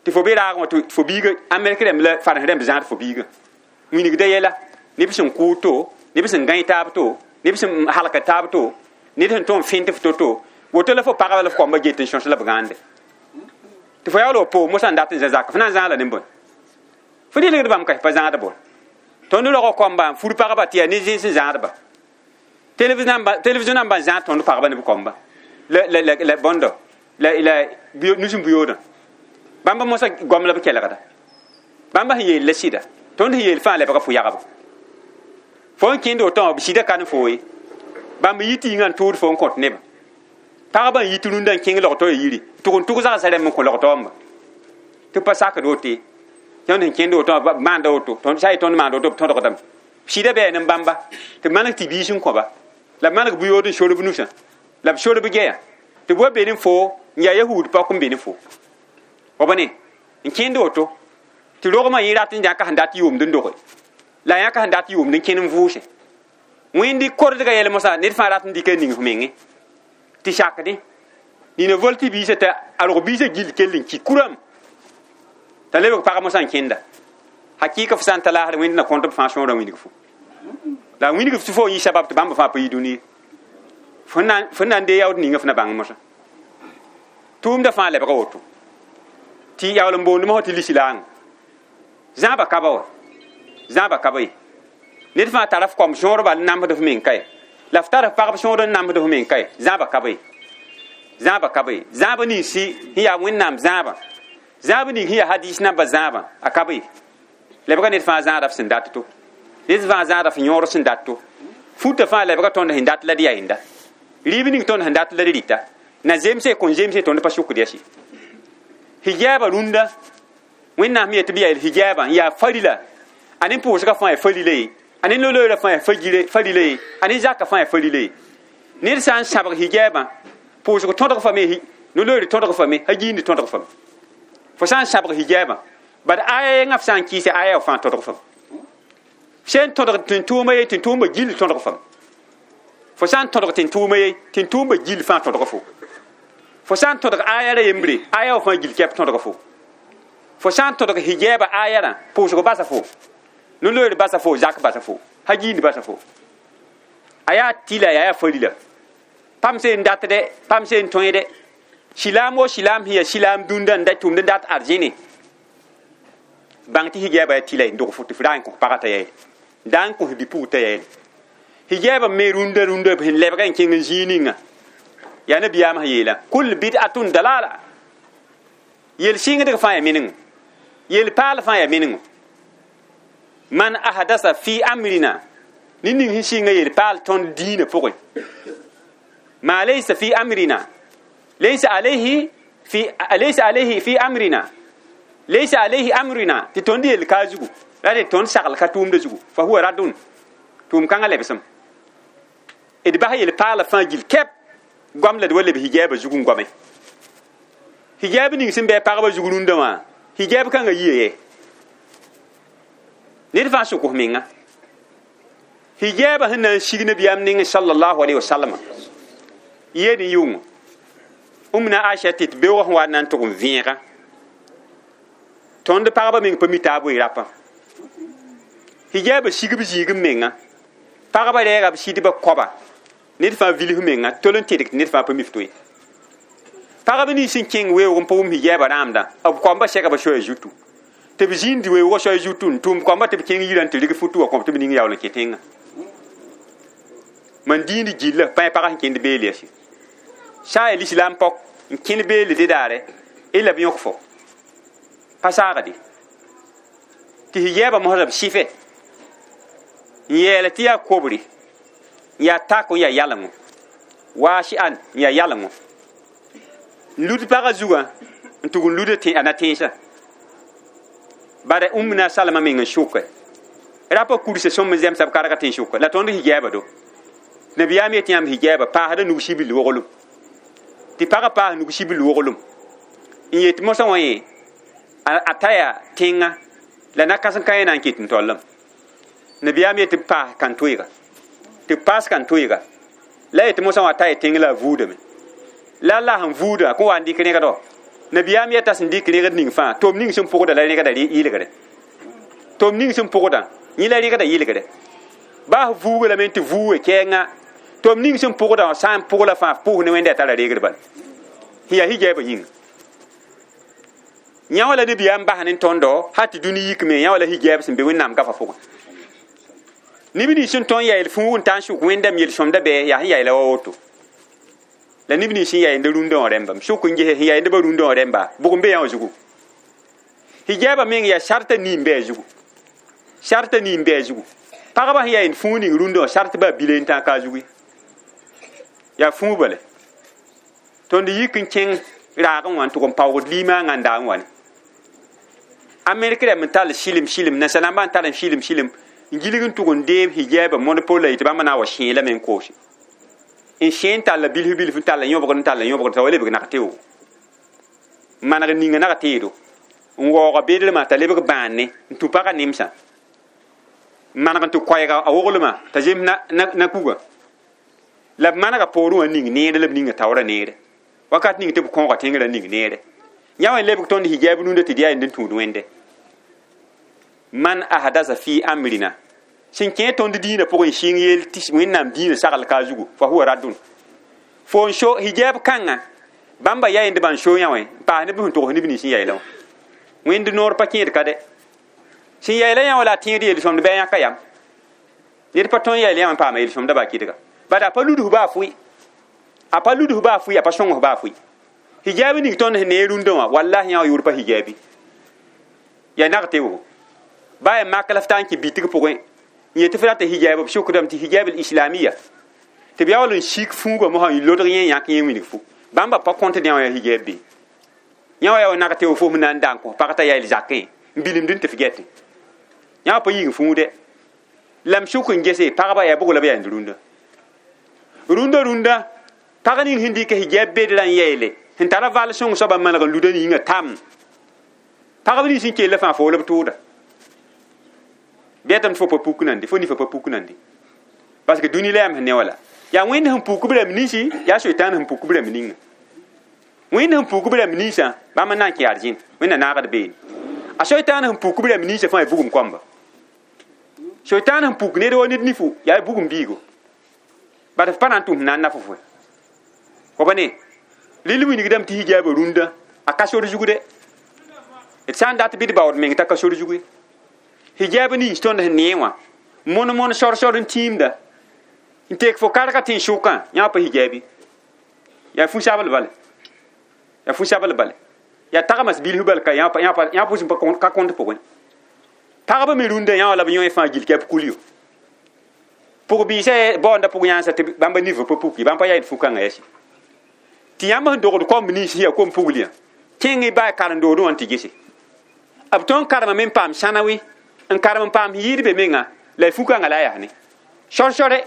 tɩ fo be raagẽ wã tɩ fo biiga Amerik rãmb la farãs rãmb zãad fo biiga wĩnigda yɛla neb sẽn kʋʋd to neb sẽn gãe taab to neb sẽn halka taab to ned sẽn tõm fẽnt f to-to woto la fo pagba la f koamba get n sõs la b gãande tɩ fo yaool wa poog mosã n dat n zã zak f na n zãag la ne bõe fo dɩlgd bãmb ka pa zãad bõe tõnd rog koamba n fur pagba tɩ yaa ne zẽns n zãadba television nambã n zãad tõnd pagba ne b koamba la bõndo la nus n buyoodã bãmba mosã goam la b kelgda bãmba sẽn yeel la sɩda tõnd sẽn yeel fãa lebga fo yagb fo n kẽnd woto wã b sɩda kan fo ye bãmb yi tɩ yĩngã n tʋʋd fo n kõt nebã pagba n yit rũndã n kẽng logto ya yiri tʋg n tʋg zagsã rãmb n kõ logtoamba tɩ pa sakd woto ye tõnd sẽn kẽnd woto wã maanda woto sã n ye tõnd maand woto b tõdgdame sɩda bɩ yaa nin-bãmba tɩ maneg tɩ biis n kõba la b maneg buyood n sorb nusã la b sorb gɛya tɩ b wa be ne fo n yaa yahuud paok n be ne fo wa ba ne n kẽnd woto tɩ rogmã yẽ rat n yãka sẽn dat yʋʋmd n doge la yãka sẽn dat yʋʋmd n kẽn n vʋʋse wẽnd kordga yɛl mosã ned fãa rat n dɩka n ning f menge tɩ sakdẽ nina vol tɩ biisã t'a a rog biisã gill kell n ki kuram t'a lebg pag mosã n kẽnda hakɩɩka f sã n ta laasr wẽnd na kõt b fãa sõorã wilg fo la wilg f tɩ fo yɩ sabab tɩ bãmb fãa pa yi dũni fo na n dee yaood ninga f na bãng mosã tʋʋmdã fãa lebga woto tɩ yaool n boond mosã tɩ lislaang zãaba ka ba wa zãaba ka ba ye ned fãa tara f koam sõor bal n namsd f meng ka ye la f tara f pagb sõor n namsd f meng ka ye zãaba ka ba ye zãaba ka ba ye zãaba ninsi sẽn yaa wẽnnaam zãaba zãab ning sẽn yaa hadis nambã zãabã a ka be lebga ned fãa zãada f sẽn dat to ned fãa zãada f yõor sẽn dat to futa fãa lebga tõnd sẽn dat la d yaa yẽnda rɩɩb ning tõnd sẽn dat la d rɩta na zemse kõn zemse tõnd pa sʋkd yaa sɩ hijaaba rũndã wẽnnaam me yetɩ b yaa hijaabã n yaa farila a ne pʋʋsgã fãa yaa farila ye a ne no-loeerã fãa yaa farila ye a ne zakã fãa yaa farila ye ned sã n sãbg hijaabã pʋʋsg tõdg fame no-loeer tõdg fame hagiindi tõdg fame fo sã n sãbg hijaabã bad aya yẽngã f sã n kɩɩse aya fãa tõdg fam sẽn tõdg tẽn-tʋʋma ye tẽn-tʋʋmba gill tõdg fam fo sã n tõdg tẽn-tʋʋma ye tẽn-tʋʋmba gill fãa tõdg fo fo sã n tõdg aya ra yembre aya wã fãa gill kɛp tõdg fo fo sã n tõdg hijaabã aya rã pʋʋsg basa fo no-loeer basa fo zak basa fo hagiindi basa fo a yaa tɩla yaa yaa farila pam sẽn datdɛ pam sẽn tõede silaam wo silaam sẽn yaa silaam dũndã n da tʋmd n dat arzẽne bãng tɩ hijaabã yaa tɩla n dog fo tɩ f ra n kõ pagã t'a yaeele da n kõ bi-pugr t'a yaeele hijaabã me rũndã rũndã sẽn lebga n kẽng n zĩig ninga yaa nabiyaamã sẽn yeelã kul bid'atun dalala yel sɩngdg fãa yaa menengo yel paal fãa yaa menengo man ahdasa fi amrina ne ning sẽn sɩnga yel paal tõnd diinã pʋgẽ ma laysa fi amrina laysa alayhi fi laysa alayhi fi amrina laysa alayhi amrina tɩ tõnd yel ka zugu la tɩ tõnd sagl ka tʋʋmda zugu fa huwa radun tʋʋm kãngã lebsem d bas yel paala fãa gill kɛp goam la d wa leb hijaabã zug n goame hijaab ning sẽn bɩ pagba zug rũndã wã hijaab kãngã yia ye ned fãa sʋk f menga hijaabã sẽn na n sig nabiyaam nengẽ sallallahu alaihi wasallam yed n yʋng Umna Aisha tɩ beoogã sẽn wa n na n tʋg n vẽega tõnd pagba meng pa mi taab wee rapã hijaabã sigb zĩig n menga pagba rɛɛga b sɩdba koaba ned fãa vilf menga tol n tɩdg tɩ ned fãa pa mi f to ye Pagb nins sẽn kẽng weoog n pa wʋm hijaabã rãamdã, b koamba sɛka b soaya zutu. Tɩ b zĩnd weoogã soaya zutu n tʋm koamba tɩ b kẽng yirã n tɩ rɩg futu wã kõ tɩ b ning yaool n kẽ tẽngã. Man dĩnd gilla pãe pagã sẽn kẽnd beel yɛse. Sã n yaa lislaam pɔk n kẽnd beelde daare, y la b yõk fo. Pa saagde. Tɩ hijaabã mosã b sɩfe. N yeela tɩ yaa kobre, n yaa tako n yaa yalengo. Waasi an n yaa yalengo. N lud pagã zugã n tʋg n lud a na tẽensã. Bara Ummina Salama meng n sʋke. Rapa kurse sõm n zemsa b karga tẽn sʋka la tõnd hijaaba do. Nabiyaam yetɩ yãmb hijaaba paasda nug sibil woglem. Tɩ pagã paas nug sibil woglem. N yet mosã wã yẽ a ta yaa tẽngã la na-kãsem ka yẽ na n ket n tollem. Nabiyaam yetɩ b paas kãn-toeega. Tɩ b paas kãn-toeega. La yetɩ mosã wã ta yaa tẽng la a vuudame. La la sẽn vuuda kõ wa n dɩk rẽgdɔ. Nabiyaam yeta sẽn dɩk rẽgd ning fãa, tom ning sẽn pʋgda la rẽgda yɩlgre. Tom ning sẽn pʋgda, yẽ la rẽgda yɩlgre. Baa f vuuga lame tɩ vuuge kɛɛngã, tom ning sẽn pʋgda wã sã n pʋg la fãa f pʋʋs ne Wẽnda yaa tara reegd bala. Sẽn yaa hijaabã yĩnga. Yã wã la nabiyaam bas ne tõndo hal tɩ dũni yikme, yã wã la hijaab sẽn be Wẽnnaam gafa pʋgẽ. Neb nins sẽn tõe n yaa yel-fũug n ta n sʋk Wẽndame yel-sõmda bɩ yaa sẽn yaa la wa woto. La neb nins sẽn yaa yend rũndã wã rẽmba, m sʋk n ges sẽn yaa yend ba rũndã wã rẽmba, bʋg n be yã wã zugu. Hijaabã meng yaa sarta nii n be a zugu. Sarta nii n be a zugu. Pagba sẽn yaa yend fũug ning rũndã wã sart baa bile n tãag ka a zugu ye. Yaa fũug bala. Tõnd yik n kẽng raagẽ wã n tʋg n paoogd limaangã n daa n wa ne. Amerik rãmb n tall sɩlem sɩlem, nansã-rãmbã n tar n sɩlem sɩlem n gilg n tʋg n deeb hijaabã monopole la yetɩ bãmb na n wa sẽe lame n koose. N sẽe n talla bilf bilf n talla yõbgd n talla yõbgd t'a wa lebg nag teoogo. Maneg ninga nag teedo. N waooga bedremã t'a lebg bãane n tũ pagã nemsã. N maneg n tɩ koɛɛga a woglmã t'a zems na kuga. La b manega poorẽ wã ning neere la b ninga taoorã neere. Wakat ning tɩ b kõoga tẽngrã ning neere. Yã wã n lebg tõnd hijaab rũndã tɩ d yaa yend n tũud Wẽnde. Man ahdasa fi amrina. Sẽn kẽ tõnd dĩinã pʋgẽ n sɩng yeel tɩ Wẽnnaam dĩinã sagl ka a zugu, fa huwa raddun. Fo n so hijaab kãngã, bãmba yaa yend bãn so yã wã n paas neb sẽn togs neb nins sẽn yaeelã wã. Wẽnd noor pa kẽed ka dɛ. Sẽn yaeela yã wã la a tẽed yel-sõmd bɩ a yãka yam. Ned pa tõe n yaeel yã wã n paama yel-sõmda baa kɩdga. Bala a pa luds baa fʋɩ. A pa luds baa fʋɩ, a pa sõng baa fʋɩ. Hijaab ning tõnd sẽn nee rũndã wã, wallahi yã wã yʋʋr pa hijaabi. Yaa nag teoogo. Baa yaa mak la f taa n kẽ bitg pʋgẽ. N yetɩ f rata hijaab, b sʋkdame tɩ hijaab islamia. Tɩ b yaool n sik fũugã mosã n lodg yẽ yãk yẽ wilg fu. Bãmba pa kõt yã wã yaa hijaab be. Yã wã yaa wa nag teoog fo sẽn na n da n kõ pag t'a yaa zakẽ n bilimd n tɩ f gɛtẽ. Yã wã pa yĩng fũude. La m sʋk n gese pagba yaa bʋg la b yaa rũndã. Rũndã rũndã pag ning sẽn dɩk hijaab bedrã n yeele sẽn tara val sõng soabã maneg n luda yĩngã tam. Pagb nins sẽn kell fãa fo la b tʋʋda. Bɩ tɩ fo pa puk nande, fo nifa pa puk nande. Parce que dũni la yam sẽn ne wala. Yaa Wẽnd sẽn puk b rãmb ninsi, yaa Soitaan sẽn puk b rãmb ninga. Wẽnd sẽn puk b rãmb ninsã, bãmb n na n kẽ arzẽn, Wẽnna naagd beene. A Soitaan sẽn puk b rãmb ninsã fãa yaa bugum koamba. Soitaan sẽn puk ned wa ned nifu, yaa bugum biigo. Bad f pa na n tʋm na n naf fo. Fo pa ne, rɩl wilgdame tɩ hijaabã rũndã, a ka sor zug dɛ. D sã n dat bɩ d baood meng t'a ka sor zug ye. Hijaab nins tõnd sẽn nee wã, mon mon sor sor n tĩimda. N tek fo karga tẽn sʋkã, yã pa hijaabi. Yaa fu-sabl bala. Yaa fu-sabl bala. Yaa tagmas bilf bal ka yã pʋs ka kõnt pʋgẽ. Pagba me rũndã yã wã la b yõe fãa gill kɛ b kulyo. Pʋg-biisã baoonda pʋg-yãnsã tɩ bãmba nifã pa puki, bãmb pa yaa fu-kãngã yɛsɩ. Tɩ yãmb sẽn dogd kom nins sẽn yaa kom pugliyã, kẽng y baa karen-doodẽ wã n tɩ gese. B tõnd karemame n paam sãnawi, n karem n paam sẽn yɩɩd be menga, la y fu-kãngã la a yaa ne. Sor-sore,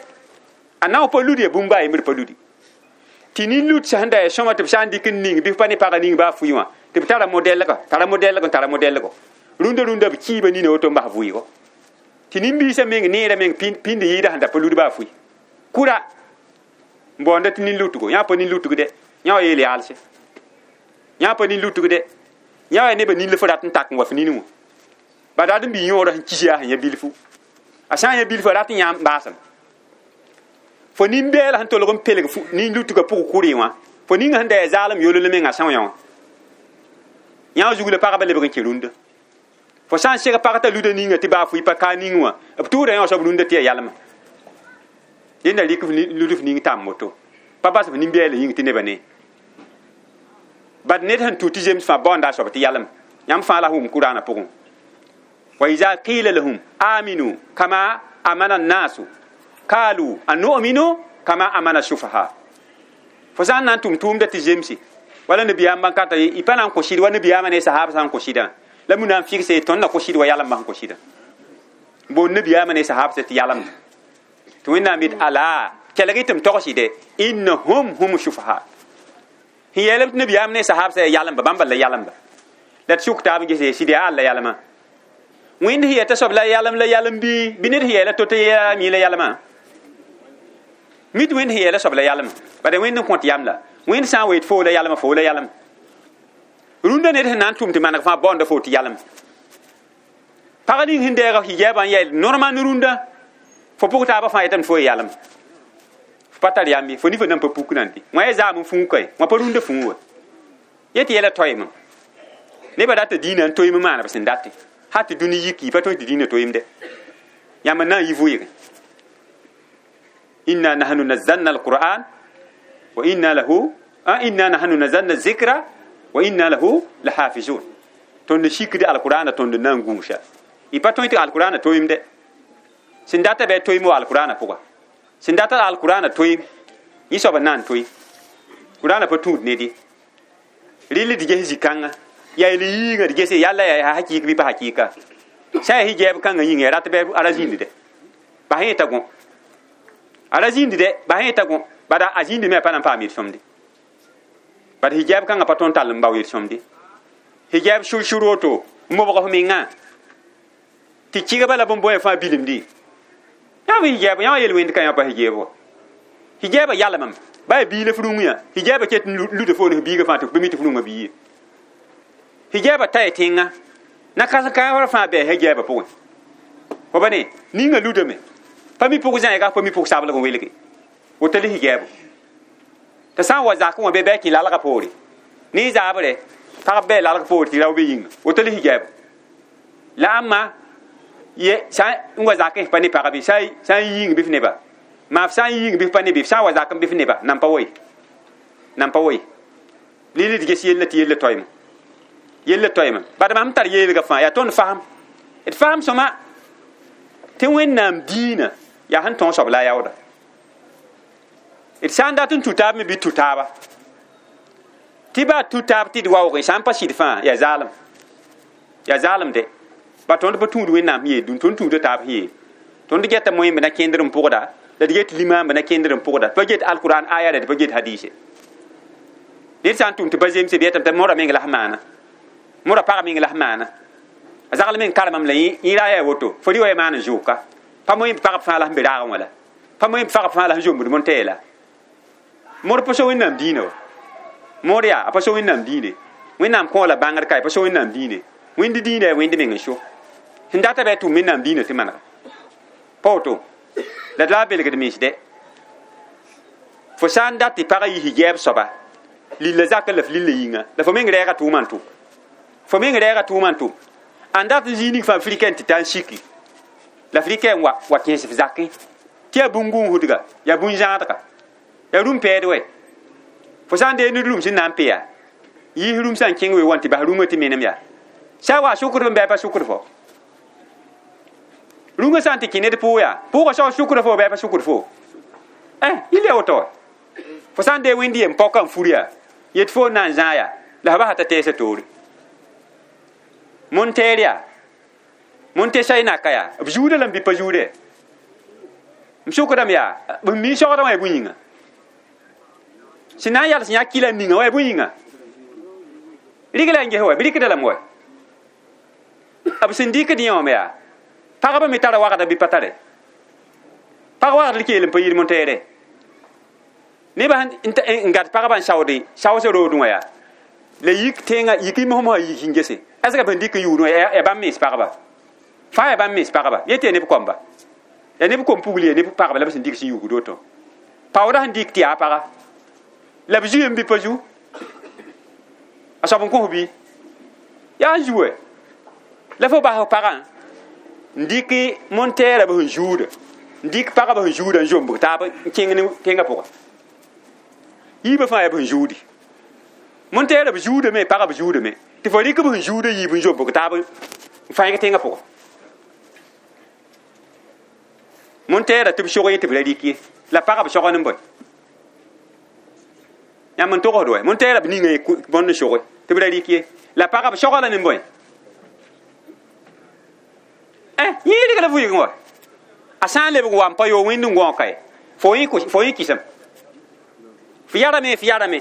a na n pa lud ya bũmb baa yembr pa ludi. Tɩ nin-lut sẽn da yaa sõma tɩ b sã n dɩk n ning bɩ f pa ne pagã ning baa fʋɩ wã, tɩ b tara modɛlga, tara modɛlg n tara modɛlgo. Rũndã rũndã b kiiba nina woto n bas vʋɩɩgo. Tɩ nin-biisã meng neerã meng pĩnd yɩɩda sẽn da pa lud baa fʋɩ. Kʋra n baoonda tɩ nin-lutgo, yã pa nin-lutg dɛ, yã wã yeel yaalse. Yã pa nin-lutg dɛ, yã wã yaa nebã nin la f rat n tak n wa f nin wã. Ba dat n bɩ yõorã sẽn kis yaa sẽn yã bilfu. A sã n yã bilfu a rat n yãam baasem. Fo nin-bɛɛl sẽn tolg n pelg nin-lutgã pʋg kʋrɩ wã, Fo ninga sẽn da yaa zaalem yol la menga são yã wã yã zug la pagba lebg n kẽ rũndã fo sã n seg pag t'a luda ninga tɩ baa fo pa ka ning wã b tʋʋda yã soab rũndã tɩ yaa yalma yẽnda rɩk lud f ning tãmb woto pa bas f nin-bɛɛla yĩng tɩ nebã ne bad ned sẽn tũ tɩ zems fãa baoonda a soab tɩ yalem yãmb fãa la wʋm kuraanã pʋgẽ wa iza qila lahum aminu kama amana annasu kalu anu'minu kama amana sufaha fo sã n na n tʋm tʋʋmda tɩ zemse wala nabiyaam bãn kata y pa na n kõ sɩd wa nabiyaamã ne sahab sã n kõ sɩdã la mu na n fɩgse tõnd na kõ sɩd wa yalemba sẽn kõ sɩdã boon nabiyaamã ne sahab tɩ yalemda tɩ wẽnnaam yet ala kelg tɩ m togsɩde innahum hum sufaha sẽn yeelame tɩ nabiyaam ne sahab sã yaa yalemba bãmb la yalemba la d sʋk taab n gese sɩd yaa alla yalema wẽnd sẽn yɛta soab la yalem la yalem bɩ ned sẽn yɛɛla to-to yaa mi la yalema mit wẽnd sẽn yɛɛla soab la yalem bala wẽnd n kõt yam la wẽnd sã n weet foo la yalema foo la yalem rũndã ned sẽn na n tʋm tɩ maneg fãa baoonda foo tɩ yalem pag ning sẽn deega hijaabã n yɛl normal ne rũndã fo pʋg taabã fãa yetame fo yalem fo pa tar yam ye fo nifã nan pa puk nan tɩ wã ya zaam n fũu kae wã pa rũndã fũu wa yetɩ yɛla toeeme nebã data dĩinã n toeem maana b sẽn date ha tɩ dũni yiki pa tõe tɩ dĩinã toeemde yãmb n na n yi vʋɩge inna nahnu nazzalna alquran wa inna lahu inna nahnu nazzalna zikra wa inna lahu lahafizun tõnd sikd alqurana tõnd na n gũusa y pa tõe tɩ alqurana toeemde sẽn data bɩ toeem wa alqurana pʋga sẽn data alqurana toeem yẽ soab n na n toe qurana pa tũud ned ye rɩl d ges zĩ-kãnga yaa yel yiingã d gese yalla yaa hakɩɩk bɩ pa hakɩɩka sã n yaa hijab kãngã yĩnga ya rat bɩ a ra zĩndi dɛ bas yẽ t'a gõ a ra zĩndi dɛ bas yẽ t'a gõ bada a zĩndi me a pa na n paam yel-sõmde bad hijab kãngã pa tõnd tall n bao yel-sõmde hijab shur-shur woto n mobg f mengã tɩ kɩgba la bõn-bõe fãa bilemdi yãmb hijab yã yel-wẽnd ka yã pa hijab wa hijabã yalemame ba yaa biila f rũng yã hijabã ket n luda fo ne f biigã fãa tɩ f pa mi tɩ f rũngã bii ye hijabã taya tẽngã na kãsem-kãabã fãa bɩ hijabã pʋgẽ fo ba ne ninga ludame pa mi pʋg zãiga pa mi pʋg sablg n welge woto la hijaabo tɩ sã n wa zakẽ wã bɩ bɩ kẽ lalgã poore ne zaabre pagb bɩ lalg poore tɩ rao be yĩnga woto la hijaabo la ãmba ye sã n wa zakẽ pa ne pagbe sã n yĩng bɩ f neba maa f sã n yĩng bɩ f pa ne bɩ f sã n wa zakẽ bɩ f neba nan pa woe nan pa woe lili d ges yella tɩ yella toeeme yella toeeme bad mam tar yeelga fãa yaa tõnd fasem d fasem sõma tɩ wẽnnaam diinã yaa sẽn tõog soab la a yaooda d sã n dat n tũ taab me bɩ tũ taaba tɩ baa tũ taab tɩ d waoogẽ sã n pa sɩd fãa yaa zaalem yaa zaalem de ba tõnd pa tũud wẽnnaam sẽn yeel dũni tõnd tũuda taab sẽn yeel tõnd geta moẽmb na kẽndr n pʋgda la d get limaamb na kẽndr n pʋgda pa get alquran aya la d pa get hadise ned sã n tʋm tɩ pa zemse bɩ yetame tɩ mora meng la sẽn maana mora pag meng la sẽn maana a zagl meng karemame la yẽ ra yaa woto fo rɩ wa ya maan n zʋʋka pa moẽmb pagb fãa la sẽn be raagẽ wã la pa moẽmb pagb fãa la sẽn zombd montɛɛ la moor pa so wẽnnaam diinã wa moor yaa a pa so wẽnnaam diine wẽnnaam kõ la bãngr ka pa so wẽnnaam diine wẽnd diinã yaa wẽnd meng n so sẽn data bɩ a tʋm wẽnnaam diinã tɩ manega pa woto la d la a belgd mens dɛ fo sã n dat tɩ pagã yi hijab soaba lilla zakã la f lilla yĩnga la fo meng rɛɛga tʋʋmã n tʋ fo meng rɛɛga tʋʋmã n tʋ ãn dat n zĩig ning fãa frikã tɩ ta n siki la frikã n wa wa kẽes f zakẽ tɩ yaa bũn-gũusdga yaa bũn-zãadga yaa rũm pɛɛd wɛ fo sã n dee ned rũm sẽn na n pe yaa yiis rũm sã n kẽng we wã tɩ bas rũngã tɩ menem yaa sã wa sʋkd n bɩ a pa sʋkd fo rũngã sã n tɩ kẽ ned pʋʋg yaa pʋʋgã sao sʋkd fo bɩ a pa sʋkd fo yɩl ya woto wa fo sã n dee wẽnd yem paoka n fur yaa yet fo n na n zãag yaa la f basa t'a tɛɛsã toore montɛɛr yaa montɛ naka yaa b zuudã lame bɩ pa zuudɛ m sʋkdame yaa b mi sogdã wã yaa bũn-yĩnga sẽn na n yals yã kila ninga wã yaa bũn-yĩnga rɩg la n ges wa b rɩkda lame wa b sẽn dɩkd yẽ wame yaa pagba me tara wagda bɩ pa tare pag wagd l keel n pa yir montɛɛrɛ nebã n gat pagba n saoode saoosã roodẽ wã yaa la yik tẽngã yik y mosmosã yik n gese est-ce que b sẽn dɩk n yʋʋd wã yaa bãmb mens pagba fãa yaa bãmb mens pagba yetɩ yaa neb koamba yaa neb kom pugl yaa neb pagba la b sẽn dɩk sẽn yugd woto paoodã sẽn dɩk tɩ yaa paga La b zuem bɩ pa zu a soab n kõ bɩ yaa n zu wɛ la fo bas pagã n dɩk montɛɛrã b sẽn zuuda n dɩk pagã b sẽn zuuda n zombg taab n kẽng ne tẽngã pʋga yiibã fãa yaa b sẽn zuudi montɛɛrã b zuudame pagã b zuudame tɩ fo rɩk b sẽn zuuda yiib n zombg taab n fãeg tẽngã pʋga montɛɛrã tɩ b sog ye tɩ b ra rɩk ye la pagã b sog n bõe yãmb n togsd wɛ montɛɛrã b ninga bõnd n soge tɩ b ra rɩk ye la pagã b soga la ne bõe yẽ rɩk la vʋɩgẽ wa a sã n lebg wa n pa yo wẽnd n gõog kae fo yẽ kɩsem fo yarame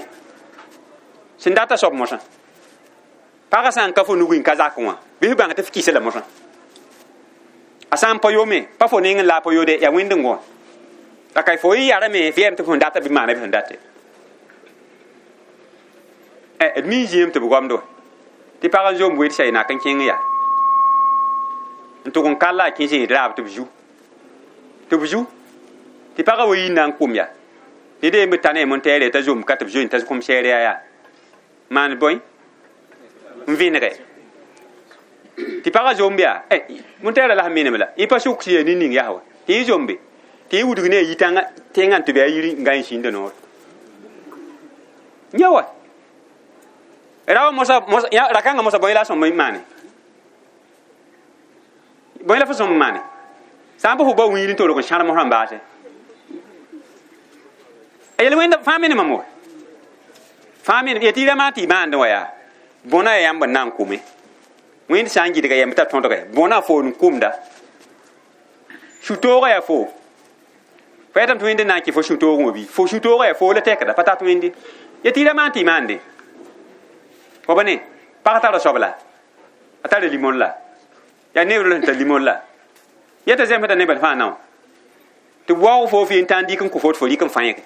sẽn data soab mosã pagã sã n ka fo nugẽ n ka zakẽ wã bɩ f bãng tɩ f kɩsa la mosã a sã n pa yome pa fo neng n la a pa yode yaa wẽnd n gõ la ka fo yẽ yarame f yɛm tɩ f sẽn data bɩ maana bɩ sẽn date d mi zĩem tɩ b goamd wa tɩ pag n zom wed sã y nak n kẽng yaa n tʋg n kal la a kẽ zẽed raab tɩ b zu tɩ b zu tɩ pagã wa yi n na n kʋm yaa tɩ dee b ta ne montɛɛre t'a zom ka tɩ b zoe t'a kʋm sɛɛr yaa yaa maan bõe n vẽnege tɩ pagã zomb yaa montɛɛrã la sẽn menem la yẽ pa sʋk sẽn yaa nin-ning yaa wa tɩ yẽ zombe tɩ yẽ wudg ne a yitãngã tẽngã n tɩ bɩ a yiri n ga n sĩnda noor yã wa rawa mosa rakãngã mosa bõe la a sõm n maane bõe la fo sõm n maane sã n pa fo ba wiir n tolg n sãr mosã n baase a yel wẽnda fãa me ne mam wa fãa me ya tɩ y rãmã tɩ y maandẽ wa yaa bõna ya yãmb n na n kʋme wẽnd sã n gɩdga yãmb t'a tõdge bõna fo n kʋmda sũ-toogã yaa fo fo yetame tɩ wẽnd n na n kɩ fo sũ-toogẽ wã bɩ fo sũ-toogã yaa fo la tɛkda pa tat wẽnde ya tɩ y rãmã tɩ y maande fo ba ne pag tara soab la a tara limon la yaa neer la sẽn tar limon la yeta zemsda nebã fãa nao tɩ waoog fo fɩ n tã n dɩk n kõ fo tɩ fo rɩk n fãege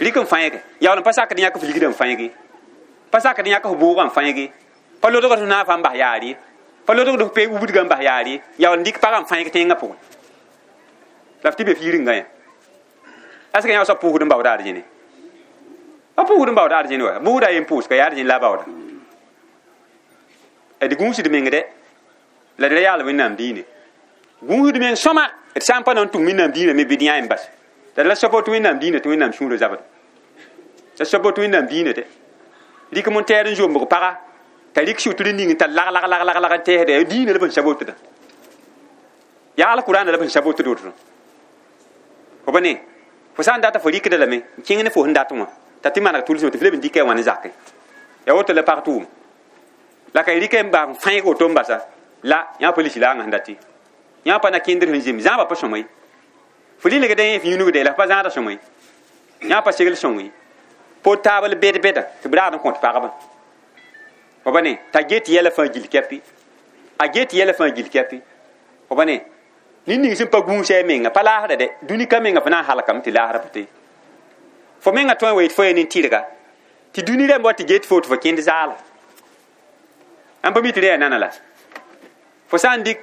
rɩk n fãege yaool n pa sakd yãk f ligdã n fãege pa sakd yãk f bʋʋgã n fãege pa lodgd f naafã n bas yaar ye pa lodgd f pe wubdgã n bas yaar ye yaool n dɩk pagã n fãeg tẽngã pʋgẽ la f tɩ be f yir-n-gã yã aska yã soab pʋʋsd n baooda argene pa pʋʋsd n baooda argene wa bʋʋda yen pʋʋs ka yaa argene la a baooda d gũusd meng dɛ la d ra yaal wẽnnaam diine gũusd meng sõma d sã n pa na n tʋm wẽnnaam diinã me bɩ d yã n bas la d la soab tɩ wẽnnaam diinã tɩ wẽnnaam sũurã zabd la soab tɩ wẽnnaam diinã dɛ rɩk montɛɛr n zombg paga t'a rɩk sʋtr ning t'a lag lag lag lag lag n tɛɛsda yaa diinã la b sẽn sabotda yaa alkurãana la b sẽn sabotd woto fo ba ne fo sã n data fo rɩkda lame n kẽng ne fo sẽn dat wã t'a tɩ maneg tʋlsme tɩ f leb n dɩka wã ne zakẽ yaa woto la pag tʋʋm la ka y rɩka n baa n fãeg woto n basa la yã pa lisi laagã sẽn dati yã pa na kẽndr sẽn zem zãabã pa sõma ye fo lilgdã yẽ f yũnugde la f pa zãada sõma ye yã pa segl sõng ye portable bed beda tɩ b raad n kõt pagba fo ba ne t'a get yɛla fãa gil kɛpɩ a get yɛla fãa gil kɛpɩ fo ba ne nin-ning sẽn pa gũusa a menga pa laasda dɛ dũni ka menga fo na n halkame tɩ laasra pa te fo menga tõe n wa yet fo ya nin-tɩrga tɩ dũni rãmb wa tɩ get fo tɩ fo kẽnd zaala ãmb pa mi tɩ rẽ yaa nana la fo sã n dɩk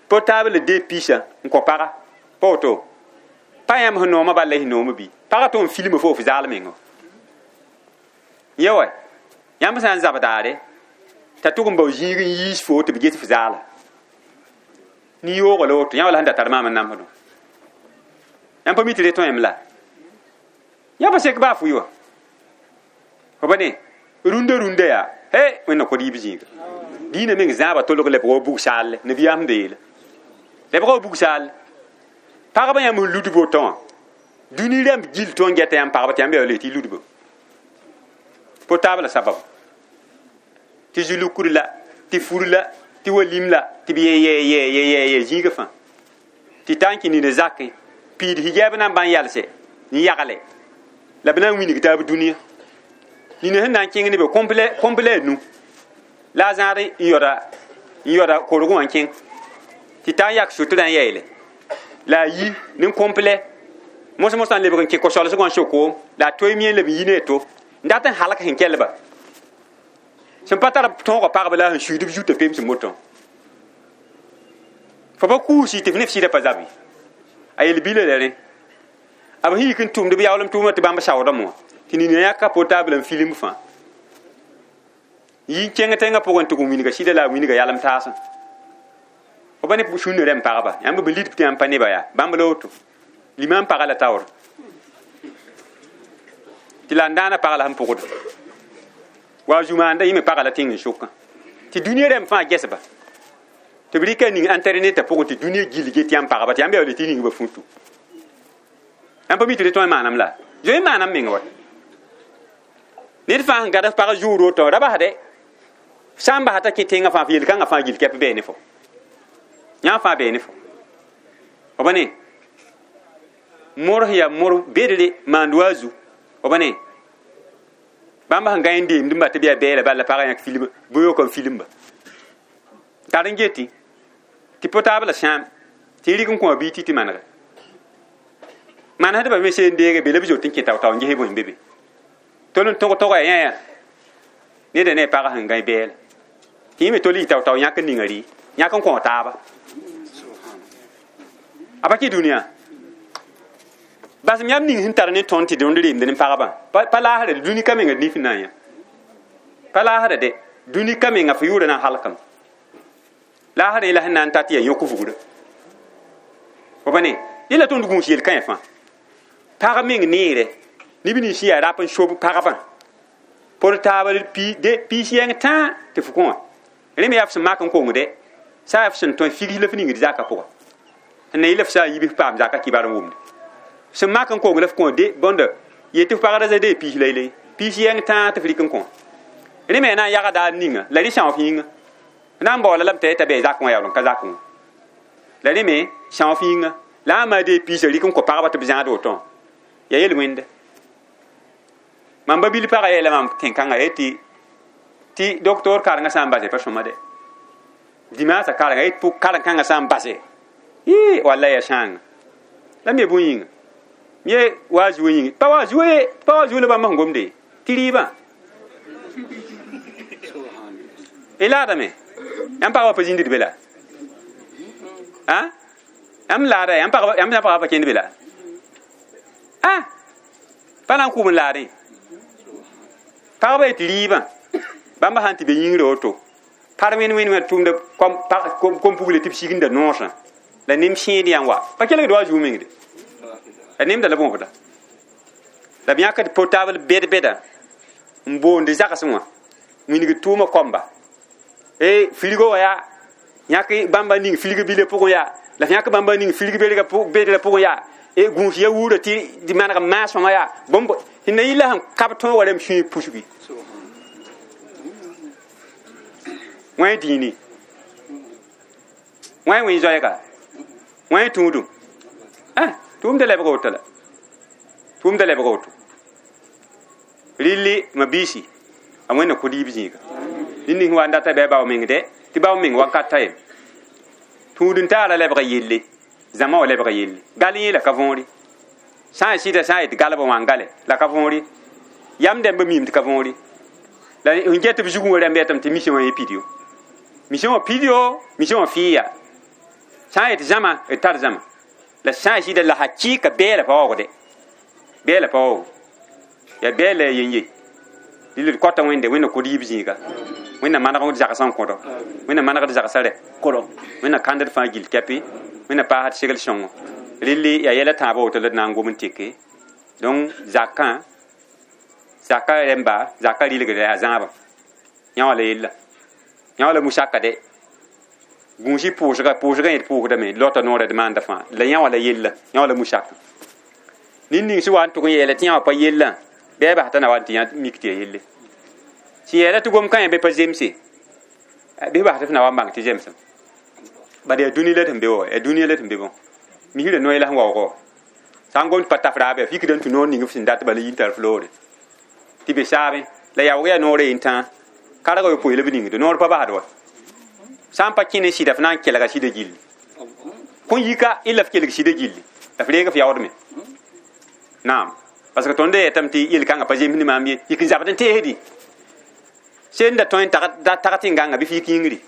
portable de piisã n kõ paga pa woto pa yãmb sẽn noomã bala la sẽn noomã bɩ pagã tɩ n filma fo f zaal menga yã wa yãmb sã n zab daare t'a tʋg n bao zĩig n yiis fo tɩ b ges f zaala ni-yoogã la woto yã wala sẽn da tar maam n namsdõ yãmb pa mi tɩ re tõem la yã pa sek baa fʋɩ wa fo ba ne rũndã rũndã yaa he wẽnna kod yiib zĩiga diinã meng zãaba tolg lebg wa bug saalle nabiyaam sẽn beele lebg wa bug saalle pagba yãmb sẽn ludb woto wã dũni rãmb gil tõe n gɛta yãmb pagba tɩ yãmb yaa le tɩ y ludba portable sabab tɩ zulukr la tɩ fur la tɩ walim la tɩ b yɛ zĩiga fãa tɩ ta n kẽ nina zakẽ piid hijab na n bãn yalse n yagle la b na n wilg taab dũniyã nina sẽn na n kẽng ne be kõmp la a nu la a zãad n yɔda korg wã n kẽng tɩ ta n yak sutrã n yaeele la a yi ne kõmplɛ mos mosã n lebg n kẽ ko-solsgã n sokoom la a toeem yẽ leb n yi ne a to n dat n halk sẽn kelba sẽn pa tar tõogã pagba la a sẽn suiid b zutã peem sẽn motã fo pa kuusi tɩ f ne f sɩdã pa zabe a yel-bila la rẽ A b yik n tʋmd b yaoolem tʋʋmã tɩ bãmb saoodame wã tɩ nina yãka portable n film fãa yi n kẽng tẽngã pʋgẽ tɩ g wilga sɩda la a wilga yalem taasẽ fo pa ne sũnã rẽmb pagba yãmb b lidb tɩ yãmb pa neba yaa bãmb la woto limam paga la taoor tɩ la n daana pag la sẽn pʋgd wa zumaanda yẽ me paga la tẽng n sʋkã tɩ dũniyã rẽmb fãa gesba tɩ b rɩka ning internet pʋgẽ tɩ dũniyã gill get yãmb pagba tɩ yãmb yaool tɩ ningba futu yãmb pa mi tɩ rẽ tõe n maanam la zoe n maanam meng wa ned fãa sẽn gad f pag zuur woto ra basde sã n basa t'a kẽ tẽngã fãa f yel-kãngã fãa gill kɛp bɛɛ ne fo yã fãa bɛɛ ne fo b ne mor ya mor bedre maand wa zu b ne bãmb sẽn gã n deemd n ba tɩ b yaa bɛɛla bala pagã yãk film bʋ-yook n filmba tar n geti tɩ portable sãam tɩ rɩk n kõ a bii tɩ tɩ manega manesdbã me seen deege be la b zot n kẽ tao-tao n ges bõe n be be tol n tõg-tõga yã neda ne a pagã sẽn gã bɛɛla tɩ yẽ me tol yɩ tao-tao yãk n ninga rɩ yãk n kõ taaba a pa kẽ dũniyã basem yãmb ning sẽn tar ne tõnd tɩ dõnd reemd ne pagbã pa laasda dũni ka menga nif n na n yã pa laasda de dũni ka menga fo yʋʋra na n halkame laasda yẽla sẽn na n ta tɩ yaa yõk vugda fo pa ne yẽla tõnd gũus yel-kãe fãa pag meng neere neb nins yaa rap n sob pagbã portable piis yɛng tãa tɩ f kõ wã rẽ me yaa f sẽn mak n kongde sã yaa f sẽn tõe figs la f ningd zaka pʋga n na yɩ la f sã n yibs paam zaka kibar n wʋmde sẽn mak n kong la f kõ de bõnda yetɩ f pagrã za dee piis la yele piis yɛng tãa tɩ f rɩk n kõ rẽ me yaa na n yagda a ninga la rẽ são f yĩnga na n baoola lame t'a yeta bɩ zakẽ wã yaool n ka zakẽ wã la rẽ me são f yĩnga la a maa dee piisã rɩk n kõ pagba tɩ b zãad woto ya yel-wẽnde mam ba bil pagã yeela mam tẽn-kãngã yetɩ tɩ docteur karengã sã n base pa sõma de dimaasã karengã yet pʋg karen-kãngã sã n base yɩ walla ya sãanga la me bõe yĩnga ye wa zuo yĩnga pa wa zuo ye pa wa zuo la bãmb sẽn gomde tɩ rɩɩbã y laadame yãmb pagba pa zĩndd be la yãmb laada yãmb pagba pa kẽnd be la pa na n kʋʋm n laadẽ pagba yetɩ rɩɩbã bãmba sã n tɩ be yĩngrã woto par wẽnd wẽnd wã tʋmda kom-pugle tɩ b sigenda noosã la nem sẽed yã wa pa kelgd wa zuu mengde la nemda la bõobda la b yãkd portable bɛd-bɛda n boonde zagsẽ wã wĩnigd tʋʋmã koamba e frigo wã yaa yãk bãmba ning frig bilã pʋgẽ yaa la f yãk bãmba ning frig bedrã pʋgẽ yaa e gũus ya wuurã tɩ maneg maasõma yaa bõmb tɩ na yɩ la sẽn kab tõog wa rãmb sũyã pusgi wã dĩini wã wẽn zoɛɛga wã tũudum tʋʋmda lebg woto la tʋʋmda lebg woto rɩlli ma biisi a wẽnna kod yib zĩiga ned ning wa n data bɩ a bao meng dɛ tɩ bao meng wakat t'a yem tũud n taara lebga yelle zãma wã lebga yelle gal yẽ la ka võore sã n sɩda sã n yet galbã wã n gale la ka võore yam dẽmba miime tɩ ka võore la n get b zugẽ wã rãmb yetame tɩ mission wã yẽ pid yo mission wã pid yo mission wã fɩɩ ya sã n yet zãma d tar zãma la sã n sɩda la hakɩɩka bɛɛla pa waoogde bɛɛla pa waoog yaa bɛɛla ya yen ye dɩl d kɔta wẽnde wẽnna kod yib zĩiga wẽnna maneg d zagsã n kõdo wẽnna manegd zagsã rɛ kʋrɔ wẽnna kãnd d fãa gill kɛpɩ wẽnna paasd segl sõngo rɩlli yaa yɛla tãabã woto la d na n gom n teke donc zakã zaka rẽmba zaka rɩlgda yaa zãabã yã wã la yella yã wã la musaka de gũusi pʋʋsga pʋʋsgã yẽ d pʋʋsdame lota noorã d maanda fãa la yã wã la yella yã wã la musaka ned ning sẽn wa n tʋg n yeela tɩ yã wã pa yellã bɩ a bas t'a na wa n tɩ yã mik tɩ ya yelle sẽn yeela tɩ gom kã bɩ pa zemse bɩ bas tɩ f na wa n bãng tɩ zemsem bad yaa dũni la d sẽn be wa yaa dũniyã la d sẽn be bõ misrã noe la sẽn waoogã wa sã n gom tɩ pa taf raab yaa fikda n tũ noor ning f sẽn dat bala yĩn tar floore tɩ be saabẽ la yaoog yaa noorã yen-tãa karga yopoe la b ningde noor pa basd wa sã n pa kẽ ne sɩda f na n kelga sɩda gilli kõn yika y la f kelg sɩda gilli la f reeg f yaoodme naam parce que tõnd yetame tɩ yel-kãngã pa zems ne maam ye yik n zabd n teesdi sẽn da tõe n tag tɩ n gãnga bɩ f yik yĩngri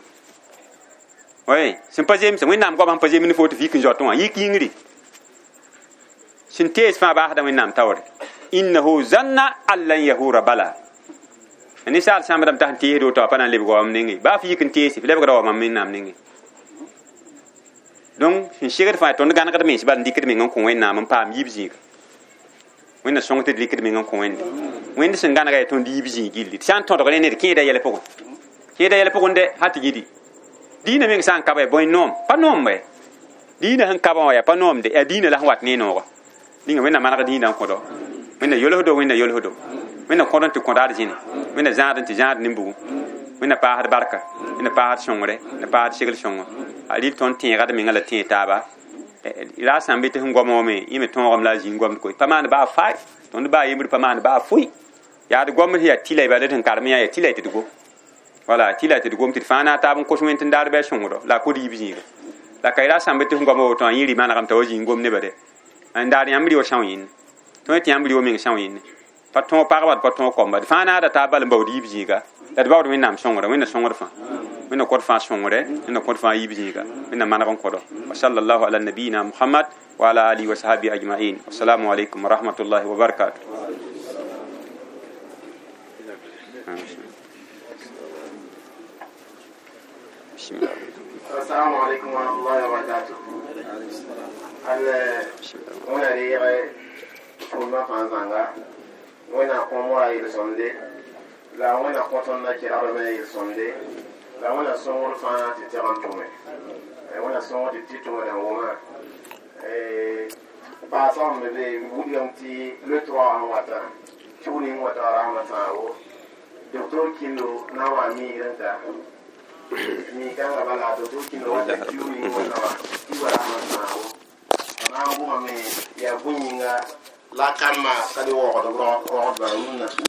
oe sẽn pa zemse wẽnnaam goam sẽn pa zems ne fo tɩ f yik n zoatẽ wã yik yĩngri Sẽn tees fãa baasda Wẽnnaam taoore. Innahu zanna an lan yahura bala. Ninsaal sãmbdame t'a sẽn teesd woto a pa na n lebg wa mam nengẽ. Baa f yik n teese, f lebgra wa mam Wẽnnaam nengẽ. Donc sẽn segd fãa tõnd gãnegd mens bal n dɩkd meng n kõ Wẽnnaam n paam yiib zĩiga. Wẽnna sõng tɩ d rɩkd meng n kõ Wẽnde. Wẽnd sẽn gãnega yaa tõnd yiib zĩig gilli. Tɩ sã n tõdg ne ned kẽeda yɛl pʋgẽ. Kẽeda yɛl pʋgẽ dɛ hal tɩ gidi. Dĩinã meng sã n ka bɩ bõe noom, pa noom bɩ. Dĩinã sẽn ka wã yaa pa noom de, yaa dĩinã la sẽn wat ne nooga. Ninga Wẽnna maneg dĩinã n kõdo. Wẽnna yolsdo, Wẽnna yolsdo. Wẽnna kõd n tɩ kõd ad zĩne. Wẽnna zãad n tɩ zãad nin-bugu. Wẽnna paasd barka, Wẽnna paasd sõngre, Wẽnna paasd segl sõngo. A rɩl tõnd tẽega d menga la tẽeg taaba. La sã n be tɩ sẽn goamã wã me, yẽ me tõogame la a zĩig goamd koe. Pa maan baa fay, tõnd baa yembr pa maan baa fʋɩ. Yaa d goamd sẽn yaa tɩla bala d sẽn karem yã yaa tɩla tɩ d gom. Wala tɩla tɩ d gom tɩ d fãa na taab n kos Wẽnd tɩ n daar bɩ a sõngdo la a kod yiib zĩiga. La ka ra sã n be tɩ sẽn goamã woto wã yẽ rɩ manegame t'a wa zĩig gom nebã de. N daar yãmb rɩ wa são yẽnne. Tõe tɩ yãmb rɩ wa meng são yẽnne. Pa tõog pagba d pa tõog koamba. D fãa naada taab bal n baood yiib zĩiga. La d baood Wẽnnaam sõngda, Wẽnna sõngd fãa. Wẽnna kõd fãa sõngre, Wẽnna kõd fãa yiib zĩiga. Wẽnna maneg n kõdo. Wa sallallahu ala nabiyina Muhammad wa ala alihi wa sahbihi ajma'in. Assalamu alaykum wa rahmatullahi wa barakatuh. Bismillah. Assalamu alaikum wa rahmatullahi wa barakatuh. Al wẽna reeg tʋʋmdã fãa zãnga Wẽnna kõm wa yel-sõmde la Wẽnna kõ tõnd na kelgdmã yel-sõmde la Wẽnna sõngr fãa tɩ tɛg n tʋme. Wẽnna sõngr tɩ tɩ tʋmda n wʋmã. Paasg me be wilgame tɩ le 3 sẽn wata kiu ning wata rasmã sãago docteur Kindo na n wa miigr n ta mi-kãngã bala docteur Kindo wata kiu ning wata wã tɩ wa rasmã sãago b na n gʋmame yaa bõe yĩnga la kambã ka le waoogd rogdbã rũnnã.